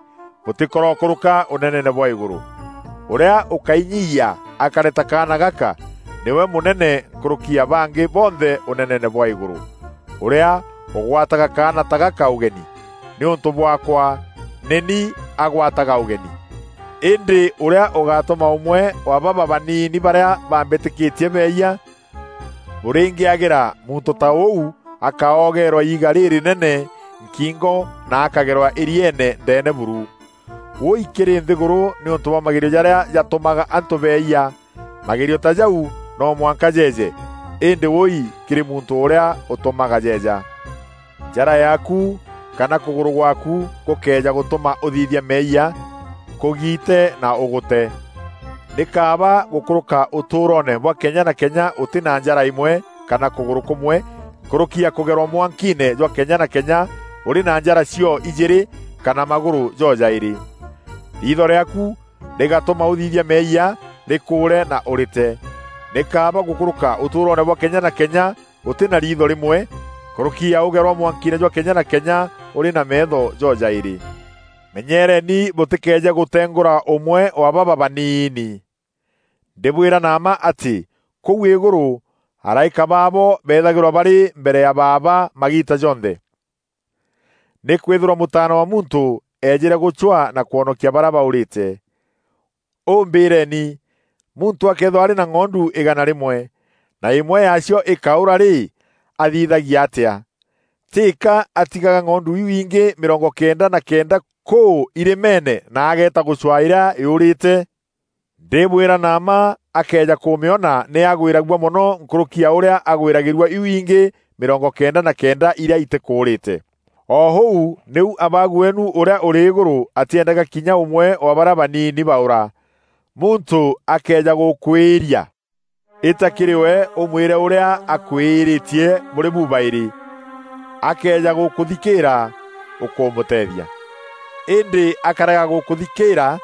bûtîkorokûrûka ûneneene bwa îgûrû. Ûrîa ûkainyiyia akare ta kaana gaka, nîwe mûnene nkûrûki ya bangî bonthe ûneneene bwa îgûrû. Ûrîa ûgwataga kaana ta gaka ûgeni nîûntû bwaakwa, nî ni agwataga ûgeni. Îndî ûrîa ûgatûma ûmwe wa baba baniini barîa bambîtîkîtie beeyia, bûrîngîagîra muntû ta ûu akaogeerwa iiga rîrînene nkingo na akagerwa îrieene ndeene buru. Wûûi kîrî nthîgûrû nîûntû bwa magerio jarîa jatûmaga antû beeyia! Magerio ta jau no mwanka jeeje, îndî wûûi kîrî muntû ûrîa ûtûmaga jeeja! Njara yaaku kana kûgûrû gwaaku gûkëeja gûtûma ûthithia meeyia, kûgiite na ûgûte. Nî kaaba gûkûrûka ûtûûroone bwa kenya na kenya ûtî na njara îmwe kana kûgûrû kûmwe, nkûrûki ya kûgerwa mwankiine jwa kenya na kenya ûrî na njara cio ijîîrî kana magûrû jojaîrî. Riitho rîaaku rîgatûma ûthithia meeyia, rîkûûre na ûrîte. Nî kaaba gûkûrûka ûtûûroone bwa kenya na kenya ûtî na riitho rîmwe, nkûrûki ya ûgerwa mwankiine jwa kenya na kenya ûrî na meetho jojaîrî. Menyeereni bûtîkeeje gûtengûra ûmwe wa baba baniini. Ndîbwîra na mma atî kûu îgûrû, araîka baabo beethagîrwa barî mbere ya Baaba magiita jonthe. Nîkwîthîrwa Mûtaana wa Muntû eejîre gûcwaa na kwonokia barîa baûrîte. Ûmbîîreni, muntû akëethîrwa arî na ng'ondu îgana rîmwe, na îmwe yaacio îkaûra rî, athithagia atîa? Tîka atigaga ng'ondu iu ingî mîrongo kenda na kenda kûû irîmeene na ageeta gûcwaa îrîa îûrîte? Ndîbwîra na mma, akëeja kûmîona nî agwîragua mono nkûrûki ya ûrîa agwîragîrua iu ingî mîrongo kenda na kenda irîa itîkûûrîte. O ûu nîu Abaagu weenu ûrîa ûrî îgûrû atîendaga kinya ûmwe wa barîa baniini baûra. Muntû akëeja gûkwîîria, îta kîrî we ûmwîre ûrîa akwîîrîtie bûrî bubaîrî. Akëeja gûkûthikîîra, ûkûmûteethia. Îndî akarega gûkûthikîîra,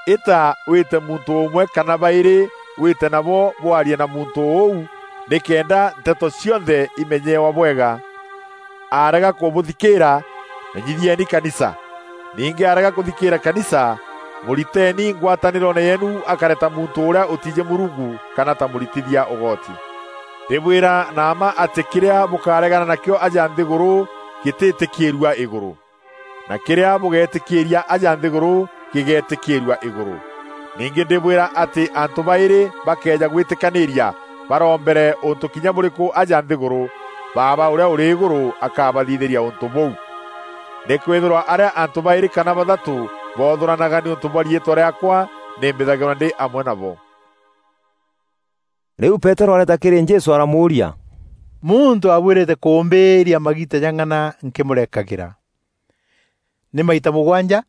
îta wîte muntû ûmwe kana baîrî wîte nabo bwarie na muntû ûu, nîkenda nteto cionthe imenyewa bwega. Arega kûbûthikîîra, menyithieni kanisa. Ningî arega kûthikîîra kanisa, mûriteeni ngwatanîroone yeenu akare ta muntû ûrîa ûtiijî Mûrungu kana ta mûritithia ûgoti. Ndîbwîra na mma atî kîrîa bûkaregana nakîo aja nthîgûrû gîtîtîkîîrua îgûrû, na kîrîa bûgeetîkîîria aja nthîgûrû gîgeetîkîîrua îgûrû. Ningî ndîbwîra atî antû baîrî bakeeja gwîtîkanîîria barombere ûntû kinya bûrîkû aja nthîgûrû, Baaba ûrîa ûrî îgûrû akabathithîria ûntû bûu. Nîkwîthîrwa arîa antû baîrî kana bathatû boothûranaga nîûntû bwa riîtwa rîaakwa, nî mbîthagîrwa ndî amwe nabo. Rîu Peterû areeta kîrî Jesû aramûûria, "Muntû abuîrîte kûmbîîria magiita jang'ana nkîmûrekagîra? Nî maita mûgwanja?"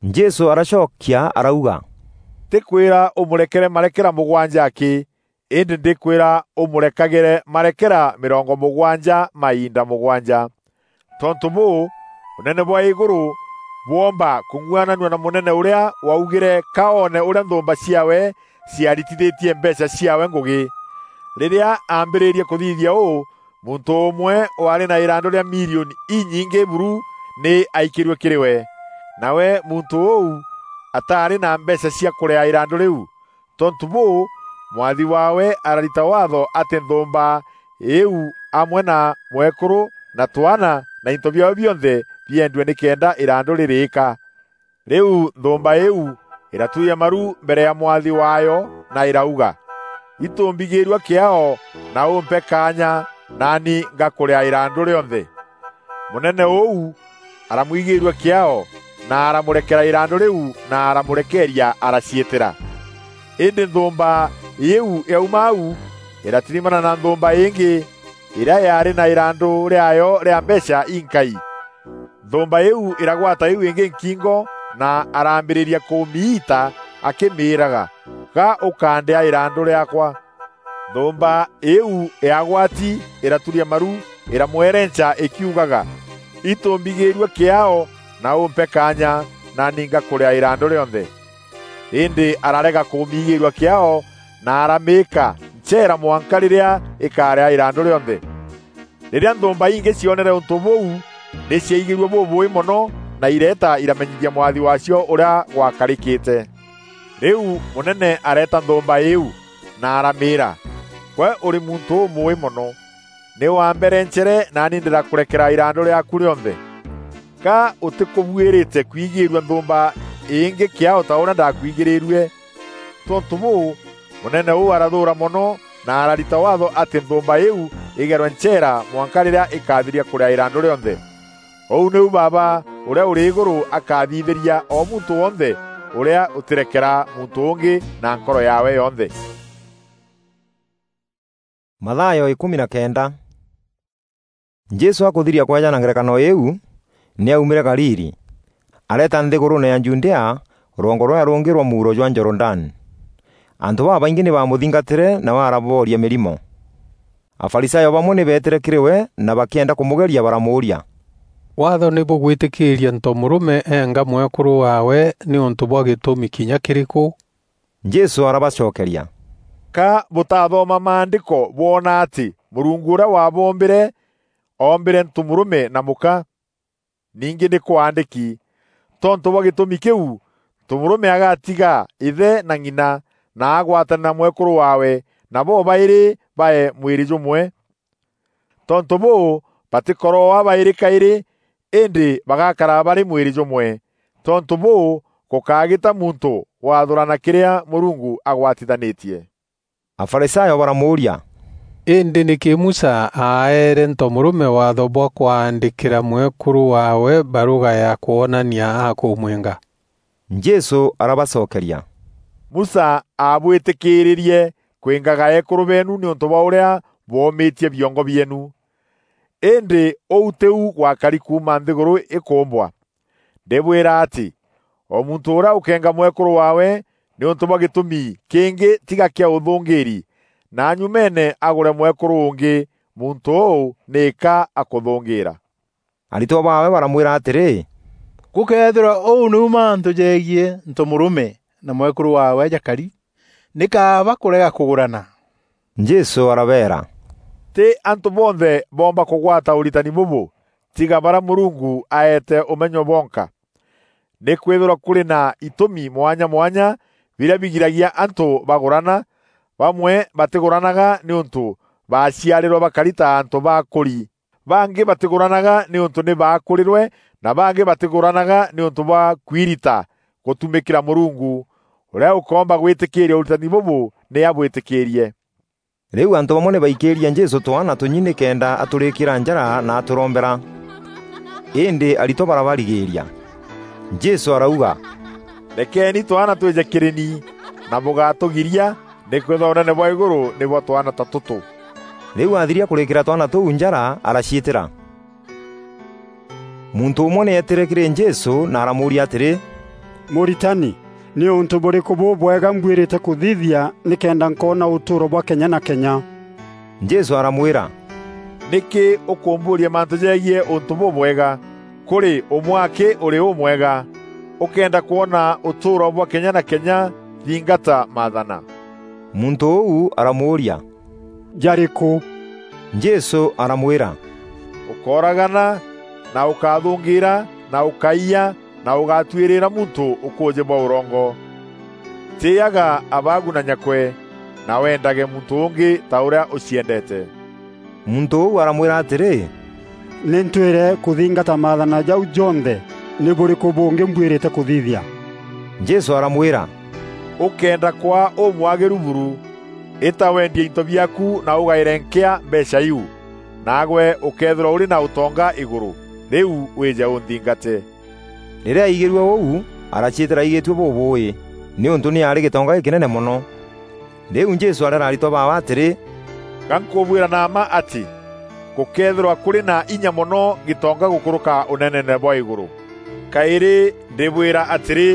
Jesû aracokia arauga, "Ntîkwîra ûmûrekere marekera mûgwanja akî, îndî ndîkwîra ûmûrekagîre marekera mîrongo mûgwanja mainda mûgwanja. Tontû bûû, ûnene bwa îgûrû bwoomba kûng'uananua na mûnene ûrîa waugîre ka oone ûrîa nthûûmba ciaawe ciaritithîtie mbeecha ciaawe ngûgî. Rîrîa aambîrîrie kûthithia ûû, muntû ûmwe waarî na îrandû rîa milioni inyingî buru nî aikîrue kîrî we. Nawe muntû ûu ataarî na mbeecha cia kûrîa îrandû rîu. Tontû bûû, mwathi waawe ararita waatho atî nthûûmba îîu amwe na mwekûrû na twaana na into biaao bionthe biendue nîkenda îrandû rîrîîka. Rîu nthûûmba îîu îraturia maru mbere ya mwathi waayo na îrauga, ‘Itûmbigîîrua kîaao na ûmpe kaanya, naani ngakûrîa îrandû rîonthe.’ Mûnene ûu aramwigîîrua kîaao, na aramûrekera îrandû rîu, na aramûrekeeria araciîtîra. Îndî nthûûmba îîu yauma au, îratirimana na nthûûmba îngî, îrîa yaarî na îrandû rîaayo rîa mbeecha inkai. Nthûûmba îîu îragwata îîu îngî nkingo, na araambîrîria kûmiita akîmîîraga, ‘Ga ûkandîa îrandû rîaakwa!’ Nthûûmba îîu yagwati, îraturia maru, îramwerenca îkiugaga, ‘Itûmbigîîrua kîaao na ûmpe kaanya, naani ngakûrîa îrandû rîonthe.’ Îndî ararega kûmiigîîrua kîaao, na aramîîka ncheera mwanka rîrîa îkarîa îrandû rîonthe. Rîrîa nthûûmba ingî cionere ûntû bûu, nî ciaigîrue bûbûûî mono, na ireeta iramenyithia mwathi waacio ûrîa gwakarîkîte. Rîu mûnene areeta nthûûmba îîu, na aramîîra, ‘Gwe ûrî muntû ûmûûî mono! Nî wamberencere, naani ndîrakûrekera îrandû rîaaku rîonthe. Ga ûtîkûbuîrîte kwigîîrua nthûûmba îngî kîaao ta ûrîa ndakwigîrîrue?’ Tontû bûû, mûnene ûu arathûûra mono, na ararita waatho atî nthûûmba îîu îgerwe ncheera mwanka rîrîa îkathiria kûrîa îrandû rîonthe. Ûu nîu Baaba ûrîa ûrî îgûrû akathithîria o muntû wonthe ûrîa ûtîrekera muntû ûngî na nkoro yaawe yonthe. Mathayo ikûmi na kenda. Jesû akûthiria kweja na ngerekano îîu, nî aumîre Galili, areeta nthîgûrûûne ya Judea, rwongo rûrîa rûngî rwa muuro jwa Jorodani. Antû babaingî nî baamûthingatîre, nawe arabooria mîrimo. Afarisayo bamwe nî beetîre kîrî we na bakîenda kûmûgeria, baramûûria, “Waatho nî bûgwîtîkîîria ntomûrûme eenga mwekûrû waawe nîûntû bwa gîtûmi kinya kîrîkû?” Jesû arabacokeria, “Ka bûtathoma Maandîko bwona atî Mûrungu ûrîa waboombîre oombîre ntomûrûme na mûka? Ningî nî kwaandîki, ‘Tontû bwa gîtûmi kîu, ntomûrûme agatiga îthe na ng'ina, na agwatane na mwekûrû waawe, na bobaîrî bae mwîrî jûmwe.’ Tontû bûû, batîkorooa baîrî kaîrî, îndî bagakara barî mwîrî jûmwe. Tontû bûû, gûkagîta muntû wathûrana kîrîa Mûrungu agwatithanîtie.” Afarisayo baramûûria, “Îndî nîkî Musa aaeere ntomûrûme waatho bwa kwaandîkîra mwekûrû waawe barûga ya kwonania akûmwenga?” Jesû arabacokeria, “Musa aabwîtîkîîrîrie kwîngaga eekûrû beenu nîûntû bwa ûrîa bwoomîtie biongo bieenu. Îndî ûu tîu gwakari kuuma nthîgûrû îkûûmbwa. Ndîbwîra atî, o muntû ûrîa ûkeenga mwekûrû waawe nîûntû bwa gîtûmi kîngî tiga kîa ûthûngîîri, na nyumeene agûre mwekûrû ûngî, muntû ûû nîka akûthûngîîra.” Aritwa baawe baramwîra atîrî, “Gûkeethîrwa ûu nîu mantû jegiî ntomûrûme na mwekûrû waawe jakari, nî kaaba kûrega kûgûrana?” Jesû arabeera, “Tî antû bonthe boomba kûgwata ûritani bûbû, tiga barîa Mûrungu aeete ûmenyo bonka. Nîkwîthîrwa kûrî na itûmi mwanya mwanya birîa bigiragia antû bagûrana. Bamwe batîgûranaga nîûntû baaciarîrwe bakari ta antû ba akûri. Bangî batîgûranaga nîûntû nî baakûrîrwe, na bangî batîgûranaga nîûntû bwa kwirita gûtumîkîra Mûrungu. Ûrîa ûkoomba gwîtîkîîria ûritani bûbû nî abwîtîkîîrie.” Rîu antû bamwe nî baikîîrie Jesû twaana tûnyi nîkenda atûrîkîra njara na atûrombera. Îndî aritwa barabarigîîria. Jesû arauga, “Rekeeni twaana twîje kîrî ni, na bûgatûgiria, nîkwîthîrwa ûnene bwa îgûrû nî bwa twaana ta tûtû.” Rîu athiria kûrîkîra twaana tûu njara, araciîtîra. Muntû ûmwe nî eetîre kîrî Jesû na aramûûria atîrî, “Mûritani, nî ûntû bûrîkû bûbwega mbuîrîte kûthithia nîkenda nkoona ûtûûro bwa kenya na kenya?” Jesû aramwîra, "Nîkî ûkûmbûûria mantû jegiî ûntû bûbwega? Kûrî ûmwe akî ûrî ûmwega. Ûkenda kwona ûtûûro bwa kenya na kenya, thingata maathana." Muntû ûu aramûûria, "Jarîkû?" Jesû aramwîra, "Ûkooragana, na ûkathûngîîra, na ûkaiya, na ûgatuîrîîra muntû ûkûûjî bwa ûrongo. Tîîaga abaagu na nyakwe, na wendage muntû ûngî ta ûrîa ûciendeete." Muntû ûu aramwîra atîrî, "Nî ntwîre kûthingata maathana jau jonthe, nî bûrîkû bûngî mbwîrîte kûthithia?" Jesû aramwîra, "Ûkenda kwaa ûmwagîru buru, îta wendie into biaaku na ûgaîre nkîa mbeecha iu, naagwe ûkeethîrwa ûrî na ûtonga îgûrû. Rîu wîje ûnthingate." Rîrîa aigîrue ûu, araciîtîra aigîtue bûbûûî, nîûntû nî aarî gîtonga gîkînene mono. Rîu Jesû areera aritwa baawe atîrî, "Ga nkûbwîra na mma atî, gûkeethîrwa kûrî na inya mono gîtonga gûkûrûka ûneneene bwa îgûrû. Kaîrî ndîbwîra atîrî,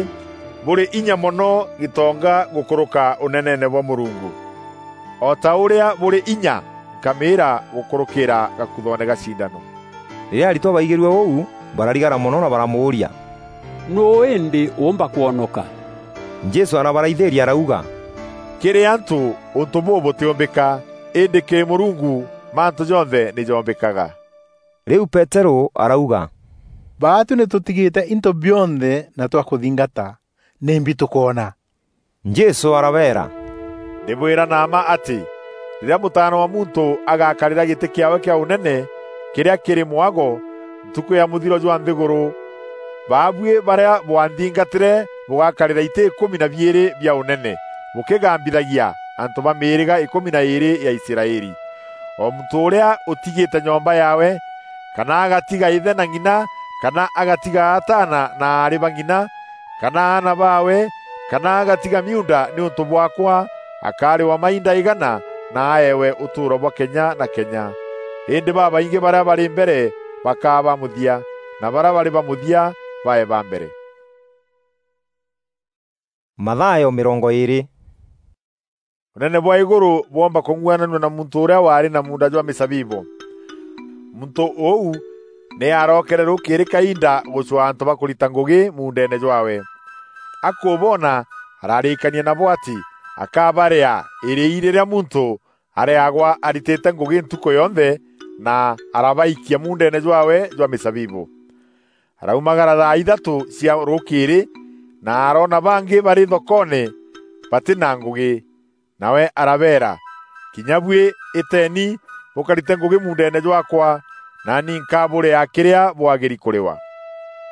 bûrî inya mono gîtonga gûkûrûka ûneneene bwa Mûrungu. O ta ûrîa bûrî inya, nkamîîra gûkûrûkîîra gakuthoone ga cindano." Rîrîa aritwa baigîrue ûu, bararigara mono na baramûûria, "Nûû îndî ûûmba kwonoka?" Jesû arabaraithîîria arauga, "Kîrî antû ûntû bûû bûtîûmbîka, îndî kîrî Mûrungu mantû jonthe nî joombîkaga." Rîu Peterû arauga, "Baatû nî tûtigîte into bionthe na twakûthingata. Nîmbi tûkoona?" Jesû arabeera, "Ndîbwîra na mma atî, rîrîa Mûtaana wa Muntû agakarîra gîtî kîaawe kîa ûnene kîrîa kîrî mwago ntukû ya mûthiro jwa nthîgûrû, baabuî barîa bwanthingatîre bûgakarîra itî îkûmi na biîrî bia ûnene, bûkîgambithagia antû ba mîîrîga îkûmi na îîrî ya Israeli. O muntû ûrîa ûtigîte nyomba yaawe, kana agatiga îthe na ng'ina, kana agatiga ataana na aarî ba ng'ina, kana aana baawe, kana agatiga miunda nîûntû bwaakwa, akarîwa mainda îgana na aewe ûtûûro bwa kenya na kenya. Îndî babaingî barîa barî mbere bakaa ba mûthia, na barîa barî ba mûthia bae ba mbere." Mathayo mîrongo îîrî. Ûnene bwa îgûrû bwoomba kûng'uananua na muntû ûrîa waarî na muunda jwa mîzabibû. Muntû ûu nî arookere rûkîîrî kainda gûcwaa antû ba kûrita ngûgî muundeene jwaawe. Akûboona, ararîîkania nabo atî akabarîaa îrîî rîrîa muntû arîagwa aritîte ngûgî ntukû yonthe, na arabaikia muundeene jwaawe jwa mîzabibû. Araumagara thaa ithatû cia rûkîîrî, na aroona bangî barî thokoone batî na ngûgî. Nawe arabeera, "Kinya buî îteeni bûkarite ngûgî muundeene jwaakwa, naani nkabûrîaa kîrîa bwagîri kûrîwa."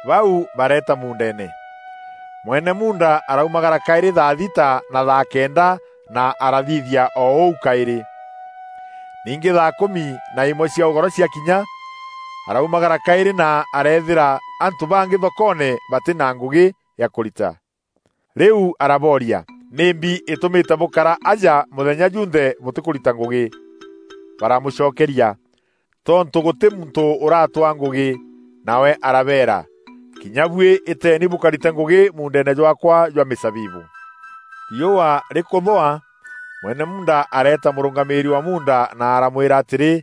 Bau bareeta muundeene. Mwene muunda araumagara kaîrî thaa thita na thaa kenda, na arathithia o ûu kaîrî. Ningî thaa kûmi na îmwe cia ûgoro ciakinya, araumagara kaîrî na areethîra antû bangî thokoone batî na ngûgî ya kûrita. Rîu arabooria, "Nîmbi îtûmîte bûkara aja mûthenya junthe bûtîkûrita ngûgî?" Baramûcokeria, "Tontû gûtî muntû ûratwaa ngûgî." Nawe arabeera, "Kinya buî îteeni bûkarite ngûgî muundeene jwaakwa jwa mîzabibû." Riûa rîkûthûa, mwene muunda areeta mûrûngamîîri wa muunda na aramwîra atîrî,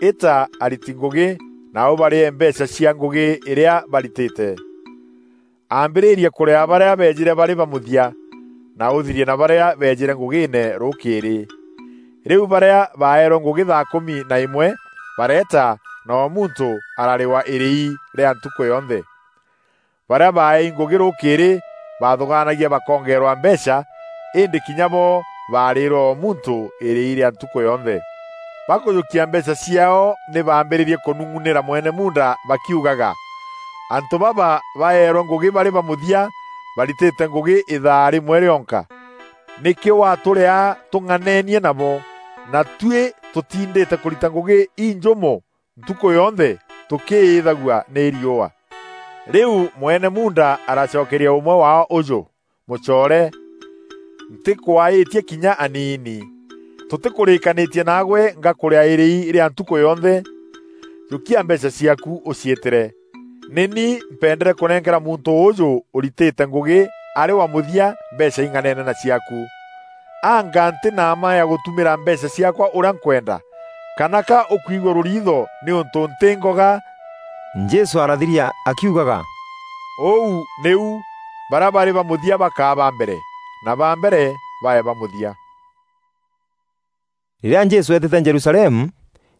"Îta ariti ngûgî, na ûbarîe mbeecha cia ngûgî îrîa baritîte." Ambîrîria kûrîa barîa beejîre barî ba mûthia, na ûthirie na barîa beejîre ngûgîîne rûkîîrî. Rîu barîa baeerwe ngûgî thaa kûmi na îmwe bareeta, na o muntû ararîwa îrîî rîa ntukû yonthe. Barîa baeei ngûgî rûkîîrî baathûgaanagia bakongeerwa mbeecha, îndî kinya bo baarîîrwe o muntû îrîî rîa ntukû yonthe. Bakûjûkia mbeecha ciaao nî baambîrîrie kûnung'unîra mwene muunda bakiugaga, "Antû baba baeerwe ngûgî barî ba mûthia, baritîte ngûgî îthaa rîmwe rîonka. Nîkî watûrîaa tûng'aneenie nabo? Na tuî tûtindîte kûrita ngûgî injûmo ntukû yonthe tûkîîthagua nî riûa." Rîu mwene muunda aracokeria ûmwe waao ûjû, "Mûcoore, ntîkwaîtie kinya aniini. Tûtîkûrîîkanîtie naagwe ngakûrîa îrîî rîa ntukû yonthe? Jûkia mbeecha ciaaku ûciîtîre. Nî ni mpendere kûnenkera muntû ûûjû ûritîte ngûgî arî wa mûthia mbeecha ing'aneene na ciaaku. Anga ntî na mma ya gûtumîra mbeecha ciaakwa ûrîa nkwenda? kana ka ûkwigua rûriitho nîûntû ntî ngoga?" Jesû arathiria akiugaga, "Ûu nîu, barîa barî ba mûthia bakaa ba mbere, na ba mbere bae ba mûthia." Rîrîa Jesû eetîte Jerusalemu,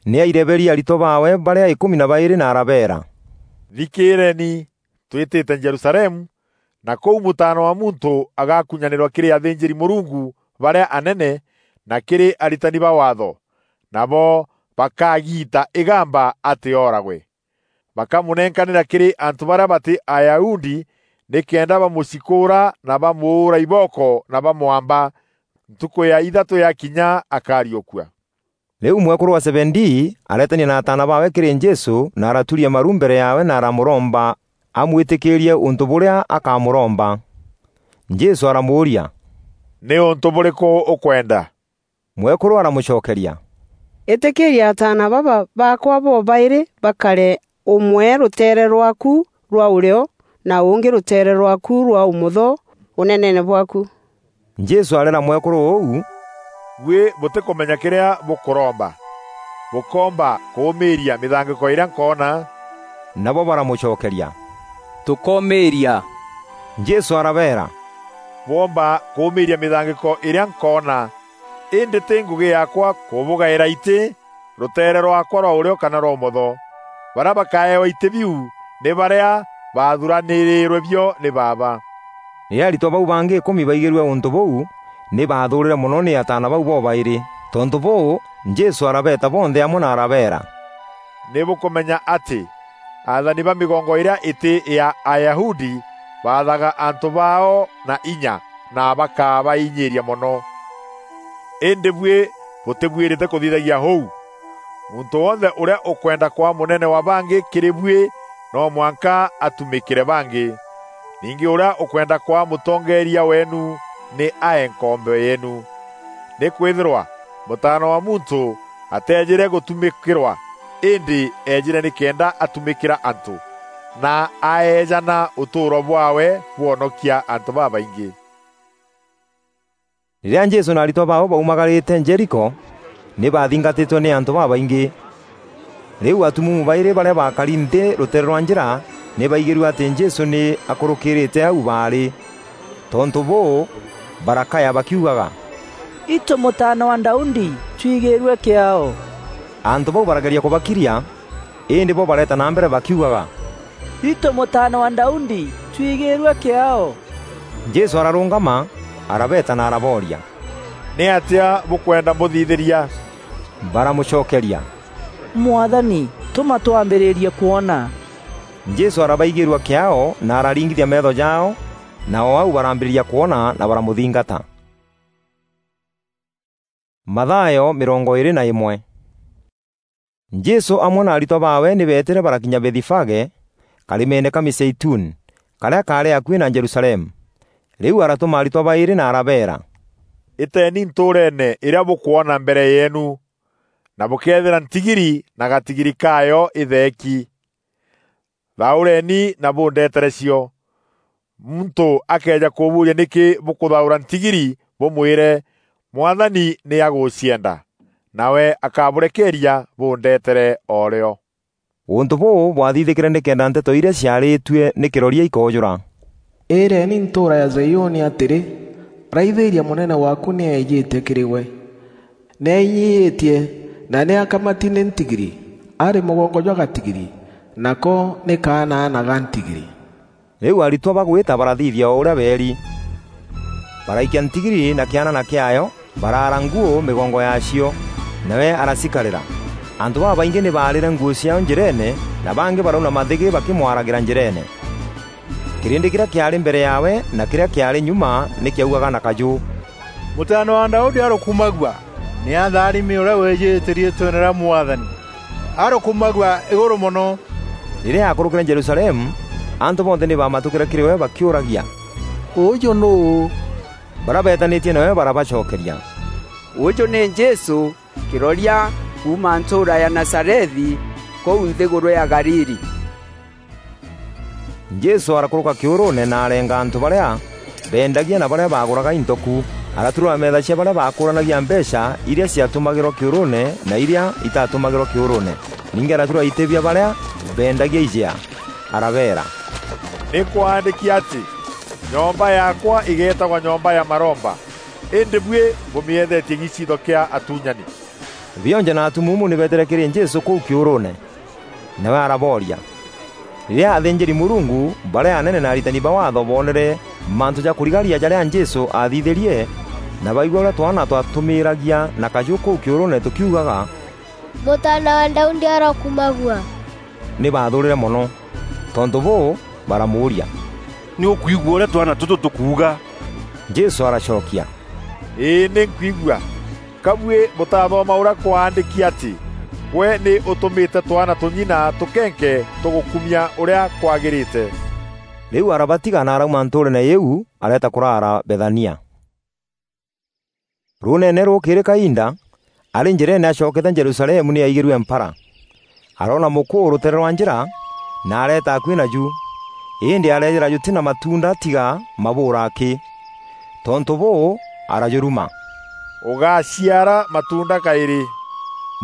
nî aireberie aritwa baawe barîa îkûmi na baîrî na arabeera, "Thikîîreeni, twîtîte Jerusalemu, na kûu Mûtaana wa Muntû agakunyanîrwa kîrî athînjîri-Mûrungu barîa anene na kîrî aritani ba Waatho, nabo bakagiita îgamba atî ooragwe. Bakamûnenkanîra kîrî antû barîa batî Ayahudi nîkenda bamûcikûûra na bamûûra ibooko na bamwamba. Ntukû ya ithatû yakinya, akariûkua." Rîu mwekûrû wa Zebedii areetania na ataana baawe kîrî Jesû na araturia maru mbere yaawe na aramûromba amwîtîkîîrie ûntû bûrîa akamûromba. Jesû aramûûria, "Nî ûntû bûrîkû ûkwenda?" Mwekûrû aramûcokeria, "Îtîkîîria ataana baba baakwa bobaîrî bakare, ûmwe rûteere rwaaku rwa ûrîo na ûngî rûteere rwaaku rwa ûmotho ûneneene bwaaku." Jesû areera mwekûrû ûu, "Buî bûtîkûmenya kîrîa bûkûromba. Bûkoomba kûûmîîria mîthangîko îrîa nkoona?" Nabo baramûcokeria, "Tûkoomîîria." Jesû arabeera, "Bwoomba kûûmîîria mîthangîko îrîa nkoona, îndî tî ngûgî yaakwa kûbûgaîra itî rûteere rwaakwa rwa ûrîo kana rwa ûmotho. Barîa bakaewa itî biu nî barîa baathuranîrîîrwe bio nî Baaba." Rîrîa aritwa bau bangî îkûmi baigîrue ûntû bûu, nî baathûûrîre mono nî ataana bau bobaîrî. Tontû bûû, Jesû arabeeta bonthe amwe na arabeera, "Nî bûkûmenya atî athani ba mîgongo îrîa îtî ya Ayahudi baathaga antû baao na inya na bakabainyîîria mono. Îndî buî bûtîbuîrîte kûthithagia ûu. Muntû wonthe ûrîa ûkwenda kwaa mûnene wa bangî kîrî buî, no mwanka atumîkîre bangî. Ningî ûrîa ûkwenda kwaa mûtongeeria weenu nî ae nkombo yeenu. Nîkwîthîrwa Mûtaana wa Muntû ateejîre gûtumîkîrwa, îndî eejîre nîkenda atumîkîra antû, na aeejana ûtûûro bwaawe bwonokia antû babaingî." Rîrîa Jesû na aritwa baawe baumagarîte Jeriko, nî baathingatîtwe nî antû babaingî. Rîu atumuumu baîrî barîa baakari nthî rûteere rwa njîra nî baigîrue atî Jesû nî akûrûkîrîte au baarî. Tontû bûû, barakaya bakiugaga, "Itû Mûtaana wa Daudi, twigîîrue kîaao!" Antû bau barageria kûbakiria, îndî bo bareeta na mbere bakiugaga, "Itû Mûtaana wa Daudi, twigîîrue kîaao!" Jesû ararûngama, arabeeta na arabooria, "Nîatîa bûkwenda mbûthithîria?" Baramûcokeria, "Mwathani, tûma twambîrîrie kwona." Jesû arabaigîîrua kîaao na araringithia meetho jaao, na o au barambîrîria kwona na baramûthingata. Mathayo mîrongo îîrî na îmwe. Jesû amwe na aritwa baawe nî beetîre barakinya Bethifage, karîmeene ka Mîzeituni, karîa kaarî akuî na Jerusalemu. Rîu aratûma aritwa baîrî na arabeera, "Îteeni ntûûreene îrîa bûkwona mbere yeenu, na bûkeethîra ntigiri na gatigiri kaayo îtheeki. Thaûreeni na bûndetere cio. Muntû akëeja kûbûûria, 'Nîkî bûkûthaûra ntigiri?' bûmwîre, 'Mwathani nî agûcienda,' nawe akabûrekeeria bûndetere o rîo." Ûntû bûû bwathithîkîre nîkenda nteto irîa ciarîtue nî kîroria ikoojûra: "Îîreeni ntûûra ya Zaiûni atîrî, 'Raithîîria, mûnene waaku nî eejîte kîrî gwe. Nî ainyiîtie, na nî akamati nî ntigiri, arî mûgongo jwa gatigiri, nako nî kaanaana ga ntigiri.'" Rîu aritwa bagwîta barathithia o ûrîa beeri. Baraikia ntigiri na kîanana kîaayo, baraara nguû mîgongo yaacio, nawe aracikarîra. Antû babaingî nî baarîre nguû ciaao njîreene, na bangî barauna mathîgî bakîmwaragîra njîreene. Kîrîndî kîrîa kîaarî mbere yaawe na kîrîa kîaarî nyuma nî kîaugaga na kajû, "Mûtaana wa Daudi arûkumagua! Nî atharimi ûrîa wîjîte riîtweene rîa Mwathani! Arûkumagua îgûrû mono!" Rîrîa aakûrûkîre Jerusalemu, antû bonthe nî baamatûkîre kîrî we bakîûragia, "Ûûjû nûû?" Barîa beetanîtie nawe barabacokeria, "Ûûjû nî Jesû, kîroria kuuma ntûûra ya Nazarethi, kûu nthîgûrû ya Galili." Jesû arakûrûka kîûrûûne na arenga antû barîa beendagia na barîa baagûraga into ku. Araturura metha cia barîa baakûranagia mbeecha irîa ciatumagîrwa kîûrûûne na irîa itatumagîrwa kîûrûûne. Ningî araturura itî bia barîa beendagia ijea, arabeera, "Nî kwaandîki atî, 'Nyomba yaakwa îgeetagwa nyomba ya maromba,' îndî buî bûmîeethetie giciitho kîa atuunyani." Bionje na atumuumu nî beetîre kîrî Jesû kûu kîûrûûne. Nawe arabooria. Rîrîa athînjîri-Mûrungu barîa anene na aritani ba Waatho boonere mantû ja kûrigaria jarîa Jesû aathithîrie, na baigua ûrîa twaana twatûmîîragia na kajû kûu kîûrûûne tûkiugaga, "Mûtaana wa Daudi, arokumagua!" Nî baathûûrîre mono. Tontû bûû, baramûûria, "Nî ûkwigua ûrîa twaana tûtû tûkuuga?" Jesû aracokia, "Îî, nî nkwigua. Ka buî bûtathoma ûrîa kwaandîki atî, 'Gwe nî ûtûmîte twaana tûng'ina tûkenke tûgûkumia ûrîa kwagîrîte'?" Rîu arabatiga na arauma ntûûreene îîu, areeta kûraara Bethania. Ruuneene rûkîrî kainda, arî njîreene acokete Jerusalemu nî aigîrue mpara. Aroona mûkûû rûteere rwa njîra, na areeta akuî naju. Îndî areejîra jûtî na matuunda tiga mabûûra akî. Tontû bûû, arajûruma, "Ûgaciara matuunda kaîrî."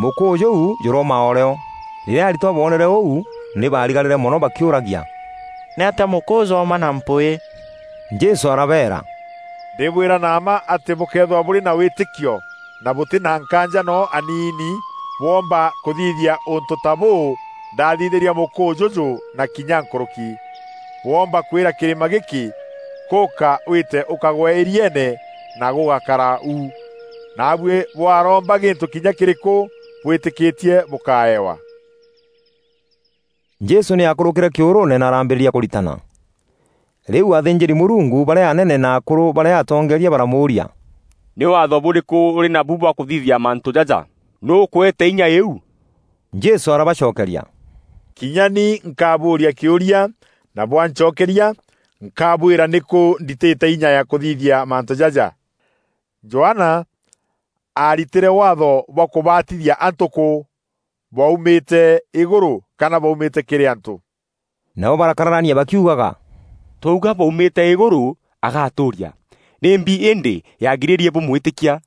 Mûkûû jûu jûrooma o rîo. Rîrîa aritwa boonere ûu, nî baarigarîre mono bakîûragia, "Nîatîa mûkûû jûûma na mpwîî?" Jesû arabeera, "Ndîbwîra na mma atî bûkeethîrwa bûrî na wîtîkio na bûtî na nkaanja noo aniini, bwoomba kûthithia ûntû ta bûû ndathithîrie mûkûû jûjû na kinya nkûrûki. Bwoomba kwîra kîrîma gîkî, 'Kûka wîte ûkagwe îrieene,' na gûgakara u. Naabuî bwaromba gîntû kinya kîrîkû bwîtîkîtie bûkaewa." Jesû nî aakûrûkîre kîûrûûne na arambîrîria kûritana. Rîu athînjîri-Mûrungu barîa anene na akûrû barîa atongeeria baramûûria, "Nî waatho bûrîkû ûrî nabu bwa kûthithia mantû jaja? Nûû ûkweete inya îîu?" Jesû arabacokeria, "Kinya ni nkabûûria kîûria, na bwancokeria, nkabwîra nîkû nditîte inya ya kûthithia mantû jaja. Johana aaritîre waatho bwa kûbatithia antû kû? Bwaumîte îgûrû kana bwaumîte kîrî antû?" Nabo barakararania bakiugaga, "Twauga bwaumîte îgûrû, agatûûria, 'Nîmbi îndî yagirîrie bûmwîtîkia?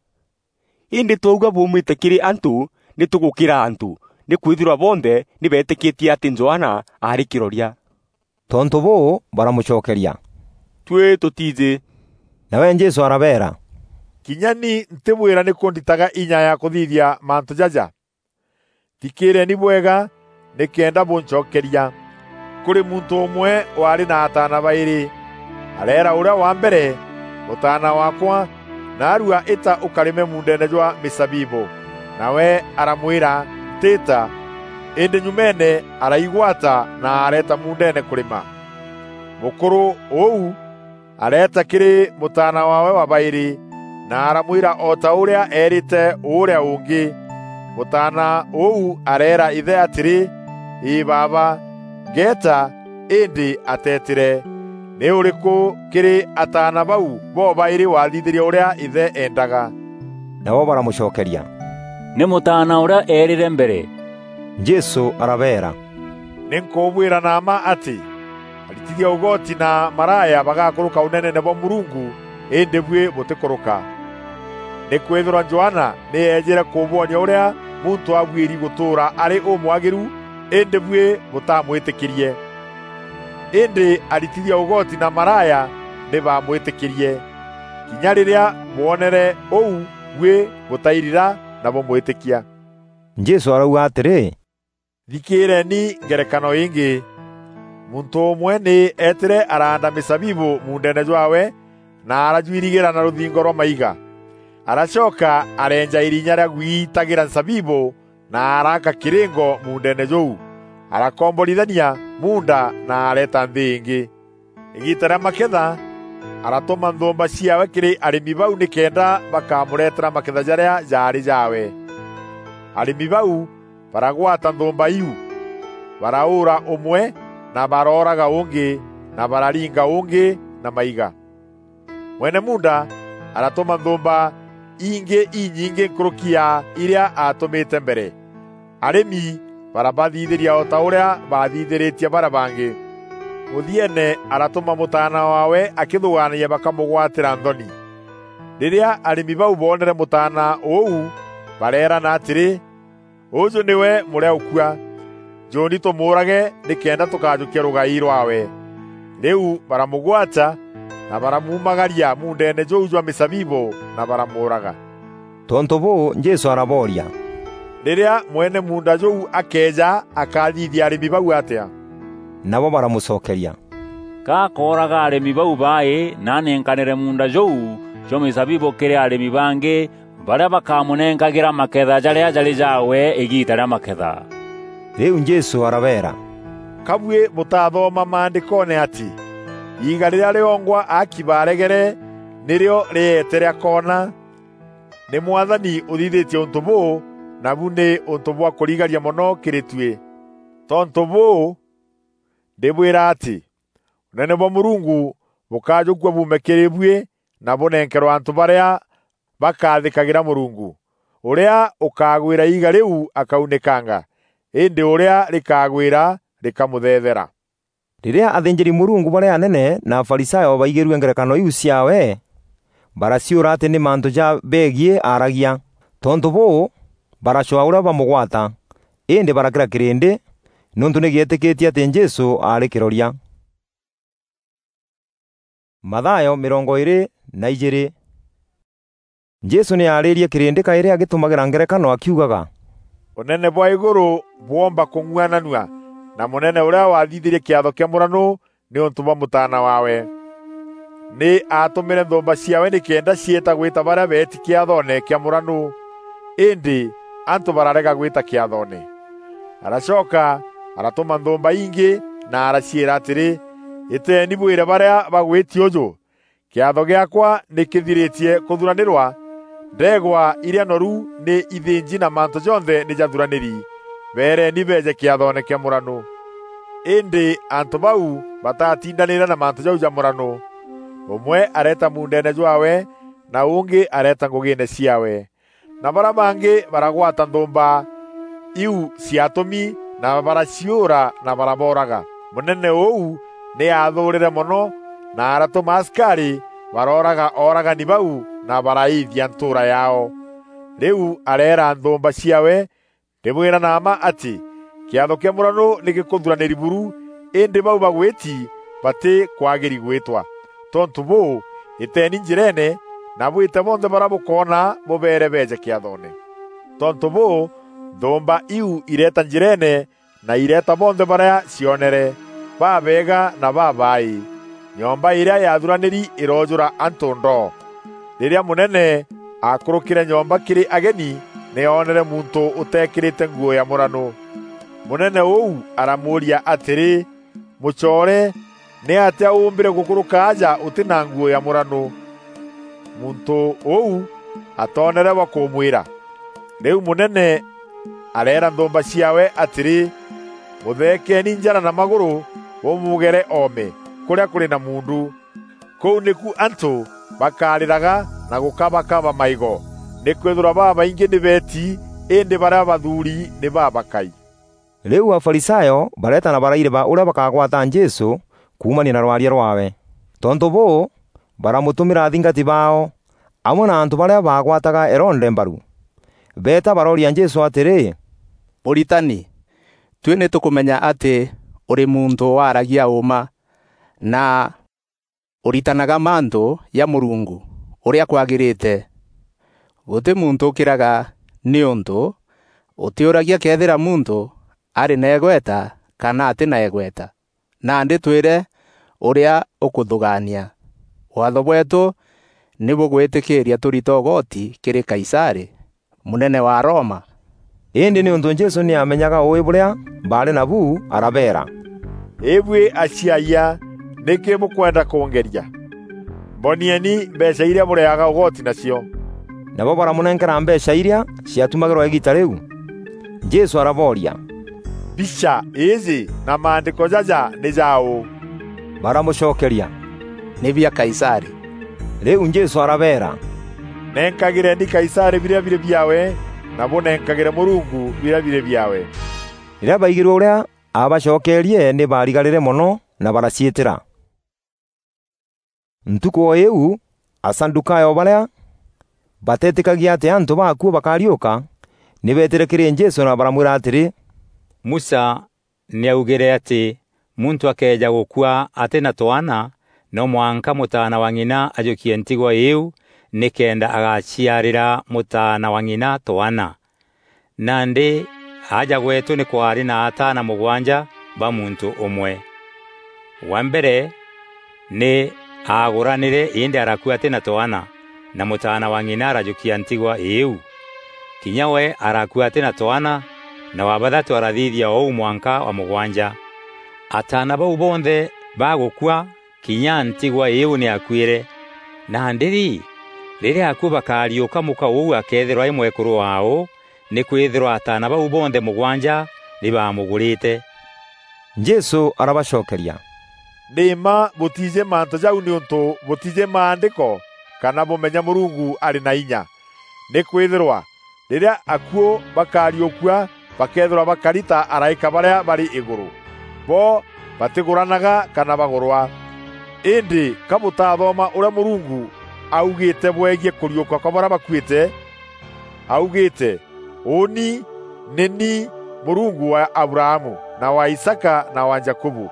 Îndî twauga bwaumîte kîrî antû, nî tûgûkîra antû, nîkwîthîrwa bonthe nî beetîkîtie atî Johana aarî kîroria.'" Tontû bûû, baramûcokeria, "Tuî tûtiijî." Nawe Jesû arabeera, "Kinya ni ntîbwîra nîkû nditaga inya ya kûthithia mantû jaja. Thikîîreeni bwega nîkenda bûncokeria. Kûrî muntû ûmwe waarî na ataana baîrî. Areera ûrîa wa mbere, 'Mûtaana waakwa, naarua îta ûkarîme muundeene jwa mîzabibû.' Nawe aramwîra, 'Ntîîta.' Îndî nyumeene araigwata na areeta muundeene kûrîma. Mûkûrû ûu areeta kîrî mûtaana waawe wa baîrî, na aramwîra o ta ûrîa eerîte ûrîa ûngî. Mûtaana ûu areera îthe atîrî, 'Îî baaba, ngeeta,' îndî ateetîre. Nî ûrîkû kîrî ataana bau bobaîrî waathithîrie ûrîa îthe eendaga?" Nabo baramûcokeria, "Nî mûtaana ûrîa eerîre mbere." Jesû arabeera, "Nî nkûbwîra na mma atî, aritithia ûgoti na maraya bagakûrûka ûneneene bwa Mûrungu, îndî buî bûtîkûrûka. Nîkwîthîrwa Johana nî eejîre kûbwonia ûrîa muntû abuîri gûtûûra arî ûmwagîru, îndî buî bûtamwîtîkîrie. Îndî aritithia ûgoti na maraya nî baamwîtîkîrie. Kinya rîrîa bwonere ûu, buî bûtairira na bûmwîtîkia." Jesû arauga atîrî, "Thikîîreeni ngerekano îngî. Muntû ûmwe nî eetîre araanda mîzabibû muundeene jwaawe, na arajwirigîra na rûthingo rwa maiga. Aracoka areenja îrinya rîa gwiitagîra nzabibû, na araaka kîrîngo muundeene jûu. Arakomborithania muunda na areeta nthî îngî. Îgiita rîa maketha, aratûma nthûûmba ciaawe kîrî arîmi bau nîkenda bakamûreetera maketha jarîa jaarî jaawe. Arîmi bau baragwata nthûûmba iu, baraûûra ûmwe, na barooraga ûngî, na bararinga ûngî na maiga. Mwene muunda aratûma nthûûmba ingî inyingî nkûrûki ya irîa aatûmîte mbere. Arîmi barabathithîria o ta ûrîa baathithîrîtie barîa bangî. Mûthieene aratûma mûtaana waawe akîthûgaanagia bakamûgwatîra nthoni. Rîrîa arîmi bau boonere mûtaana ûu, bareerana atîrî, "Ûjû nîwe mûrîa ûkua. Njûûni tûmûûrage nîkenda tûkajûkia rûgai rwaawe." Rîu baramûgwata na baramuumagaria muundeene jûu jwa mîzabibû na baramûûraga. Tontû bûû, Jesû arabooria, "Rîrîa mwene muunda jûu akeeja, akathithia arîmi bau atîa?" Nabo baramûcokeria, "Ka akooraga arîmi bau baaî na anenkanîre muunda jûu jwa mîzabibû kîrî arîmi bangî, barîa bakamûnenkagîra maketha jarîa jarî jaawe îgiita rîa maketha." Rîu Jesû arabeera, "Ka buî bûtathoma Maandîkoone atî, 'Iiga rîrîa rîongwa aaki baaregere nîrîo rîeete rîakoona'? Nî Mwathani ûthithîtie ûntû bûû, nabu nî ûntû bwa kûrigaria mono kîrî tuî. Tontû bûû, ndîbwîra atî, Ûnene bwa Mûrungu bûkajûkua buume kîrî buî na bûnenkerwe antû barîa bakathîkagîra Mûrungu. Ûrîa ûkagwîra iiga rîu akaunîkanga, îndî ûrîa rîkagwîra rîkamûthethera." Rîrîa athînjîri-Mûrungu barîa anene na Afarisayo baigîrue ngerekano iu ciaawe, baraciûra atî nî mantû ja begiî aaragia. Tontû bûû, baracwaa ûrîa bamûgwata, îndî barakîra kîrîndî, nîûntû nî gîetîkîtie atî Jesû aarî kîroria. Mathayo mîrongo îîrî na ijîîrî. Jesû nî aarîrie kîrîndî kaîrî agîtûmagîra ngerekano akiugaga, "Ûnene bwa îgûrû bwoomba kûng'uananua na mûnene ûrîa wathithîrie kîatho kîa mûranû nîûntû bwa mûtaana waawe. Nî aatûmîre nthûûmba ciaawe nîkenda ciîta gwîta barîa beeti kîathoone kîa mûranû, îndî antû bararega gwîta kîathoone. Aracoka aratûma nthûûmba ingî na araciîra atîrî, 'Îteeni bwîre barîa bagwîti ûjû, "Kîatho gîaakwa nî kîthirîtie kûthuranîrwa, ndeegwa irîa noru nî ithînji na mantû jonthe nî jathuranîri. Beereeni beeje kîathoone kîa mûranû." Îndî antû bau batatindanîre na mantû jau ja mûranû. Ûmwe areeta muundeene jwaawe, na ûngî areeta ngûgîîne ciaawe. Na barîa bangî baragwata nthûûmba iu ciaatûmi, na baraciûra na barabooraga. Mûnene ûu nî aathûûrîre mono, na aratûma asikarî barooraga ooragani bau na baraîîthia ntûûra yaao. Rîu areera nthûûmba ciaawe, "Ndîbwîra na mma atî, kîatho kîa mûranû nî gîkûthuranîri buru, îndî bau bagwîti batîkwagîri gwîtwa. Tontû bûû, îteeni njîreene, na bwîte bonthe barîa bûkoona bûbeere beeje kîathoone." Tontû bûû, nthûûmba iu ireeta njîreene, na ireeta bonthe barîa cionere, babeega na babaaî. Nyomba îrîa yaathuranîri îroojûra antû ndoo. Rîrîa mûnene aakûrûkîre nyomba kîrî ageni, nî oonere muntû ûteekîrîte nguû ya mûranû. Mûnene ûu aramûûria atîrî, "Mûcoore, nîatîa ûûmbîre gûkûrûka aja ûtî na nguû ya mûranû?" Muntû ûu atoonere wa kûmwîra. Rîu mûnene areera nthûûmba ciaawe atîrî, "Mûtheekeeni njara na magûrû, bûmûgere oome kûrîa kûrî na muundu. Kûu nîku antû bakarîraga na gûkabakaba maîgo, nîkwîthîrwa babaingî nî beeti, îndî barîa bathuuri nî babakai." Rîu Afarisayo bareeta na baraireba ûrîa bakagwata Jesû kuumania na rwaria rwaawe. Tontû bûû, baramûtûmîra athingati baao, amwe na antû barîa baagwataga Herode mbaru. Beeta barooria Jesû atîrî, "Mûritani, tuî nî tûkûmenya atî ûrî muntû waaragia ûûma, na ûritanaga mantû ja Mûrungu ûrîa kwagîrîte. Gûtî muntû ûkîraga nîûntû ûtîûragia këethîra muntû arî na îgweta kana atî na îgweta. Nandî twîre ûrîa ûkûthûgaania. Waatho bweetû nî bûgwîtîkîîria tûrite ûgoti kîrî Kaisarî, mûnene wa Roma." Îndî nîûntû Jesû nî aamenyaga ûûî bûrîa baarî nabu, arabeera, "Îbuî aciayia, nîkî bûkwenda kûngeria? Mbonieni mbeecha irîa bûrîaga ûgoti nacio." Nabo baramûnenkera mbeecha irîa ciatumagîrwa îgiita rîu. Jesû arabooria, "Mbicha îîjî na maandîko jaja nî ja ûû?" Baramûcokeria, "Nî bia Kaisarî." Rîu Jesû arabeera, "Nenkagîreni Kaisarî birîa birî biaawe, na bûnenkagîre Mûrungu birîa birî biaawe." Rîrîa baigîrue ûrîa aabacokeerie, nî baarigarîre mono na baraciîtîra. Ntukû o îîu, Asadukayo barîa bateetîkagia atî antû baakua bakariûka, nî beetîre kîrî Jesû na baramwîra atîrî, "Musa nî augîre atî muntû akeeja gûkua atî na twaana, no mwanka mûtaana wa ng'ina ajûkie ntigwa îîu nîkenda agaciarîra mûtaana wa ng'ina twaana. Nandî aja gweetû nî kwaarî na ataana mûgwanja ba muntû ûmwe. Wa mbere nî aagûranîre îndî arakua atî na twaana, na mûtaana wa ng'ina arajûkia ntigwa îîu. Kinya we arakua atî na twaana, na wa bathatû arathithia ûu mwanka wa mûgwanja. Ataana bau bonthe bagûkua, kinya ntigwa îîu nî yakuîre. Nandî-rî, rîrîa akuû bakariûka, mûka ûu akeethîrwa arî mwekûrû waaû, nîkwîthîrwa ataana bau bonthe mûgwanja nî baamûgûrîte." Jesû arabacokeria, "Nî mma bûtiijî mantû jau nîûntû bûtiijî Maandîko kana bûmenya Mûrungu arî na inya. Nîkwîthîrwa rîrîa akuû bakariûkua, bakeethîrwa bakari ta araîka barîa barî îgûrû. Bo batîgûranaga kana bagûrwa. Îndî ka bûtathoma ûrîa Mûrungu augîîte bwegiî kûriûka kwa barîa bakuîte? Augîîte, 'Ûûni nî ni Mûrungu wa Abrahamu, na wa Isaaka, na wa Jakubu.'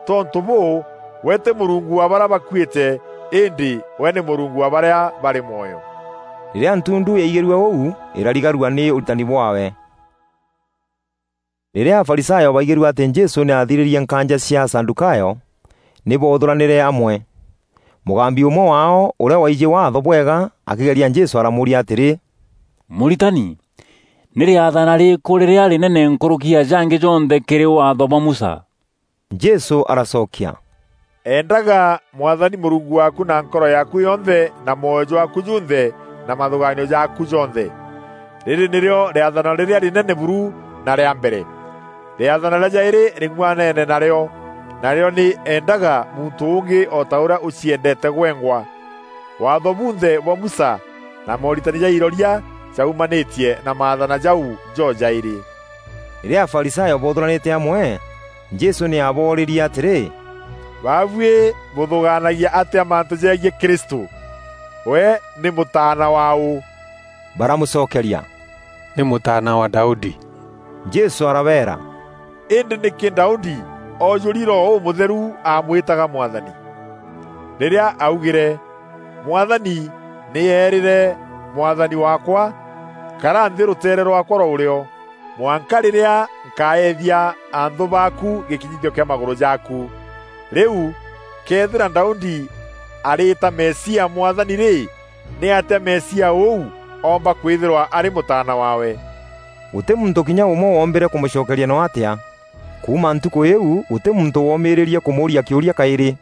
Tontû bûû, we tî Mûrungu wa barîa bakuîte, îndî we nî Mûrungu wa barîa barî mwoyo." Rîrîa ntundu yaigîrue ûu, îrarigarua nî ûritani bwaawe. Rîrîa Afarisayo baigîrue atî Jesû nî aathirîrie nkaanja cia Asadukayo, nî boothûranîre amwe. Mûgambi ûmwe waao, ûrîa waijî Waatho bwega, akîgeria Jesû aramûûria atîrî, "Mûritani, nî rîathana rîrîkû rîrîa rînene nkûrûki ya jangî jonthe kîrî Waatho bwa Musa?" Jesû aracokia, "Endaga Mwathani Mûrungu waaku na nkoro yaaku yonthe, na mwoyo jwaaku junthe, na mathûgaanio jaaku jonthe. Rîrî nîrîo rîathana rîrîa rînene buru na rîa mbere. Rîathana rîa jaîrî rîng'uanene narîo, narîo nî, 'Endaga muntû ûngî o ta ûrîa ûciendeete gwengwa.' Waatho bunthe bwa Musa na mooritani ja iroria jaumanîtie na maathana jau jojaîrî." Rîrîa Afarisayo boothûranîte amwe, Jesû nî aaboorîrie atîrî, "Baabuî bûthûgaanagia atîa mantû jegiî Kristû? We nî mûtaana wa û?" Baramûcokeria, "Nî mûtaana wa Daudi." Jesû arabeera, "Îndî nîkî Daudi oojûri Roho Ûmûtheru aamwîtaga Mwathani? Rîrîa augîre, 'Mwathani nî eerîre Mwathani waakwa, 'Kara nthî rûteere rwaakwa rwa ûrîo, mwanka rîrîa nkaethia anthû baaku gîkinyithio kîa magûrû jaaku.' Rîu, këethîra Daudi arîîta Mesia Mwathani rî, nîatîa Mesia ûu oomba kwîthîrwa arî mûtaana waawe?" Gûtî muntû kinya ûmwe woombîre kûmûcokeria noo atîa. Kuuma ntukû îîu, gûtî muntû woomîîrîrie kûmûûria kîûria kaîrî.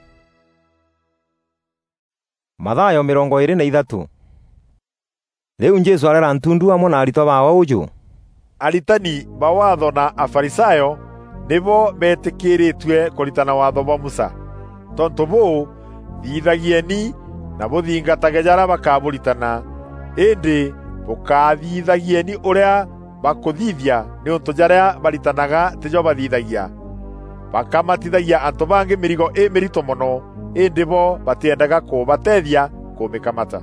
Mathayo mîrongo îîrî na ithatû. Rîu Jesû areera ntundu amwe na aritwa baawe ûjû, "Aritani ba Waatho na Afarisayo nîbo beetîkîrîtue kûritana Waatho bwa Musa. Tontû bûû, thithagieni na bûthingatage jarîa bakabûritana, îndî bûkathithagieni ûrîa bakûthithia, nîûntû jarîa baritanaga tîjo bathithagia. Bakamatithagia antû bangî mîrigo îmîrito mono, îndî bo batîendaga kûbateethia kûmîkamata.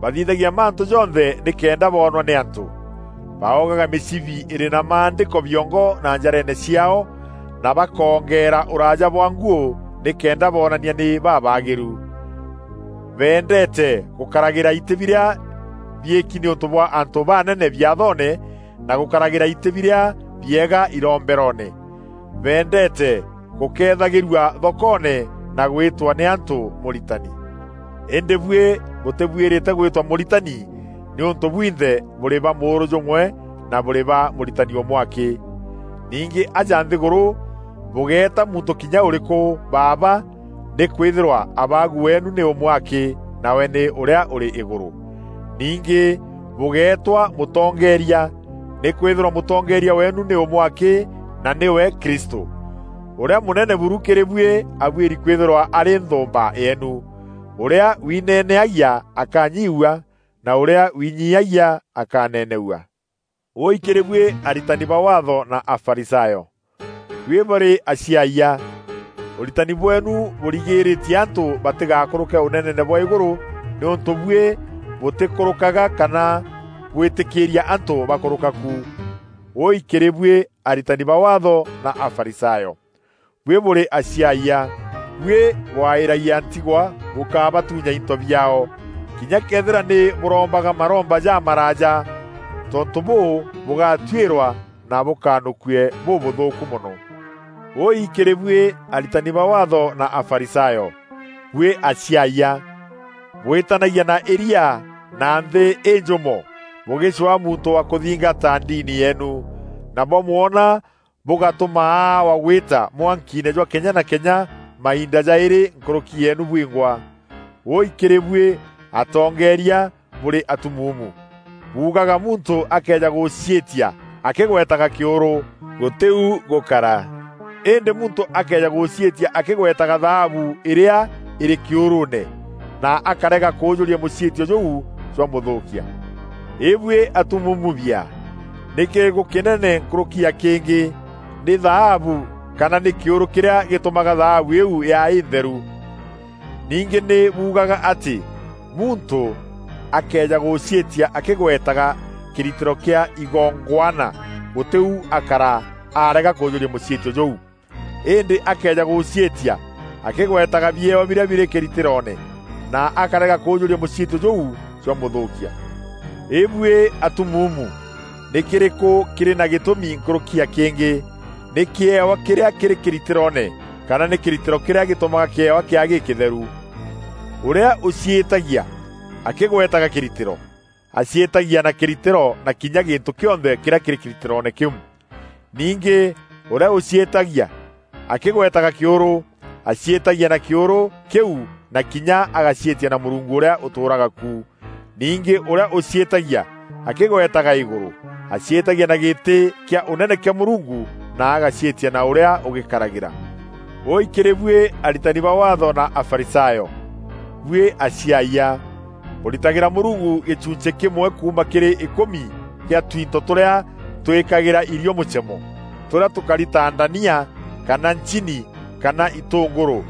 Bathithagia mantû jonthe nîkenda boonwa nî antû. Baogaga mîcibi îrî na maandîko biongo na njareene ciaao, na bakoongeera ûraaja bwa nguû nîkenda boonania nî babaagîru. Beendeete gûkaragîra itî birîa biîki nîûntû bwa antû banene biathoone, na gûkaragîra itî birîa biega iromberoone. Beendeete gûkeethagîrua thokoone na gwîtwa nî antû 'Mûritani.' Îndî buî bûtîbuîrîte gwîtwa 'Mûritani,' nîûntû bwinthe bûrî ba mûûrû jûmwe na bûrî ba Mûritani ûmwe akî. Ningî aja nthîgûrû, bûgeeta muntû kinya ûrîkû 'Baaba,' nîkwîthîrwa Abaagu weenu nî ûmwe akî, nawe nî ûrîa ûrî îgûrû. Ningî bûgeetwa 'Mûtongeeria,' nîkwîthîrwa Mûtongeeria weenu nî ûmwe akî, na nîwe Kristû. Ûrîa mûnene buru kîrî buî abuîri kwîthîrwa arî nthûûmba yeenu. Ûrîa wineeneagia akanyiiua, na ûrîa winyiiagia akaneeneua. Wûûi kîrî buî aritani ba Waatho na Afarisayo! Buî bûrî aciayia! Ûritani bweenu bûrigîîrîtie antû batîgakûrûke ûneneene bwa îgûrû, nîûntû buî bûtîkûrûkaga kana bwîtîkîîria antû bakûrûka ku. Wûûi kîrî buî aritani ba Waatho na Afarisayo! Buî bûrî aciayia! Buî bwaîragia ntigwa bûkabatunya into biaao, kinya këethîra nî bûrombaga maromba jamaraaja. Tontû bûû, bûgatuîrwa na bûkanûkue bûbûthûûku mono. Wûûi kîrî buî aritani ba Waatho na Afarisayo! Buî aciayia! Bwîtanagia na îria na nthî înjûmo bûgîcwaa muntû wa kûthingata ndini yeenu, na bwamwona bûgatûma aawa gwîta mwankiine jwa kenya na kenya mainda jaîrî nkûrûki yeenu bwingwa. Wûûi kîrî buî atongeeria bûrî atumuumu! Buugaga muntû akëeja gûciîtia akîgwetaga kîûrû, gûtî u gûkara. Îndî muntû akëeja gûciîtia akîgwetaga thaabu îrîa îrî kîûrûûne, na akarega kûûjûria mûciîtio jûu jwamûthûûkia. Îbuî atumuumu bia! Nî kîrîkû kînene nkûrûki ya kîngî, nî thaabu kana nî kîûrû kîrîa gîtûmaga thaabu îîu yaa întheru? Ningî nî buugaga atî muntû akëeja gûciîtia akîgwetaga kîritîro kîa igongwana, gûtî u akara arega kûûjûria mûciîtio jûu. Îndî akëeja gûciîtia akîgwetaga biewa birîa birî kîritîroone, na akarega kûûjûria mûciîtio jûu jwamûthûûkia. Îbuî atumuumu! Nî kîrîkû kîrî na gîtûmi nkûrûki ya kîngî, nî kîewa kîrîa kîrî kîritîroone, kana nî kîritîro kîrîa gîtûmaga kîewa kîaa gîkîtheru? Ûrîa ûciîtagia akîgwetaga kîritîro, aciîtagia na kîritîro na kinya gîntû kîonthe kîrîa kîrî kîritîroone kîu. Ningî ûrîa ûciîtagia akîgwetaga kîûrû, aciîtagia na kîûrû kîu na kinya agaciîtia na Mûrungu ûrîa ûtûûraga ku. Ningî ûrîa ûciîtagia akîgwetaga îgûrû, aciîtagia na gîtî kîa ûnene kîa Mûrungu na agaciîtia na ûrîa ûgîkaragîra. Wûûi kîrî buî aritani ba Waatho na Afarisayo! Buî aciayia! Bûritagîra Mûrungu gîchunchî kîmwe kuuma kîrî îkûmi kîa twinto tûrîa twîkagîra îrio mûchemo, tûrîa tûkari ta ndania, kana nchini, kana itûngûrû,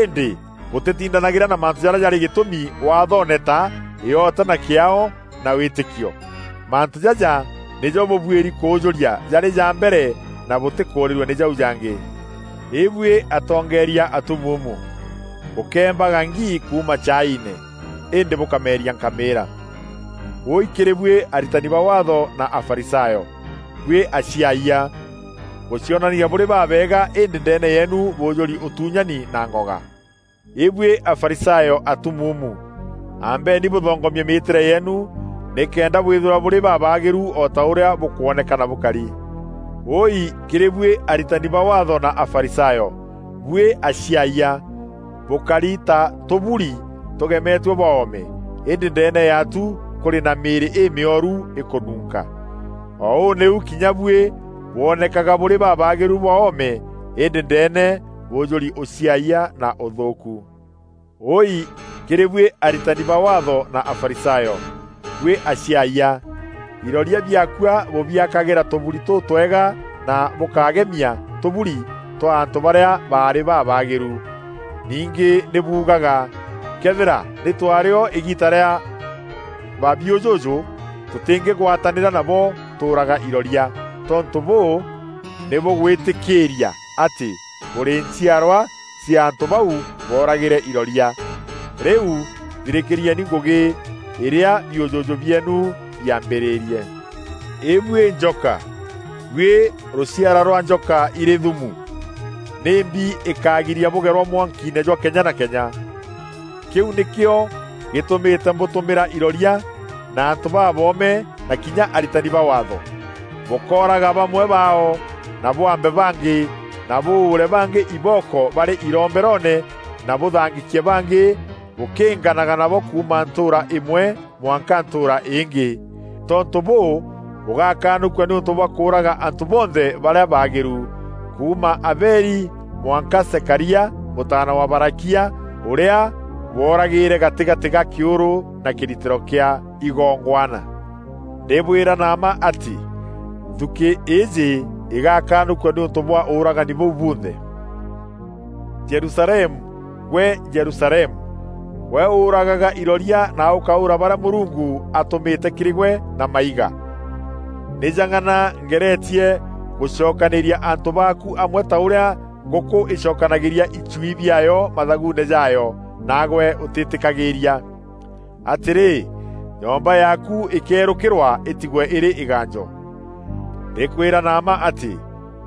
îndî bûtîtindanagîra na mantû jarîa jarî gîtûmi Waathoone ta îota na kîaao na wîtîkio. Mantû jaja nîjo bûbuîri kûûjûria jarî ja mbere na bûtîkûûrîrua nî jau jangî. Îbuî atongeeria atumuumu! Bûkeembaga ngii kuuma chaaiine, îndî bûkameeria nkamîîra. Wûûi kîrî buî aritani ba Waatho na Afarisayo! Buî aciayia! Bûcionanagia bûrî babeega îndî ndeene yeenu bûûjûri ûtunyani na ngoga. Îbuî Afarisayo atumuumu! Ambeni bûthongomie mîîtîre yeenu nîkenda bwîthîrwa bûrî babaagîru o ta ûrîa bûkwonekana bûkari. Wûûi kîrî buî aritani ba Waatho na Afarisayo! Buî aciayia! Bûkari ta tûburi tûgemetue bwa oome, îndî ndeene yaatu kûrî na mîîrî îmîoru îkûnunka. O ûu nîu kinya buî bwonekaga bûrî babaagîru bwa oome, îndî ndeene bûûjûri ûciayia na ûthûûku. Wûûi kîrî buî aritani ba Waatho na Afarisayo! Buî aciayia! Iroria biaakua bûbiakagîra tûburi tûtwega na bûkagemia tûburi twa antû barîa baarî babaagîru. Ningî nî buugaga, "Këethîra nî twaarî o îgiita rîa babiûjûjû, tûtîngîgwatanîra nabo tûûraga iroria." Tontû bûû, nî bûgwîtîkîîria atî bûrî nchiarwa cia antû bau booragîre iroria. Rîu thirîkîrieni ngûgî îrîa biûjûjû bieenu biambîrîrie. Îbuî njoka, buî rûciara rwa njoka irî thumu, nîmbi îkagiria bûgerwa mwankiine jwa kenya na kenya? Kîu nîkîo gîtûmîte mbûtûmîra iroria na antû baboome na kinya aritani ba Waatho. Bûkooraga bamwe baao, na bwambe bangî, na bûûre bangî ibooko barî iromberoone, na bûthangîkie bangî bûkînganaga nabo kuuma ntûûra îmwe mwanka ntûûra îngî. Tontû bûû, bûgakanûkua nîûntû bwa kûûraga antû bonthe barîa baagîru, kuuma Abeli mwanka Zekaria, mûtaana wa Barakia, ûrîa booragîîre gatîgatî ga kîûrû na kîritîro kîa igongwana. Ndîbwîra na mma atî, nthukî îîjî îgakanûkua nîûntû bwa ûûragani bûu bunthe. Jerusalemu, gwe Jerusalemu! We uuragaga iroria na ukaura baria Murungu atumite kiri gwe na maiga. Ni jang'ana ngeretie gucokaniria antu baaku amwe ta uria nguku icokanagiria icui biayo mathaguune jayo, naagwe utitikagiiria. Atiri, nyomba yaaku ikeerukirwa itigwe iri iganjo. Ndikwira na mma ati,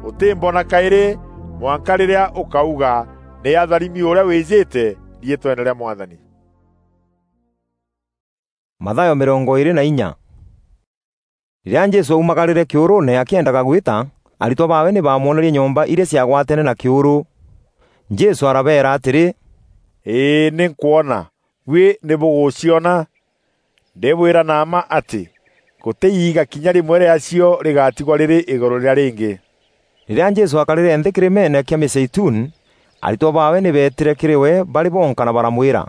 utimbona kairi, mwanka riria ukauga, "Ni atharimi uria wijite riitweene ria Mwathani." Mathayo mirongo iiri na inya. Riria Jesu aumagarire kiuruune akiendaga gwita, aritwa baawe ni baamwonerie nyomba iria ciagwatene na kiuru. Jesu arabeera atiri, "Ii, ni nkwona, bui ni buguciona? Ndibwira na mma ati, guti iiga kinya rimwe riacio rigatigwa riri iguru riria ringi." Riria Jesu aakarire nthi kirimeene kia Mizeituni, aritwa baawe ni beetire kiri we bari bonka na baramwira,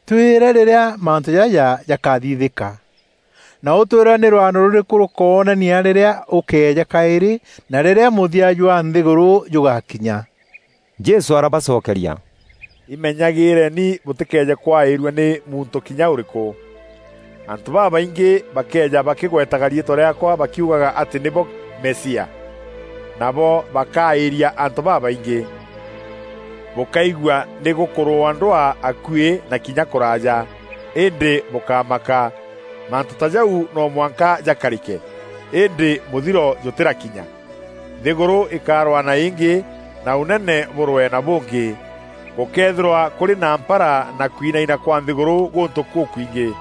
"Twire riria mantu jaja jakathithika, na utwire ni rwano ruriku rukoonania riria ukeeja kairi na riria muthia jwa nthiguru jugakinya." Jesu arabacokeria, "Imenyagireni butikeeje kwairua ni muntu kinya uriku. Antu babaingi bakeeja bakigwetaga riitwa riaakwa bakiugaga ati nibo Mesia, nabo bakairia antu babaingi. Bukaigua ni gukurwa ndwaa akui na kinya kuraaja, indi bukamaka. Mantu ta jau no mwanka jakarike, indi muthiro jutirakinya. Nthiguru ikarwana ingi, na unene burwe na bungi. Gukeethirwa kuri na mpara na kwinaina kwa nthiguru guntu kukwingi.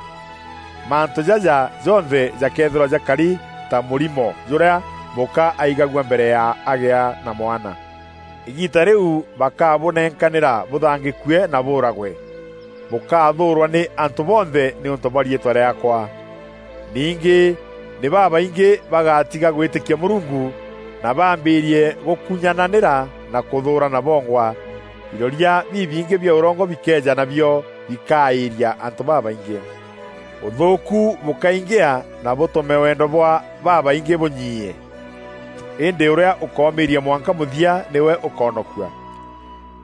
Mantu jaja jonthe jakeethirwa jakari ta murimo juria muka aigagua mbere ya agia na mwana. Igiita riu bakabunenkanira buthangikue na buuragwe. Bukathuurwa ni antu bonthe niuntu bwa riitwa riaakwa. Ningi ni babaingi bagatiga gwitikia Murungu, na baambiirie gukunyananira na kuthuurana bongwa. Iroria bibingi bia urongo bikeeja, nabio bikairia antu babaingi. Uthuuku bukaingia na butume wendo bwa babaingi bunyiie. Indi uria ukoomiiria mwanka muthia niwe ukoonokua.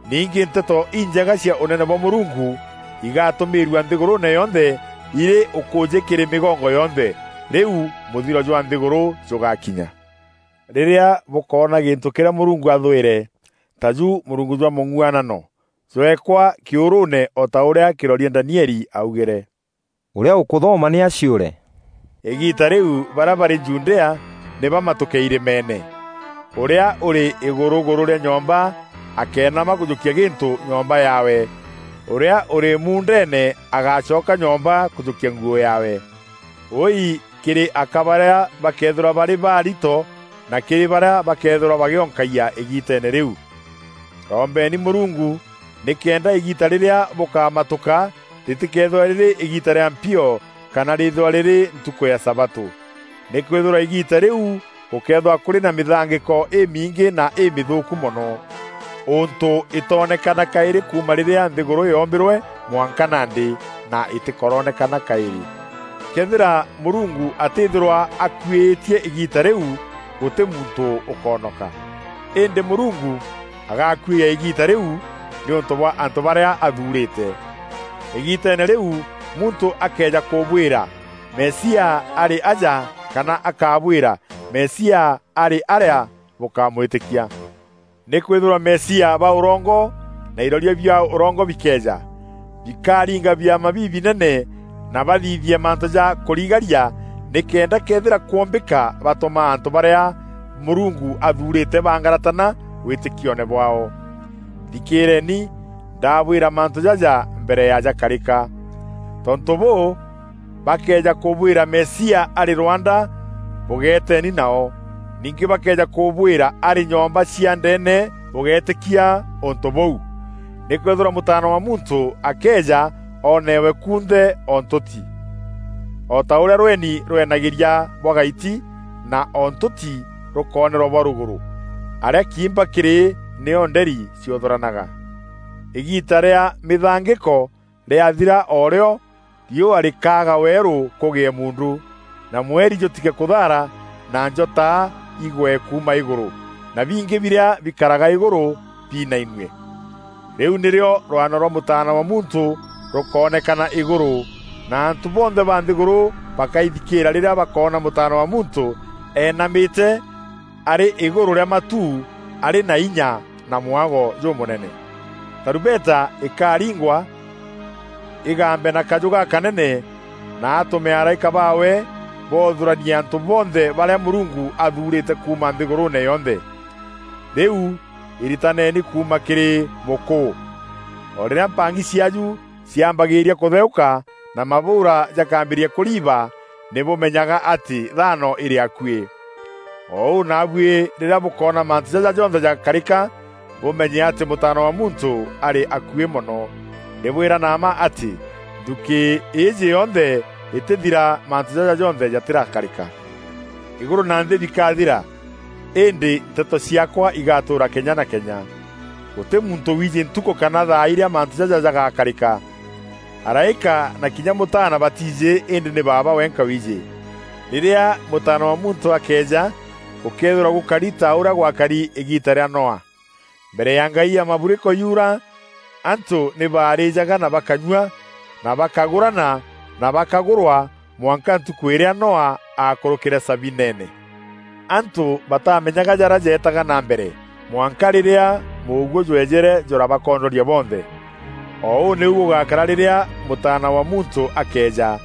Ningi nteto injega cia unene bwa Murungu igatumiirua nthiguruune yonthe iri ukuuji kiri migongo yonthe, riu muthiro jwa nthiguru jugakinya. Riria bukoona gintu kiria Murungu athwire, ta ju murungu jwa mung'uanano, jweekwa kiuruune o ta uria kiroria Danieli augire. Uria ukuthoma ni aciure. Igiita riu baria bari Judea ni bamatuke irimeene. Uria uri iguruguru ria nyomba akeenama kujukia gintu nyomba yaawe. Uria uri muundeene agacoka nyomba kujukia nguo yaawe. Ui kiri aka baria bakeethirwa bari barito na kiri baria bakeethirwa bagionkagia igiiteene riu. Rombeeni Murungu nikenda igiita riria bukamatuka ritikeethirwa riri igiita ria mpio kana riithirwa riri ntuku ya Sabato. Nikwithirwa igiita riu gukeethirwa kuri na mithangiko imiingi na imithuuku mono, untu itoonekana kairi kuuma riria nthiguru yoombirwe mwanka nandi, na itikoroonekana kairi. Kethira Murungu atithirwa akuiitie igiita riu, guti muntu ukoonoka. Indi Murungu agakuiia igiita riu niuntu bwa antu baria athuurite. Igiiteene riu, muntu akeeja kubwira, "Mesia ari aja," kana akabwira, "Mesia ari aria," bukamwitikia. Nikwithirwa mesia ba urongo na iroria bia urongo bikeeja, bikaringa biama bibinene na bathithie mantu ja kurigaria, nikenda kethira kwombika batuma antu baria Murungu athuurite bangaratana witikione bwaao. Thikiireni, ndabwira mantu jaja mbere ya jakarika. Tontu buu, bakeeja kubwira Mesia ari rwanda, bugeeteni nao. Ningi bakeeja kubwira ari nyomba cia ndeene, bugeetikia untu buu. Nikwithirwa Mutaana wa Muntu akeeja oonewe kunthe o ntuti. O ta uria rweni rwenagiria bwa gaiti, na o ntuti rukoonerwa bwa ruguru, aria kiimba kiri nio nderi ciuthuranaga. Igiita ria mithangiko riathira o rio, riua rikaaga weeru kugie muundu, na mweri jutige kuthaara, na njota igwe kuuma iguru, na bingi biria bikaraga iguru biinainue. Riu nirio rwano rwa Mutaana wa Muntu rukoonekana iguru, na antu bonthe ba nthiguru bakaithikira riria bakoona Mutaana wa Muntu eenamite ari iguru ria matu, ari na inya na mwago jumunene. Tarumbeta ikaringwa, igambe na kaju gakanene, na atume araika baawe boothuranie antu bonthe baria Murungu athuurite kuuma nthiguruune yonthe. Riu iritaneni kuuma kiri mukuu. O riria mpangi ciaaju ciambagiiria kutheuka na mabuura jakambiriria kuriiba, ni bumenyaga ati thaano iri akui. O uu naabuui riria bukoona mantu jaja jonthe jakarika, bumenye ati Mutaana wa Muntu ari akui mono. Ndibwira na mma ati, nthuki iiji yonthe itithira mantu jaja jonthe jatirakarika. Iguru na nthi bikathira, indi nteto ciaakwa igatuura kenya na kenya. Guti muntu wiiji ntuku kana thaa iria mantu jaja jagakarika. Araika na kinya Mutaana batiiji, indi ni Baaba wenka wiiji. Riria Mutaana wa Muntu akeeja, gukeethirwa gukari ta uria gwakari igiita ria Noa. Mbere ya ngai ya maburiko yuura, antu ni baarijaga na bakanyua, na bakagurana na bakagurwa, mwanka ntuku iria Noa aakurukire sabineene. Antu batamenyaga jaria jeetaga na mbere, mwanka riria muuguo jweejere jurabakondoria bonthe. O uu niu gugakara riria Mutaana wa Muntu akeeja.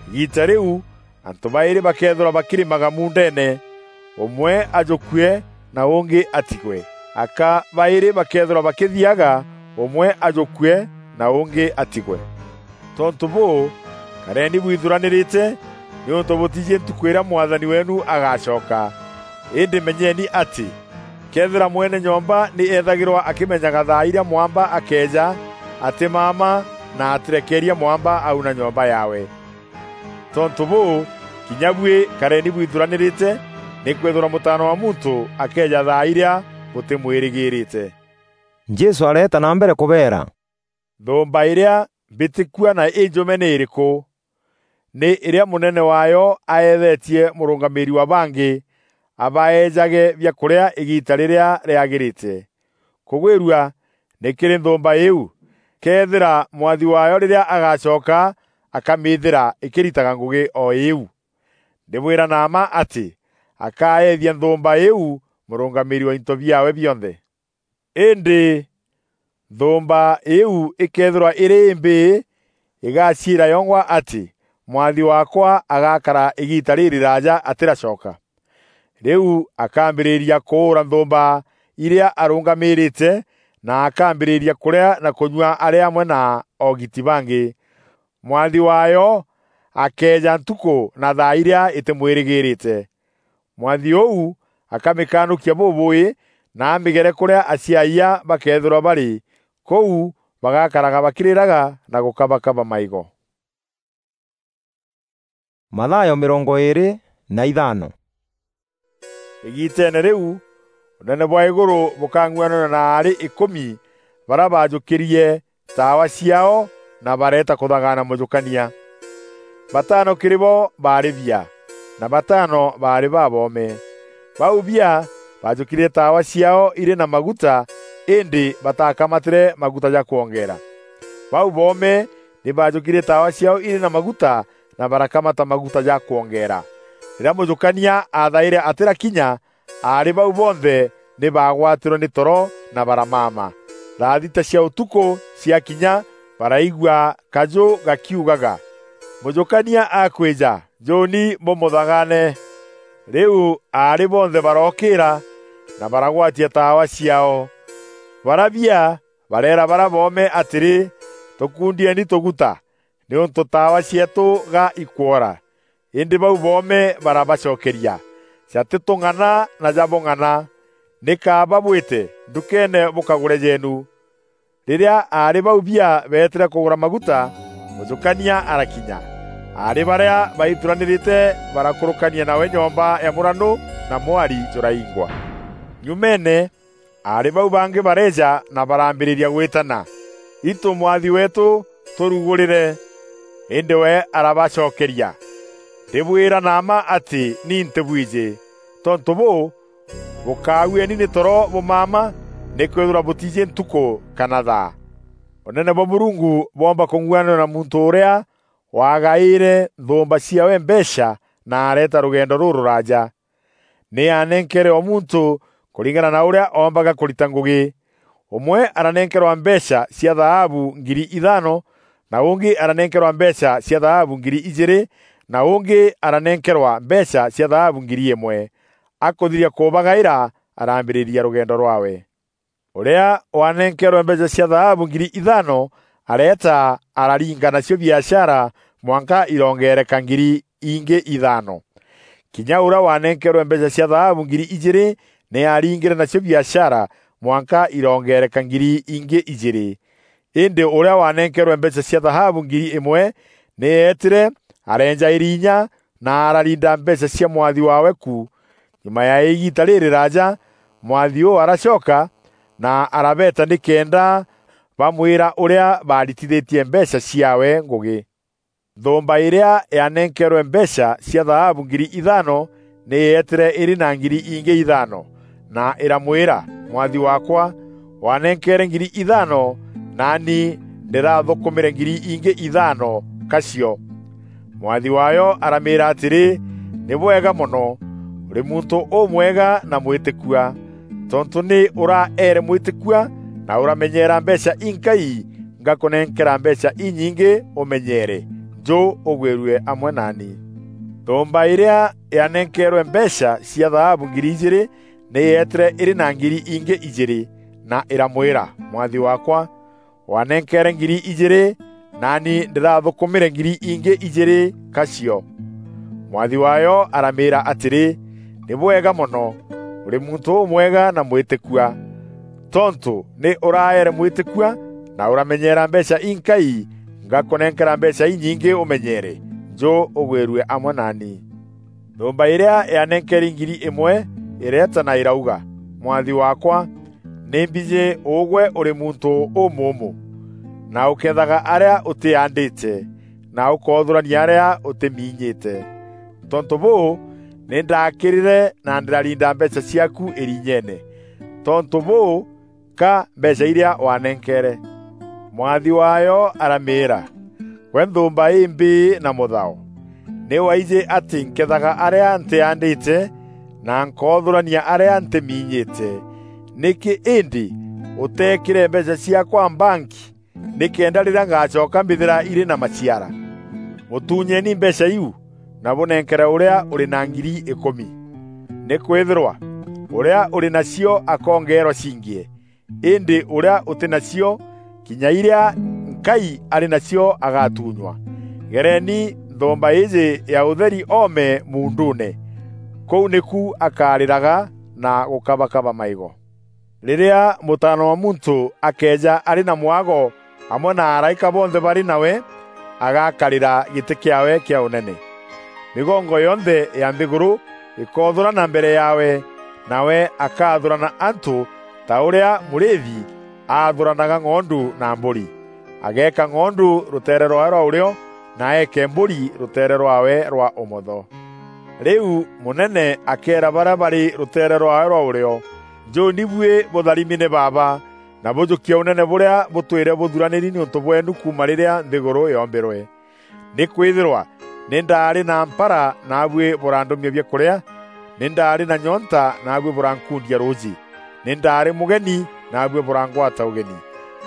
Igiita riu, antu bairi bakeethirwa bakirimaga muundeene, umwe ajukue na ungi atigwe. Aka bairi bakeethirwa bakithiaga, umwe ajukue na ungi atigwe. Tontu buu, kareni bwithuranirite, niuntu butiiji ntuku iria Mwathani weenu agacoka. Indi menyeni ati, kethira mwene nyomba ni eethagirwa akimenyaga thaa iria mwamba akeeja, atimaama na atirekeeria mwamba auna nyomba yaawe. Tontu buu, kinya buui kareni bwithuranirite, nikwithirwa Mutaana wa Muntu akeeja thaa iria butimwirigirite. Jesu areeta na mbere kubeera, "Nthumba iria mbitikua na injume ni iriku? Ni iria munene waayo aeethetie murungamiiri wa bangi abaeejage biakuria igiita riria riagirite. Kugwirua ni kiri nthumba iu, kethira mwathi waayo riria agacoka akamithira ikiritaga ngugi o iu. Ndibwira na mma ati, akaeethia nthumba iu murungamiiri wa into biaawe bionthe. Indi nthumba iu ikeethirwa iri imbii, igaciira yongwa ati, 'Mwathi waakwa agakara igiita ririraaja atiracoka.' Riu akambiriria kuura nthumba iria arungamiirite, na akambiriria kuria na kunyua ari amwe na oogiti bangi. Mwathi waayo akeeja ntuku na thaa iria itimwirigirite. Mwathi uu akamikanukia bubuui, na amigere kuria aciayia bakeethirwa bari, kuu bagakaraga bakiriraga na gukabakaba maigo." Mathayo mirongo iiri na ithano. Igiiteene riu, unene bwa iguru bukang'uananua na aari ikumi baria baajukirie taawa ciaao na bareeta kuthagaana mujukania. Batano kiri bo baari bia, na batano baari baboome. Bau bia baajukirie taawa ciaao iri na maguta, indi bataakamatire maguta ja kwongeera. Bau boome ni baajukirie taawa ciaao iri na maguta, na barakamata maguta ja kwongeera. Riria mujukania aathaire atirakinya, aari bau bonthe ni baagwatirwe ni toro na baramaama. Thaa thita cia utuku ciakinya, baraigua kaju gakiugaga, "Mujukania akwija, njuni bumuthagaane." Riu aari bonthe barookira na baragwatia taawa ciaao. Baria bia bareera baria boome atiri, "Tukundieni tuguta, niuntu taawa cieetu ga ikwora." Indi bau boome barabacokeria, "Jatitung'ana na jabung'ana. Ni kaaba bwite ndukeene bukagure jeenu." Riria aari bau bia beetire kugura maguta, mujukania arakinya. Aari baria baituranirite barakurukania nawe nyomba ya muranu, na mwari juraingwa. Nyumeene, aari bau bangi bareeja na barambiriria gwitana, "Itu mwathi weetu, turugurire." Indi we arabacokeria, "Ndibwira na mma ati ni ntibwiji. Tontu buu, bukaagueni ni toro bumaama, nikwithirwa butiiji ntuku kana thaa." Ûnene bwa Mûrungu bwoomba kûng'uananua na muntû ûrîa waagaîre nthûûmba ciaawe mbeecha na areeta rûgendo rûrûraaja. Nî aanenkeere o muntû kûringana na ûrîa oombaga kûrita ngûgî. Ûmwe aranenkerwa mbeecha cia thaabu ngiri ithaano, na ûngî aranenkerwa mbeecha cia thaabu ngiri ijîîrî, na ûngî aranenkerwa mbeecha cia thaabu ngiri îmwe. Akûthiria kûbagaîra, araambîrîria rûgendo rwaawe. Ûrîa waanenkeerwe mbeecha cia thaabu ngiri ithaano areeta, araringa nacio biashara mwanka irongeereka ngiri ingî ithaano. Kinya ûrîa waanenkeerwe mbeecha cia thaabu ngiri ijîîrî nî aaringîre nacio biashara mwanka irongeereka ngiri ingî ijîîrî. Îndî ûrîa waanenkeerwe mbeecha cia thaabu ngiri îmwe nî eetîre, areenja îria inya na ararinda mbeecha cia mwathi waawe ku. Nyuma ya îgiita rîrîraaja, mwathi ûû aracoka na arabeeta nîkenda bamwîra ûrîa baaritithîtie mbeecha ciaawe ngûgî. Nthûûmba îrîa yaanenkeerwe mbeecha cia thaabu ngiri ithaano nî yeetîre îrî na ngiri ingî ithaano, na îramwîra, 'Mwathi waakwa, waanenkeere ngiri ithaano, naani ndîrathûkûmîre ngiri ingî ithaano ka cio.' Mwathi waayo aramîîra atîrî, 'Nî bwega mono, ûrî muntû ûmwega na mwîtîkua. Tontû nî ûraeere mwîtîkua na ûramenyeera mbeecha inkai, ngakûnenkera mbeecha inyingî ûmenyeere. Njû ûgwîrue amwe naani.' Nthûûmba îrîa yaanenkeerwe mbeecha cia thaabu ngiri ijîîrî nî yeetîre îrî na ngiri ingî ijîîrî, na îramwîra, 'Mwathi waakwa, waanenkeere ngiri ijîîrî, naani ndîrathûkûmîre ngiri ingî ijîîrî ka cio.' Mwathi waayo aramîîra atîrî, 'Nî bwega mono, ûrî muntû ûmwega na mwîtîkua. Tontû nî ûraeere mwîtîkua na ûramenyeera mbeecha inkai, ngakûnenkera mbeecha inyingî ûmenyeere. Njû ûgwîrue amwe naani.' Nthûûmba îrîa yaanenkeeri ngiri îmwe îreeta na îrauga, 'Mwathi waakwa, nî mbijî ûgwe ûrî muntû ûmûûmû, na ûkeethaga arîa ûtîaandîte, na ûkoothûrania arîa ûtîminyîte. Tontû bûû, nî ndaakîrîre na ndîrarinda mbeecha ciaaku îrinyeene. Tontû bûû, ka mbeecha irîa waanenkeere.' Mwathi waayo aramîîra, 'Gwe nthûûmba îmbîî na mûthao! Nî waijî atî nkeethaga arîa ntîaandîte, na nkoothûrania arîa ntîminyîte. Nîkî îndî ûteekîre mbeecha ciaakwa mbanki, nîkenda rîrîa ngacoka mbîthîra irî na maciara? Mûtuunyeni mbeecha iu, na bûnenkere ûrîa ûrî na ngiri îkûmi. Nîkwîthîrwa ûrîa ûrî nacio akoongeerwa cingie, îndî ûrîa ûtî nacio, kinya irîa nkai arî nacio agatuunywa. Gereeni nthûûmba îîjî ya ûtheri oome muunduune. Kûu nîku akarîraga na gûkabakaba maîgo. Rîrîa Mûtaana wa Muntû akeeja arî na mwago amwe na araîka bonthe barî nawe, agakarîra gîtî kîaawe kîa ûnene. Mîgongo yonthe ya nthîgûrû îkoothûrana mbere yaawe, nawe akaathûrana antû ta ûrîa mûrîîthi aathûranaga ng'ondu na mbûri. Ageeka ng'ondu rûteere rwaawe rwa ûrîo, na eeke mbûri rûteere rwaawe rwa ûmotho. Rîu mûnene akeera barîa barî rûteere rwaawe rwa ûrîo, 'Njûûni buî bûtharimi nî Baaba, na bûjûkie ûnene bûrîa bûtwîre bûthuranîri nîûntû bweenu kuuma rîrîa nthîgûrû yoombîrwe. Nîkwîthîrwa nî ndaarî na mpara, naabuî bûrandûmia biakûrîa, nî ndaarî na nyonta, naabuî bûrankundia rûûjî, nî ndaarî mûgeni, naabuî bûrangwata ûgeni,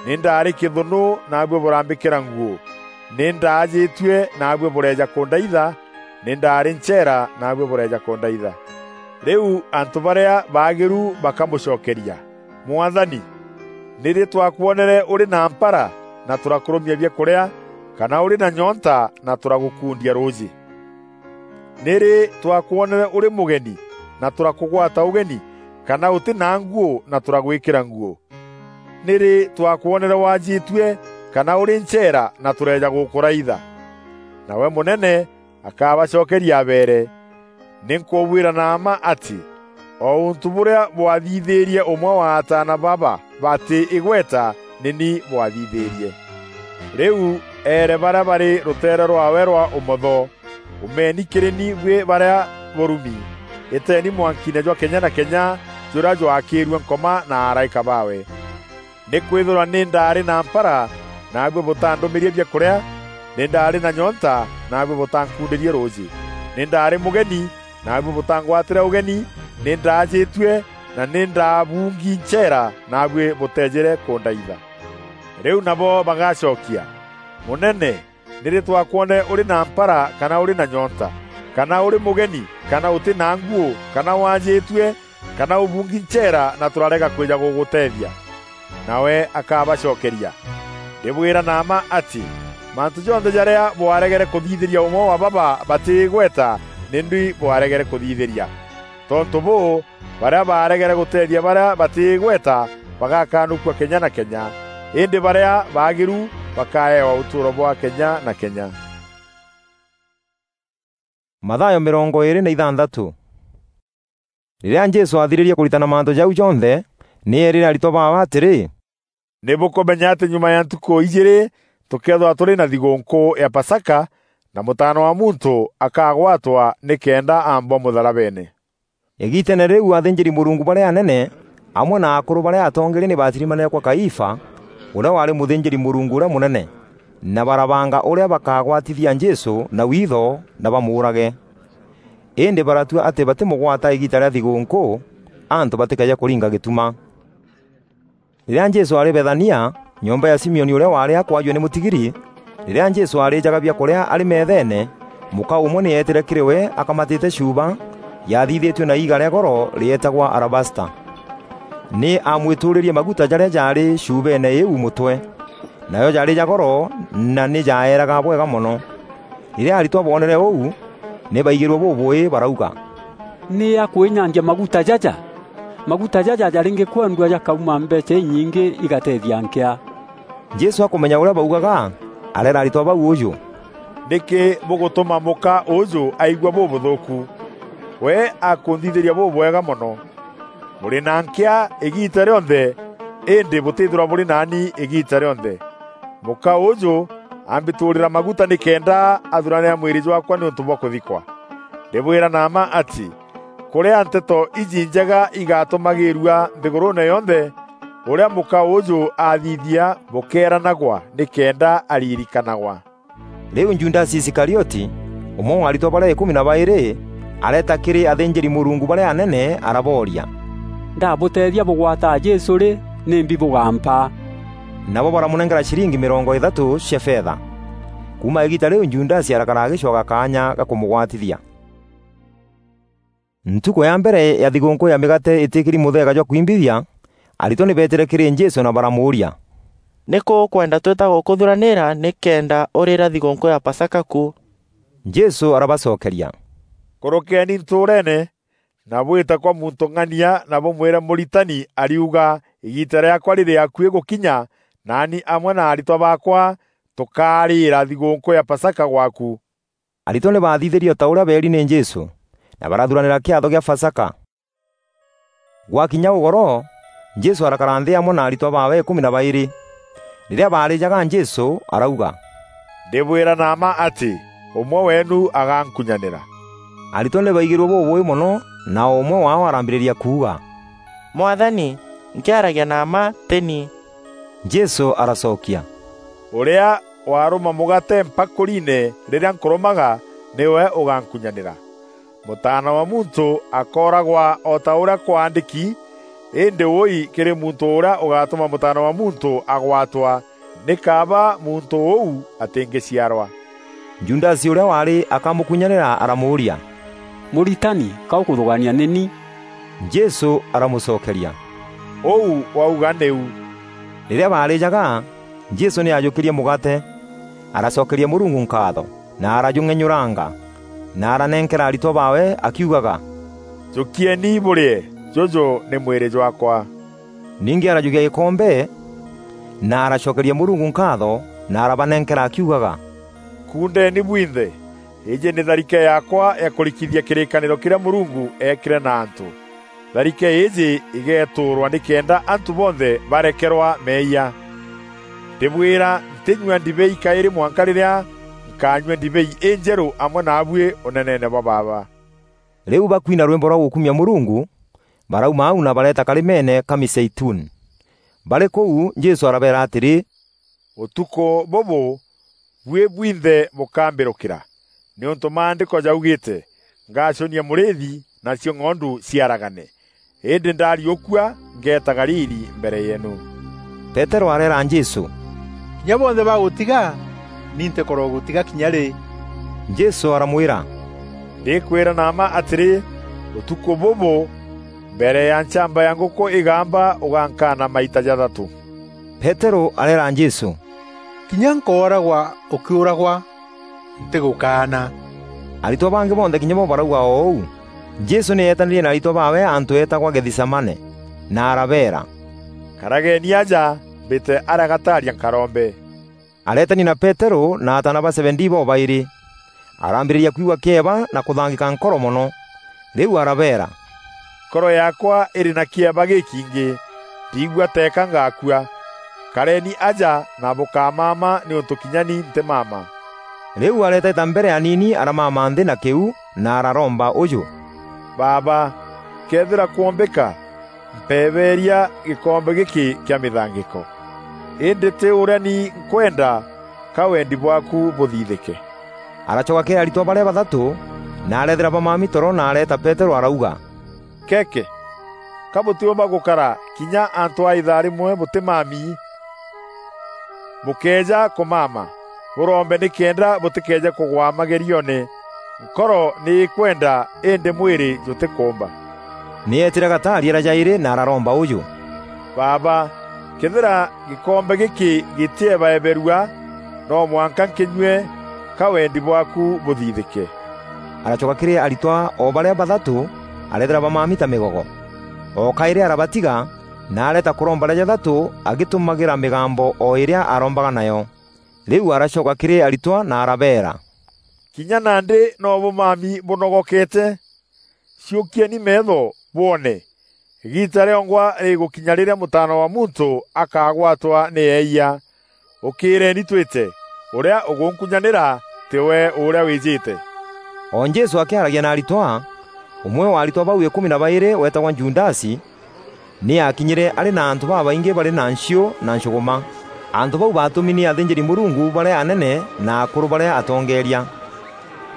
nî ndaarî kîthûnû, naabuî bûrambîkîra nguû, nî ndaajîtue, naabuî bûreeja kûndaitha, nî ndaarî ncheera, naabuî bûreeja kûndaitha.' Rîu antû barîa baagîru bakamûcokeria, 'Mwathani, nîrî twakwonere ûrî na mpara na tûrakûrûmia biakûrîa, kana ûrî na nyonta na tûragûkundia rûûjî? Nîrî twakwonere ûrî mûgeni na tûrakûgwata ûgeni, kana ûtî na nguû na tûragwîkîra nguû? Nîrî twakwonere waajîtue kana ûrî ncheera na tûreeja gûkûraitha?' Nawe mûnene akabacokeria abeere, 'Nî nkûbwîra na mma atî, o ûntû bûrîa bwathithîrie ûmwe wa ataana baba batî îgweta, nî ni bwathithîrie.' Rîu eere barîa barî rûteere rwaawe rwa ûmotho, 'Umeeni kîrî ni buî barîa bûrumi, îteeni mwankiine jwa kenya na kenya jûrîa jwaakîîrue Nkoma na araîka baawe. Nîkwîthîrwa nî ndaarî na mpara naabui butandumiririe biakuria; ni ndaari na nyonta, naabui butankundirie ruuji; ni ndaari mugeni, naabui butangwatire ugeni; ni ndaajitue, na ni ndaabungi ncheera, naabui buteejire kundaitha.’ Riu nabo bagacokia, ‘Munene, ni ri twakwone uri na mpara kana uri na nyonta, kana uri mugeni, kana uti na nguu, kana waajitue, kana ubungi ncheera na turarega kwija guguteethia?’ Nawe akabacokeria, ‘Ndibwira na mma ati, mantu jonthe jaria bwaregere kuthithiria umwe wa baba bati igweta, ni ndui bwaregere kuthithiria.’ Tontu buu, baria baaregere guteethia baria bati igweta bagakanukua kenya na kenya, indi baria baagiru bakaewa utuuro bwa kenya na kenya.” Mathayo mirongo iiri na ithanthatû. Rîrîa Jesû aathirîrie kûritana mantû jau jonthe, nî eerîre aritwa baawe atîrî, “Nî bûkûmenya atî nyuma ya ntukû ijîîrî tûkeethîrwa tûrî na thigûûnkû ya Pasaka, na Mûtaana wa Muntû akagwatwa nîkenda aambwa mûtharabeene.” Îgiiteene rîu, athînjîri-Mûrungu barîa anene, amwe na akûrû barîa atongeeria nî baatirimanîre kwa Kaifa, ûrîa waarî mûthînjîri-Mûrungu ûrîa mûnene, na barabanga ûrîa bakagwatithia Jesû na witho na bamûûrage. Îndî baratua atî batîmûgwata îgiita rîa thigûûnkû, antû batîkeeje kûringa gîtuma. Rîrîa Jesû aarî Bethania, nyomba ya Simioni ûrîa waarî akwajue nî mûtigiri, rîrîa Jesû aarîjaga biakûrîa arî meetheene, mûka ûmwe nî eetîre kîrî we akamatîte chuuba yathithîtue na iiga rîa goro rîeetagwa alabasta. Nî aamwîtûûrîrie maguta jarîa jaarî chuubeene îîu mûtwe. Najo jaarî ja goro na nî jaeeraga bwega mono. Rîrîa aritwa boonere ûu, nî baigîrue bûbûî, barauga, “Nî akwînyangia maguta jaja? Maguta jaja jarîngî kwendua jakauma mbeecha inyingî igateethia nkîa.” Jesû akûmenya ûrîa baugaga, areera aritwa bau ûjû, “Nîkî bûgûtûma mûka ûûjû aigua bûbûthûûku? We akûnthithîria bûbwega mono. Bûrî na nkîa îgiita rîonthe, îndî bûtîthîrwa bûrî naani îgiita rîonthe. Mûka ûûjû ambîtûûrîra maguta nîkenda athuranîra mwîrî jwaakwa nîûntû bwa kûthikwa. Ndîbwîra na mma atî, kûrîa nteto iji injega igatûmagîîrua nthîgûrûûne yonthe, ûrîa mûka ûûjû aathithia bûkeeranagwa nîkenda aririkanagwa.” Rîu Judasi Isikarioti, ûmwe wa aritwa barîa îkûmi na baîrî, areeta kîrî athînjîri-Mûrungu barîa anene, arabooria, “Ndabûteethia bûgwataa Jesû rî, nîmbi bûgampa?” Nabo baramûnenkera ciringi mîrongo îthatû cia fetha. Kuuma îgiita rîu Judasi arakara agîcwaga kaanya ga kûmûgwatithia. Ntukû ya mbere ya thigûûnkû ya mîgaate îtîkîri mûtheega jwa kwimbithia, aritwa nî beetîre kîrî Jesû na baramûûria, “Nîkû ûkwenda twîta gûkûthuranîra nîkenda ûrîra thigûûnkû ya Pasaka ku?” Jesû arabacokeria, “Kûrûkeeni ntûûreene na bwîte kwa muntû ng'ania na bûmwîre, ‘Mûritani ariuga, îgiita rîaakwa rîrî akuî gûkinya, naani amwe na aritwa baakwa tûkaarîîra thigûûnkû ya Pasaka gwaaku.’” Aritwa nî baathithîrie o ta ûrîa beeri nî Jesû, na barathuranîra kîatho gîa Pasaka. Gwakinya ûgoro, Jesû arakara nthî amwe na aritwa baawe îkûmi na baîrî. Rîrîa baarîjaga Jesû, arauga, “Ndîbwîra na mma atî, ûmwe weenu agankunyanîra.” Aritwa nî baigîrue bûbûûî mono, na o ûmwe waao arambîrîria kuuga, “Mwathani, nkîaragia na mma tî ni.” Jesû aracokia, “Ûrîa waarûma mûgaate mpakûriine rîrîa nkûrûmaga, nîwe ûgankunyanîra. Mûtaana wa Muntû akooragwa o ta ûrîa kwaandîki, îndî wûûi kîrî muntû ûrîa ûgatûma Mûtaana wa Muntû agwatwa! Nî kaaba muntû ûu atîngîciarwa.” Judasi ûrîa waarî akamûkunyanîra aramûûria, “Mûritani, ka ûkûthûgaania nî ni?” Jesû aramûcokeria, “Ûu wauga nîu.” Rîrîa baarîjaga, Jesû nî aajûkîrie mûgaate, aracokeria Mûrungu nkaatho, na arajûng'enyûranga, na aranenkera aritwa baawe akiugaga, “Jûkieni bûrîe, jûjû nî mwîrî jwaakwa.” Ningî arajûkia gîkombe, na aracokeria Mûrungu nkaatho, na arabanenkera akiugaga, “Kuundeeni bwinthe, îîjî nî tharike yaakwa ya kûrikithia kîrîkanîro kîrîa Mûrungu eekîre na antû. Tharike îîjî îgeetûûrwa nîkenda antû bonthe barekerwa meeyia. Ndîbwîra, ntînyua ndibei kaîrî mwanka rîrîa nkanyua ndibei înjerû amwe naabuî ûneneene bwa Baaba.” Rîu bakwina rwîmbo rwa gûkumia Mûrungu, barauma au na bareeta karîmeene ka Mîzeituni. Barî kûu, Jesû arabeera atîrî, Ûtukû bûbû buî bwinthe bûkambîrûkîra, nîûntû Maandîko jaugîîte, 'Ngacunia mûrîîthi, nacio ng'ondu ciaragane.' Îndî ndaariûkua, ngeeta Galili mbere yeenu." Peterû areera Jesû, "Kinya bonthe bagûtiga, ni ntîkorogûtiga kinya rî?" Jesû aramwîra, "Ndîkwîra na mma atîrî, ûtukû bûbû, mbere ya nchamba ya ngûkû îgamba, ûgankaana maita jathatû." Peterû areera Jesû, "Kinya nkooragwa ûkîûragwa, ntîgûkaana." Aritwa bangî bonthe kinya bo barauga o ûu. Jesû nî eetanîrie na aritwa baawe antû eetagwa Gethisemane, na arabeera, "Karageni aja, mbîte arîa gataaria nkarombe." Areetania na Peterû na ataana ba Zebedii bobaîrî. Arambîrîria kwigua kîeba na kûthangîka nkoro mono. Rîu arabeera, "Nkoro yaakwa îrî na kîeba gîkingî, ndiigua teeka ngakua. Kareni aja na bûkamama nîûntû kinya ni ntîmama." Rîu areeta îta mbere aniini, aramama nthî na kîu, na araromba ûjû, "Baaba, këethîra kwombîka, mpeebeeria gîkombe gîkî kîa mîthangîko. Îndî tî ûrîa ni nkwenda, ka wendi bwaaku bûthithîke." Aracoka kîrî aritwa barîa bathatû, na areethîra bamami toro, na areeta Peterû, arauga, "Keke, ka bûtîûmba gûkara kinya antû a îthaa rîmwe bûtîmami? Bûkëeja kûmama, bûrombe nîkenda bûtîkeeje kûgwa magerioone. Nkoro nî îkwenda, îndî mwîrî jûtîkûûmba." Nî eetîre gataaria ra jaîrî na araromba ûjû, "Baaba, këethîra gîkombe gîkî gîtîebaeberua, no mwanka nkînyue, ka wendi bwaaku bûthithîke." Aracoka kîrî aritwa o barîa bathatû, areethîra bamami ta mîgogo. O kaîrî arabatiga, na areeta kûromba rîa jathatû agîtûmagîra mîgambo o îrîa arombaga nayo. Rîu aracoka kîrî aritwa na arabeera, "Kinya nandî no bûmami bûnogokete? Ciûkieni meetho bwone. Îgiita rîongwa rîgûkinya rîrîa Mûtaana wa Muntû akagwatwa nî eeyia. Ûkîîreeni twîte, ûrîa ûgûnkunyanîra tî we ûrîa wîjîte." O Jesû akîaragia na aritwa, ûmwe wa aritwa bau îkûmi na baîrî weetagwa Judasi, nî aakinyîre arî na antû babaingî barî na nchiû na nchûgûma. Antû bau baatûmi nî athînjîri-Mûrungu barîa anene na akûrû barîa atongeeria.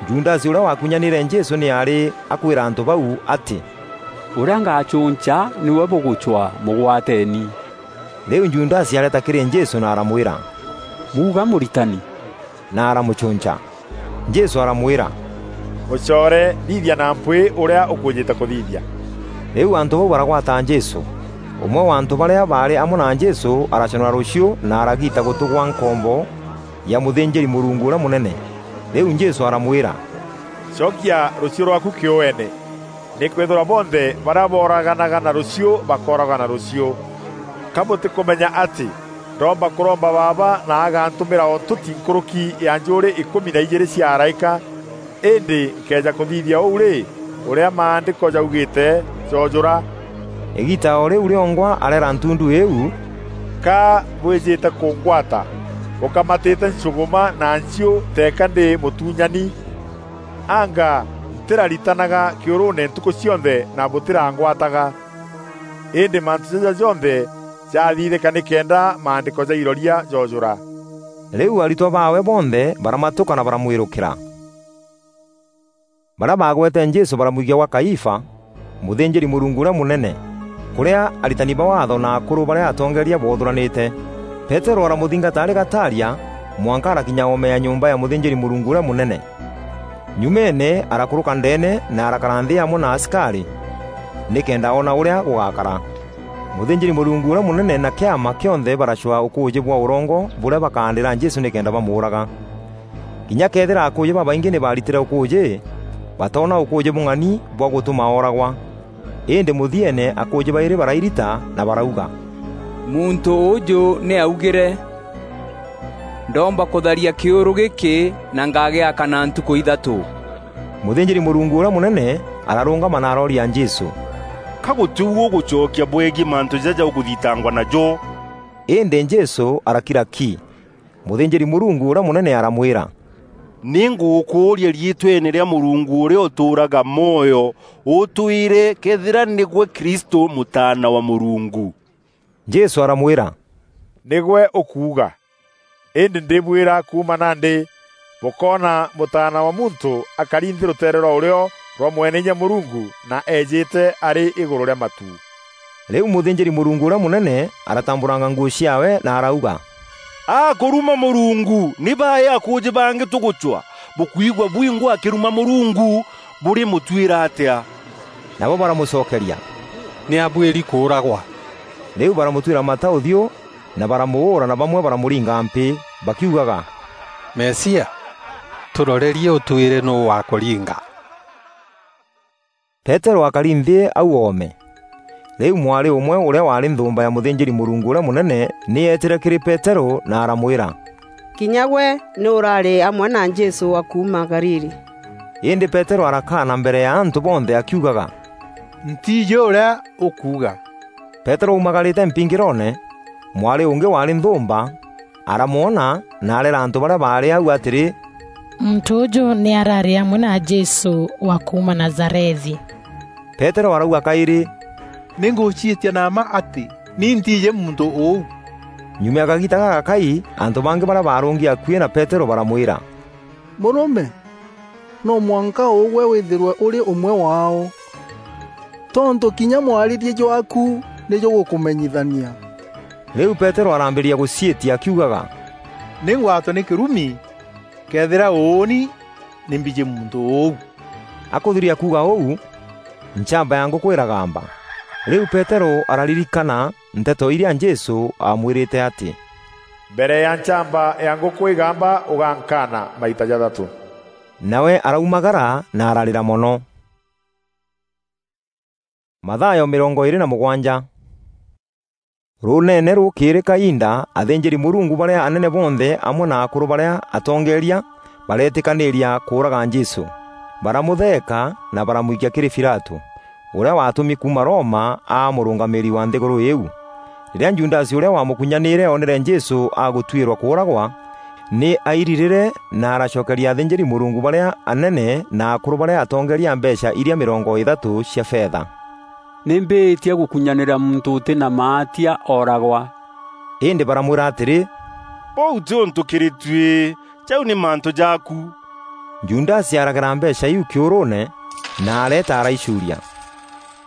Judasi ûrîa wakunyanîre Jesû nî aarî akwîra antû bau atî, "Ûrîa ngacûnca nîwe bûgûcwaa, mûgwateeni." Rîu Judasi areeta kîrî Jesû na aramwîra, "Muuga, Mûritani." Na aramûcûnca. Jesû aramwîra, "Mûcoore, thithia na mpwîî ûrîa ûkûûjîte kûthithia." Rîu antû bau baragwata Jesû. Ûmwe wa antû barîa baarî amwe na Jesû araconora rûchiû na aragiita gûtû gwa nkombo ya mûthînjîri-Mûrungu ûrîa mûnene. Rîu Jesû aramwîra, "Cokia rûchiû rwaaku kîûene, nîkwîthîrwa bonthe barîa booraganaga na rûchiû bakooragwa na rûchiû. Ka bûtîkûmenya atî ndoomba kûromba Baaba na agantûmîra o ntûti nkûrûki ya njûûrî îkûmi na ijîîrî cia araîka? Îndî nkëeja kûthithia ûu rî, ûrîa Maandîko jaugîîte joojûra?" Îgiita o rîu rîongwa areera ntundu îîu, "Ka bwîjîte kûngwata bûkamatîte nchûgûma na nchiû teeka ndî mûtunyani? Anga ntîraritanaga kîûrûûne ntukû cionthe na bûtîrangwataga? Îndî mantû jaja jonthe jathithîka nîkenda Maandîko ja iroria joojûra." Rîu aritwa baawe bonthe baramatûka na baramwîrûkîra. Barîa baagwete Jesû baramwikia gwa Kaifa, mûthînjîri-Mûrungu ûrîa mûnene, kûrîa aritani ba Waatho na akûrû barîa atongeeria boothûranîte. Peterû aramûthingata arî gataaria, mwanka arakinya oome ya nyomba ya mûthînjîri-Mûrungu ûrîa mûnene. Nyumeene arakûrûka ndeene na arakara nthî amwe na asikarî, nîkenda oona ûrîa gûgakara. Mûthînjîri-Mûrungu ûrîa mûnene na kîama kîonthe baracwaa ûkûûjî bwa ûrongo bûrîa bakaandîra Jesû nîkenda bamûûraga. Kinya këethîra akûûjî babaingî nî baaritîre ûkûûjî, batoona ûkûûjî bûng'ani bwa gûtûma ooragwa. Îndî mûthieene akûûjî baîrî barairita na barauga, "Muntû ûûjû nî aaugîre, 'Ndoomba kûtharia kîûrû gîkî na ngagîaka na ntukû ithatû.'" Mûthînjîri-Mûrungu ûrîa mûnene ararûngama na arooria Jesû, "Ka gûtî u ûgûcokia bwegiî mantû jaja ûkûthitangwa najo?" Îndî Jesû arakira ki. Mûthînjîri-Mûrungu ûrîa mûnene aramwîra, "Nî ngûgûkûûria riîtweene rîa Mûrungu ûrîa ûtûûraga mwoyo ûtwîre këethîra nîgwe Kristû, Mûtaana wa Mûrungu." Jesû aramwîra, "Nîgwe ûkuuga." Îndî ndîbwîra kuuma nandî, bûkoona Mûtaana wa Muntû akari nthî rûteere rwa ûrîo rwa Mweneinya Mûrungu na eejîte arî îgûrû rîa matu." Rîu mûthînjîri-Mûrungu ûrîa mûnene aratambûranga nguû ciaawe na arauga, "Akûruma Mûrungu! Nî baî akûûjî bangî tûgûcwa? Bûkwigua bwingwa akîruma Mûrungu, bûrîmûtuîra atîa?" Nabo baramûcokeria, "Nî abuîri kûûragwa." Rîu baramûtuîra mata ûthiû na baramûûra, na bamwe baramûringa mpî, bakiugaga, "Mesia, tûrorerie ûtwîre nûû wakûringa." Peterû akari nthî au oome. Rîu mwarî ûmwe ûrîa waarî nthûûmba ya mûthînjîri-Mûrungu ûrîa mûnene nî eetîre kîrî Peterû na aramwîra, "Kinya gwe nî ûrarî amwe na Jesû wa kuuma Galili." Îndî Peterû arakaana mbere ya antû bonthe akiugaga, "Ntiijî ûrîa ûkuuga." Peterû aumagarîte mpingîroone, mwarî ûngî waarî nthûûmba, aramwona na areera antû barîa baarî au atîrî, "Muntû ûjû nî ararî amwe na Jesû wa kuuma Nazarethi." Peterû arauga kaîrî, "Nî ngûciîtia na mma atî ni ntiijî muntû ûu." Nyuma ya kagiita gagakai, antû bangî barîa baarûngi akuî na Peterû baramwîra, "Mûrûme, no mwanka ûgwe wîthîrwe ûrî ûmwe waao, tontû kinya mwarîrie jwaaku nî jûgûkûmenyithania." Rîu Peterû arambîrîria gûciîtia akiugaga, "Nî ngwatwe nî kîrumi, këethîra ûûni nî mbijî muntû ûu." Akûthiria kuuga ûu, nchamba ya ngûkû îragamba. Rîu Peterû araririkana nteto irîa Jesû aamwîrîte atî, "Mbere ya nchamba ya ngûkû îgamba, ûgankaana maita jathatû." Nawe araumagara na ararîra mono. Mathayo mîrongo îîrî na mûgwanja. Rûûneene rûkîrî kainda, athînjîri-Mûrungu barîa anene bonthe amwe na akûrû barîa atongeeria bareetîkanîîria kûûraga Jesû. Baramûtheeka na baramwikia kîrî Pilatû, ûrîa waatûmi kuuma Roma aa mûrûngamîîri wa nthîgûrû îîu. Rîrîa Judasi ûrîa wamûkunyanîîre oonere Jesû agûtuîrwa kûûragwa, nî airirîre na aracokeria athînjîri-Mûrungu barîa anene na akûrû barîa atongeeria mbeecha irîa mîrongo îthatû cia fetha, "Nî mbîîtia gûkunyanîra muntû ûtî na maatia ooragwa." Îndî baramwîra atîrî, "Ûu tî ûntû kîrî tuî, jau nî mantû jaaku." Judasi aragera mbeecha iu kîûrûûne na areeta araicuuria.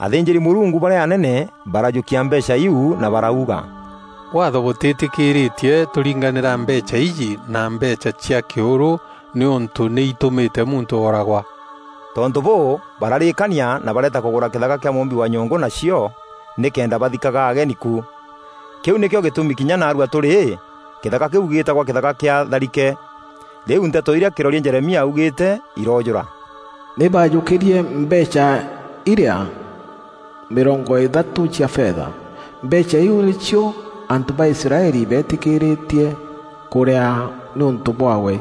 Athînjîri-Mûrungu barîa anene barajûkia mbeecha iu na barauga, "Waatho bûtîtîkîrîtie tûringanîra mbeecha iji na mbeecha cia kîûrû nîûntû nî itûmîte muntû ooragwa." Tontû bûû, bararîîkania na bareeta kûgûra kîthaka kîa mûûmbi wa nyûngû nacio, nîkenda bathikaga ageni ku. Kîu nîkîo gîtûmi kinya naarua tûrî, kîthaka kîu gîîtagwa kîthaka kîa tharike. Rîu nteto irîa kîroria Jeremia augîîte iroojûra: "Nî baajûkîrie mbeecha irîa mîrongo îthatû cia fetha. Mbeecha iu nîcio antû ba Israeli beetîkîrîtie kûrîa nîûntû bwaawe.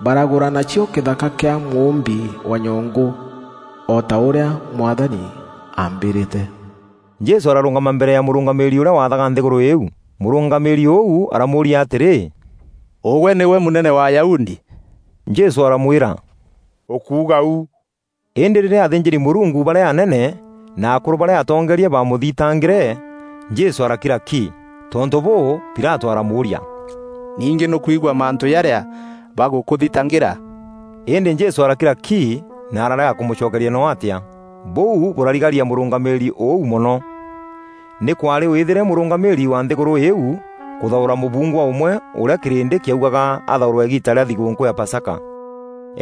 Baragûra nacio kîthaka kîa mûûmbi wa nyûngû, o ta ûrîa Mwathani aambîrîte." Jesû ararûngama mbere ya mûrûngamîîri ûrîa waathaga nthîgûrû îîu. Mûrûngamîîri ûu aramûûria atîrî, "Ûgwe nîgwe mûnene wa Ayahudi?" Jesû aramwîra, "Ûkuuga u." Îndî rîrîa athînjîri-Mûrungu barîa anene na akûrû barîa atongeeria baamûthitangîre, Jesû arakira ki. Tontû bûû, Pilatû aramûûria, "Ningî nûkwigua mantû jarîa bagûkûthitangîra?" Îndî Jesû arakira ki na ararega kûmûcokeria noo atîa. Bûu bûrarigaria mûrûngamîîri ûu mono. Nî kwaarî wîthîre mûrûngamîîri wa nthîgûrû îîu kûthaûra mûbungwa ûmwe ûrîa kîrîndî kîaugaga athaûrwe îgiita rîa thigûûnkû ya Pasaka.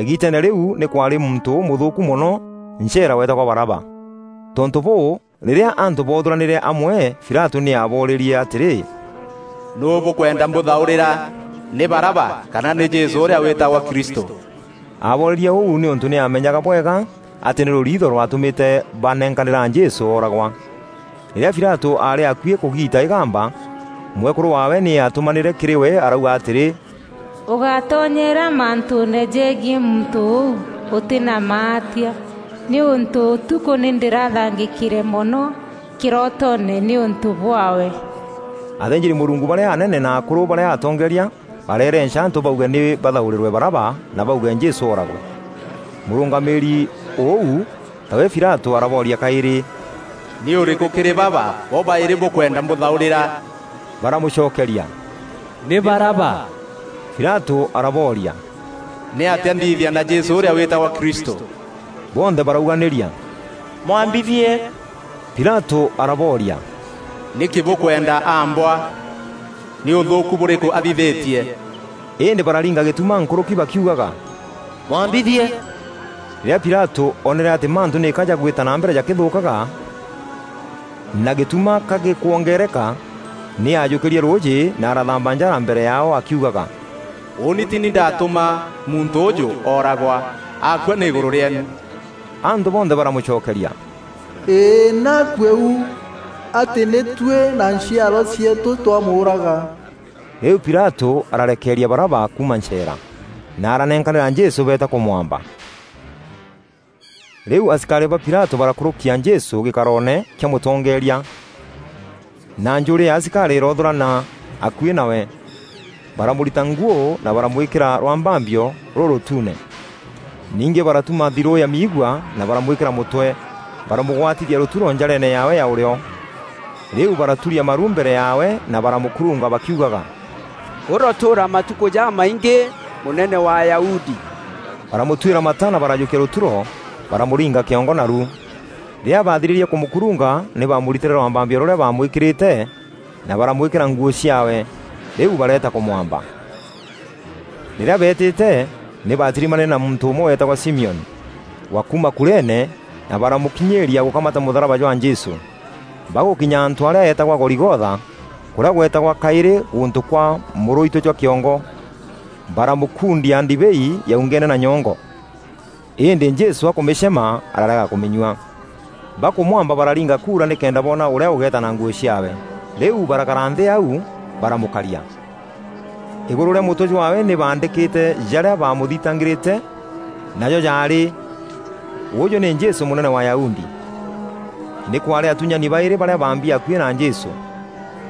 Îgiiteene rîu nî kwaarî muntû ûmûthûûku mono, ncheera weetagwa Baraba. Tontû bûû, rîrîa antû boothûranîre amwe, Pilatû nî aaboorîrie atîrî, "Nûû bûkwenda mbûthaûrîra? Nî Baraba, kana nî Jesû ûrîa wîtagwa Kristû?" Aaboorerie ûu nîûntû nî aamenyaga bwega atî nî rûriitho rwatûmîte banenkanîra Jesû ooragwa. Rîrîa Pilatû aarî akuî kûgiita îgamba, mwekûrû waawe nî aatûmanîre kîrî we arauga atîrî, "Ûgatonyera mantûûne jegiî muntû ûû ûtî na maatia, nîûntû ûtukû nî ndîrathangîkîre mono kîrotoone nîûntû bwaawe." Athînjîri-Mûrungu barîa anene na akûrû barîa atongeeria bareerenca antû bauge nî bathaûrîrwe Baraba na bauge Jesû ooragwe. Mûrûngamîîri ûu, tawe Pilatû, arabooria kaîrî, "Nî ûrîkû kîrî baba bo baîrî bûkwenda mbûthaûrîra?" Baramûcokeria, "Nî Baraba." Pilatû arabooria, "Nîatîa nthithia na Jesû ûrîa wîtagwa Kristû?" Bonthe barauganîria, "Mwambithie!" Pilatû arabooria, "Nîkî bûkwenda ambwa? Nî ûthûûku bûrîkû athithîtie?" Îndî bararinga gîtuma nkûrûki bakiugaga, "Mwambithie!" Rîrîa Pilatû oonere atî mantû nîka jagwîta na mbere jakîthûûkaga, na gîtuma ka gîkwongeereka, nî aajûkîrie rûûjî na arathamba njara mbere yaao akiugaga, "Ûûni tî ni ndatûma muntû ûûjû ooragwa, akua nî îgûrû rîeenu." Antû bonthe baramûcokeria, "Îî, naakue u, atî nî tuî na nchiarwa cieetû twamûûraga." Rîu Pilatû ararekeeria Baraba kuuma ncheera, na aranenkanîra Jesû beeta kûmwamba. Rîu asikarî ba Pilatû barakûrûkia Jesû gîkaroone kîa mûtongeeria, na njûûrî ya asikarî îroothûrana akuî nawe. Baramûrita nguû na baramwîkîra rwambambio rûrûtuune. Ningî baratuma thirû ya miigua na baramwîkîra mûtwe, baramûgwatithia rûturo njareene yaawe ya ûrîo. Rîu baraturia maru mbere yaawe na baramûkurunga bakiugaga, "Ûrotûûra matukû jamaingî, mûnene wa Ayahudi!" Baramûtuîra mata na barajûkia rûturo, baramûringa kîongo naru. Rîrîa baathirîrie kûmûkurunga, nî baamûritîre rwambambio rûrîa baamwîkîrîte, na baramwîkîra nguû ciaawe. Rîu bareeta kûmwamba. Rîrîa beetîte, nî baatirimanîre na muntû ûmwe weetagwa Simioni, wa kuuma Kureene, na baramûkinyîîria gûkamata mûtharaba jwa Jesû. Bagûkinya antû arîa eetagwa Goligotha, kûrîa gweetagwa kaîrî gûntû kwa mûrûitû jwa kîongo, baramûkundia ndibei yaungeene na nyongo. Îndî Jesû akûmîcema, ararega kûmînyua. Bakûmwamba bararinga kuura nîkenda boona ûrîa ûgeeta na nguû ciaawe. Rîu barakara nthî au, baramûkaria. Îgûrû rîa mûtwe jwaawe nî baandîkîte jarîa baamûthitangîrîte, najo jaarî, "Ûûjû nî Jesû, mûnene wa Ayahudi." Nî kwaarî atunyani baîrî barîa baambi akuî na Jesû.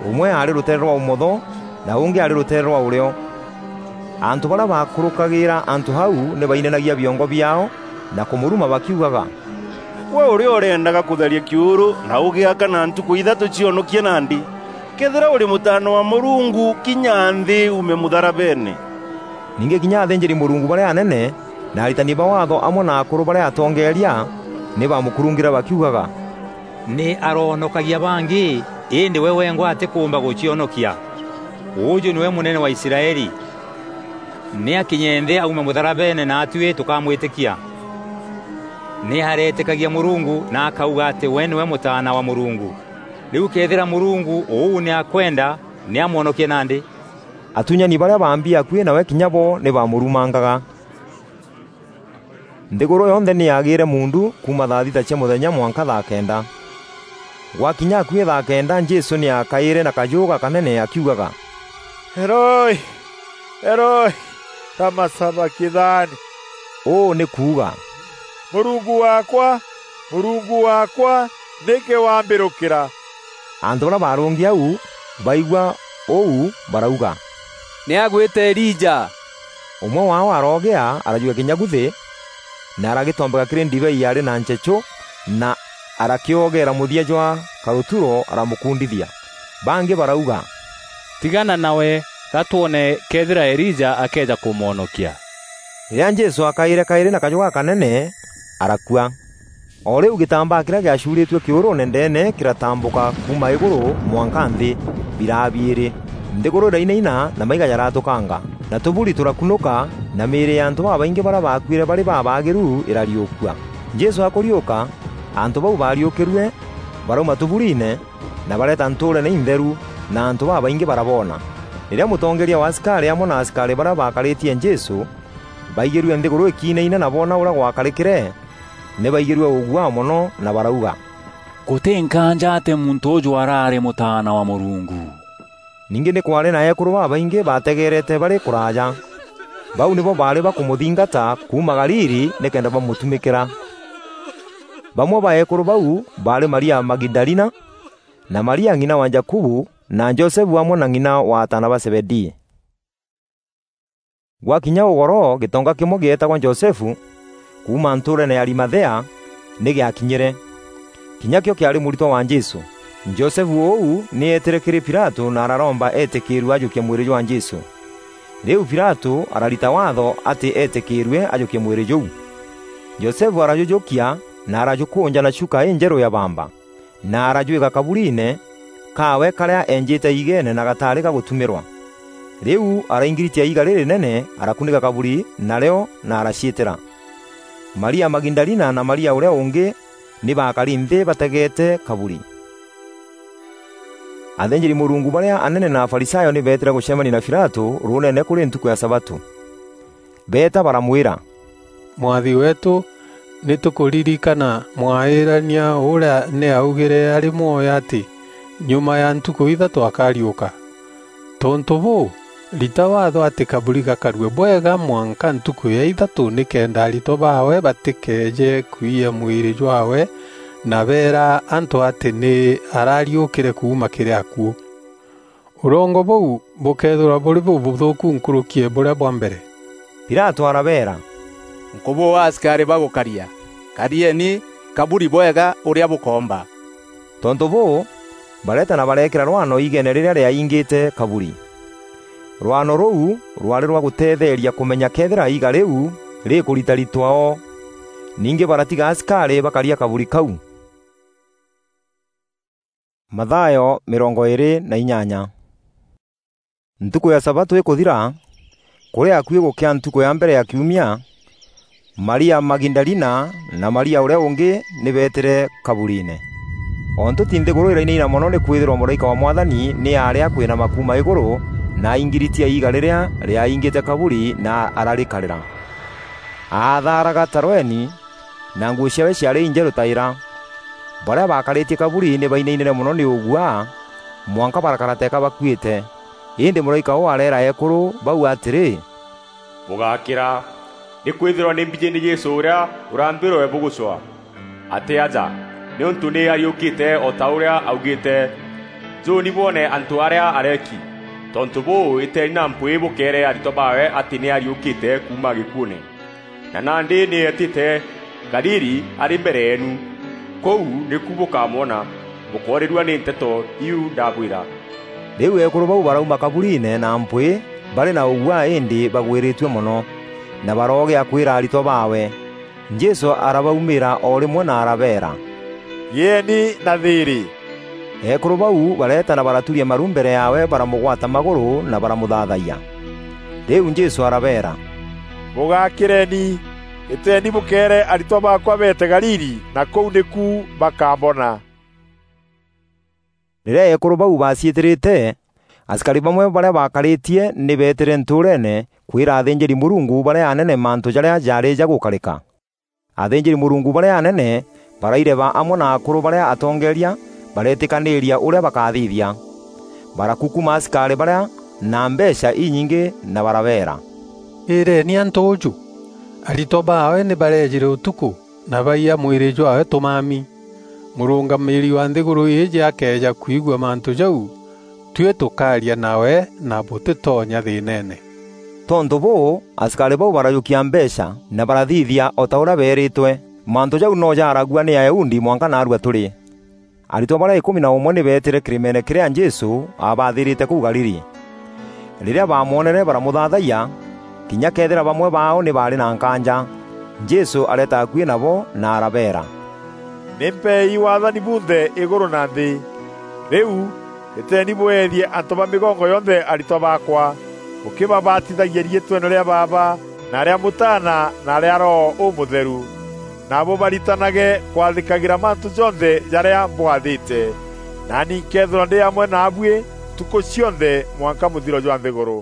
Ûmwe aarî rûteere rwa ûmotho, na ûngî aarî rûteere rwa ûrîo. Antû barîa baakûrûkagîîra antû au nî bainanagia biongo biaao na kûmûruma bakiugaga, "Gwe ûrîa ûreendaga kûtharia kîûrû na ûgîaka na ntukû ithatû cionokie nandî, këethîra ûrî Mûtaana wa Mûrungu, kinya nthî uume mûtharabeene." Ningî kinya athînjîri-Mûrungu barîa anene na aritani ba Waatho amwe na akûrû barîa atongeeria nî baamûkurungîre bakiugaga, "Nî aroonokagia bangî, îndî we wengwa atîkûûmba gûcionokia. Ûûjû nîwe Mûnene wa Israeli. Nî akinye nthî aume mûtharabeene naatuî tûkamwîtîkia." Nî areetîkagia Mûrungu na akauga atî we nîwe Mûtaana wa Mûrungu. Rîu këethîra Mûrungu ûu nî akwenda, nî amwonokie nandî. Atunyani barîa baambi akuî nawe kinya bo nî baamûrumangaga. Nthîgûrû yonthe nî yaagîîre muundu kuuma thaa thita cia mûthenya mwanka thaa kenda. Gwakinya akuî thaa kenda, Jesû nî aakaîre na kajû gakanene akiugaga, "Eloi, Eloi, lama sabakithani?" Ûû nî kuuga, "Mûrungu waakwa, Mûrungu waakwa, nîkî wambîrûkîra?" Antû barîa baarûngi au baigua ûu barauga, "Nî agwîte Elija." Ûmwe waao aroogîa, arajûkia kînyagu thî, na aragîtombeka kîrî ndibei yaarî na nchechû, na arakîogeera mûthia jwa karûturo, aramûkundithia. Bangî barauga, "Tigana nawe, ga twone këethîra Elija akeeja kûmwonokia." Rîrîa Jesû aakaîre kaîrî na kajû gakanene, arakua. O rîu gîtambaa kîrîa gîacuurîtue kîûrûûne ndeene kîratambûka kuuma îgûrû mwanka nthî, biraa biîrî. Nthîgûrû îrainaina na maiga jaratûkanga, na tûburi tûrakunûka, na mîîrî ya antû babaingî barîa baakuîre barî babaagîru îrariûkua. Jesû akûriûka, antû bau baariûkîrue barauma tûburiine, na bareeta ntûûreene intheru, na antû babaingî baraboona. Rîrîa mûtongeeria wa asikarî amwe na asikarî barîa baakarîtie Jesû baigîrue nthîgûrû îkiinaina na boona ûrîa gwakarîkîre, nî baigîrue ûguaa mono na barauga, "Gûtî nkaanja atî muntû ûjû araarî Mûtaana wa Mûrungu." Ningî nî kwaarî na eekûrû babaingî baategeerete barî kûraaja. Bau nîbo baarî bakûmûthingata kuuma Galili nîkenda bamûtumîkîra. Bamwe ba eekûrû bau baarî Maria Magidalina, na Maria ng'ina wa Jakubu na Josefu amwe na ng'ina wa ataana ba Zebedii. Gwakinya ûgoro, gîtonga kîmwe gîeetagwa Josefu, kuuma ntûûreene ya Arimathea, nî gîakinyîre. Kinya kîo kîaarî mûritwa wa Jesû. Josefu ûu nî eetîre kîrî Pilatû na araromba eetîkîîrue ajûkie mwîrî jwa Jesû. Rîu Pilatû ararita waatho atî eetîkîîrue ajukie mwîrî jûu. Josefu arajujukia na arajukunja na chuka înjerû ya bamba, na arajwîka kaburiine kaawe karîa eenjîte iigeene na gataarî ga gûtumîrwa. Rîu araingiritia iiga rîrînene, arakunîka kaburi narîo na araciîtîra. Maria Magidalina na Maria ûrîa ûngî nî baakari nthî bategeete kaburi. Athînjîri-Mûrungu barîa anene na Afarisayo nî beetîre gûcemania na Pilatû rûûneene kûrî ntukû ya sabatû. Beeta baramwîra, "Mwathi weetû, nî tûkûririkana mwaîrania ûrîa nî aaugîre arî mwoyo atî, 'Nyuma ya ntukû ithatû akariûka.' Tontû bûû, rita waatho atî kaburi gakarue bwega mwanka ntukû ya ithatû, nîkenda aritwa baawe batîkeeje kwiya mwîrî jwaawe na beera antû atî nî arariûkîre kuuma kîrî akuû. Ûrongo bûu bûkeethîrwa bûrî bûbûthûûku nkûrûki ya bûrîa bwa mbere." Pilatû arabeera, "Nkûbûû asikarî bagûkaria. Karieni kaburi bwega ûrîa bûkoomba." Tontû bûû, bareeta na bareekîra rwano iigeene rîrîa rîaingîte kaburi. Rwano rûu rwaarî rwa gûteetheeria kûmenya këethîra iiga rîu rîkûritaritwa o. Ningî baratiga asikarî bakaria kaburi kau. Mathayo mîrongo îîrî na inyanya. Ntukû ya sabatû îkûthira, kûrî akuî gûkîa ntukû ya mbere ya kiumia, Maria Magidalina na Maria ûrîa ûngî nî beetîre kaburiine. O ntûti nthîgûrû îrainaina mono nîkwîthîrwa mûraîka wa Mwathani nî aarîa kwînama kuuma îgûrû na aingiritia iiga rîrîa rîaingîte kaburi na ararîkarîra. Aathaaraga tarweni, na nguû ciaawe ciaarî injerû ta îra. Barîa baakarîtie kaburi nî bainainîre mono nî ûguaa, mwanka barakara teeka bakuîte. Îndî mûraîka ûû areera eekûrû bau atîrî, "Bûgakîra, nîkwîthîrwa nî mbijî nî Jesû ûrîa ûrambîrwe bûgûcwaa. Atî aja, nîûntû nî ariûkîte o ta ûrîa augîte. Njûûni bwone antû arîa areeki. Tontû bûû, îteeni na mpwîî bûkeere aritwa baawe atî nî ariûkîte kuuma gîkuûne. Na nandî nî eetîte Galili arî mbere yeenu. Kûu nîku bûkamwona, bûkoorîrua nî nteto iu ndabwîra." Rîu eekûrû bau barauma kaburiine na mpwîî barî na ûguaa îndî bagwîrîtue mono, na baroogîa kwîra aritwa baawe. Jesû arabaumîîra o rîmwe na arabeera, "Gîeeni na thîîrî." Eekûrû bau bareeta na baraturia maru mbere yaawe, baramûgwata magûrû na baramûthaathayia. Rîu Jesû arabeera, "Bûgakîreni, îteeni bûkeere aritwa baakwa beete Galili, na kûu nîku bakambona." Rîrîa eekûrû bau baaciîtîrîte, asikarî bamwe barîa baakarîtie nî beetîre ntûûreene kwîra athînjîri-Mûrungu barîa anene mantû jarîa jaarî jagûkarîka. Athînjîri-Mûrungu barîa anene baraireba amwe na akûrû barîa atongeeria bareetîkanîîria ûrîa bakathithia. Barakukuma asikarî barîa na mbeecha inyingî na barabeera, "Îîreeni antû ûûjû! Aritwa baawe nî bareejîre ûtukû na baiya mwîrî jwaawe tûmami. Mûrûngamîîri wa nthîgûrû îîjî akeeja kwigua mantû jau, tuî tûkaaria nawe na bûtîtonya thîîneene." Tontû bûû, asikarî bau barajûkia mbeecha na barathithia o ta ûrîa beerîtwe. Mantû jau no jaaragua nî Ayahudi mwanka naarua tûrî. Aritwa barîa îkûmi na ûmwe nî beetîre kîrîmeene kîrîa Jesû aabathîrîte kûu Galili. Rîrîa baamwonere, baramûthaathayia, kinya këethîra bamwe baao nî baarî na nkaanja. Jesû areeta akuî nabo na arabeera, "Nî mpeei waathani bunthe îgûrû na nthî. Rîu, îteeni bweethie antû ba mîgongo yonthe aritwa baakwa, bûkîbabatithagia riîtweene rîa Baaba, na rîa Mûtaana, na rîa Roho Ûmûtheru. Na bûbaritanage kwathîkagîra mantû jonthe jarîa mbwathîte. Naani nkeethîrwa ndî amwe naabuî ntukû cionthe mwanka mûthiro jwa nthîgûrû."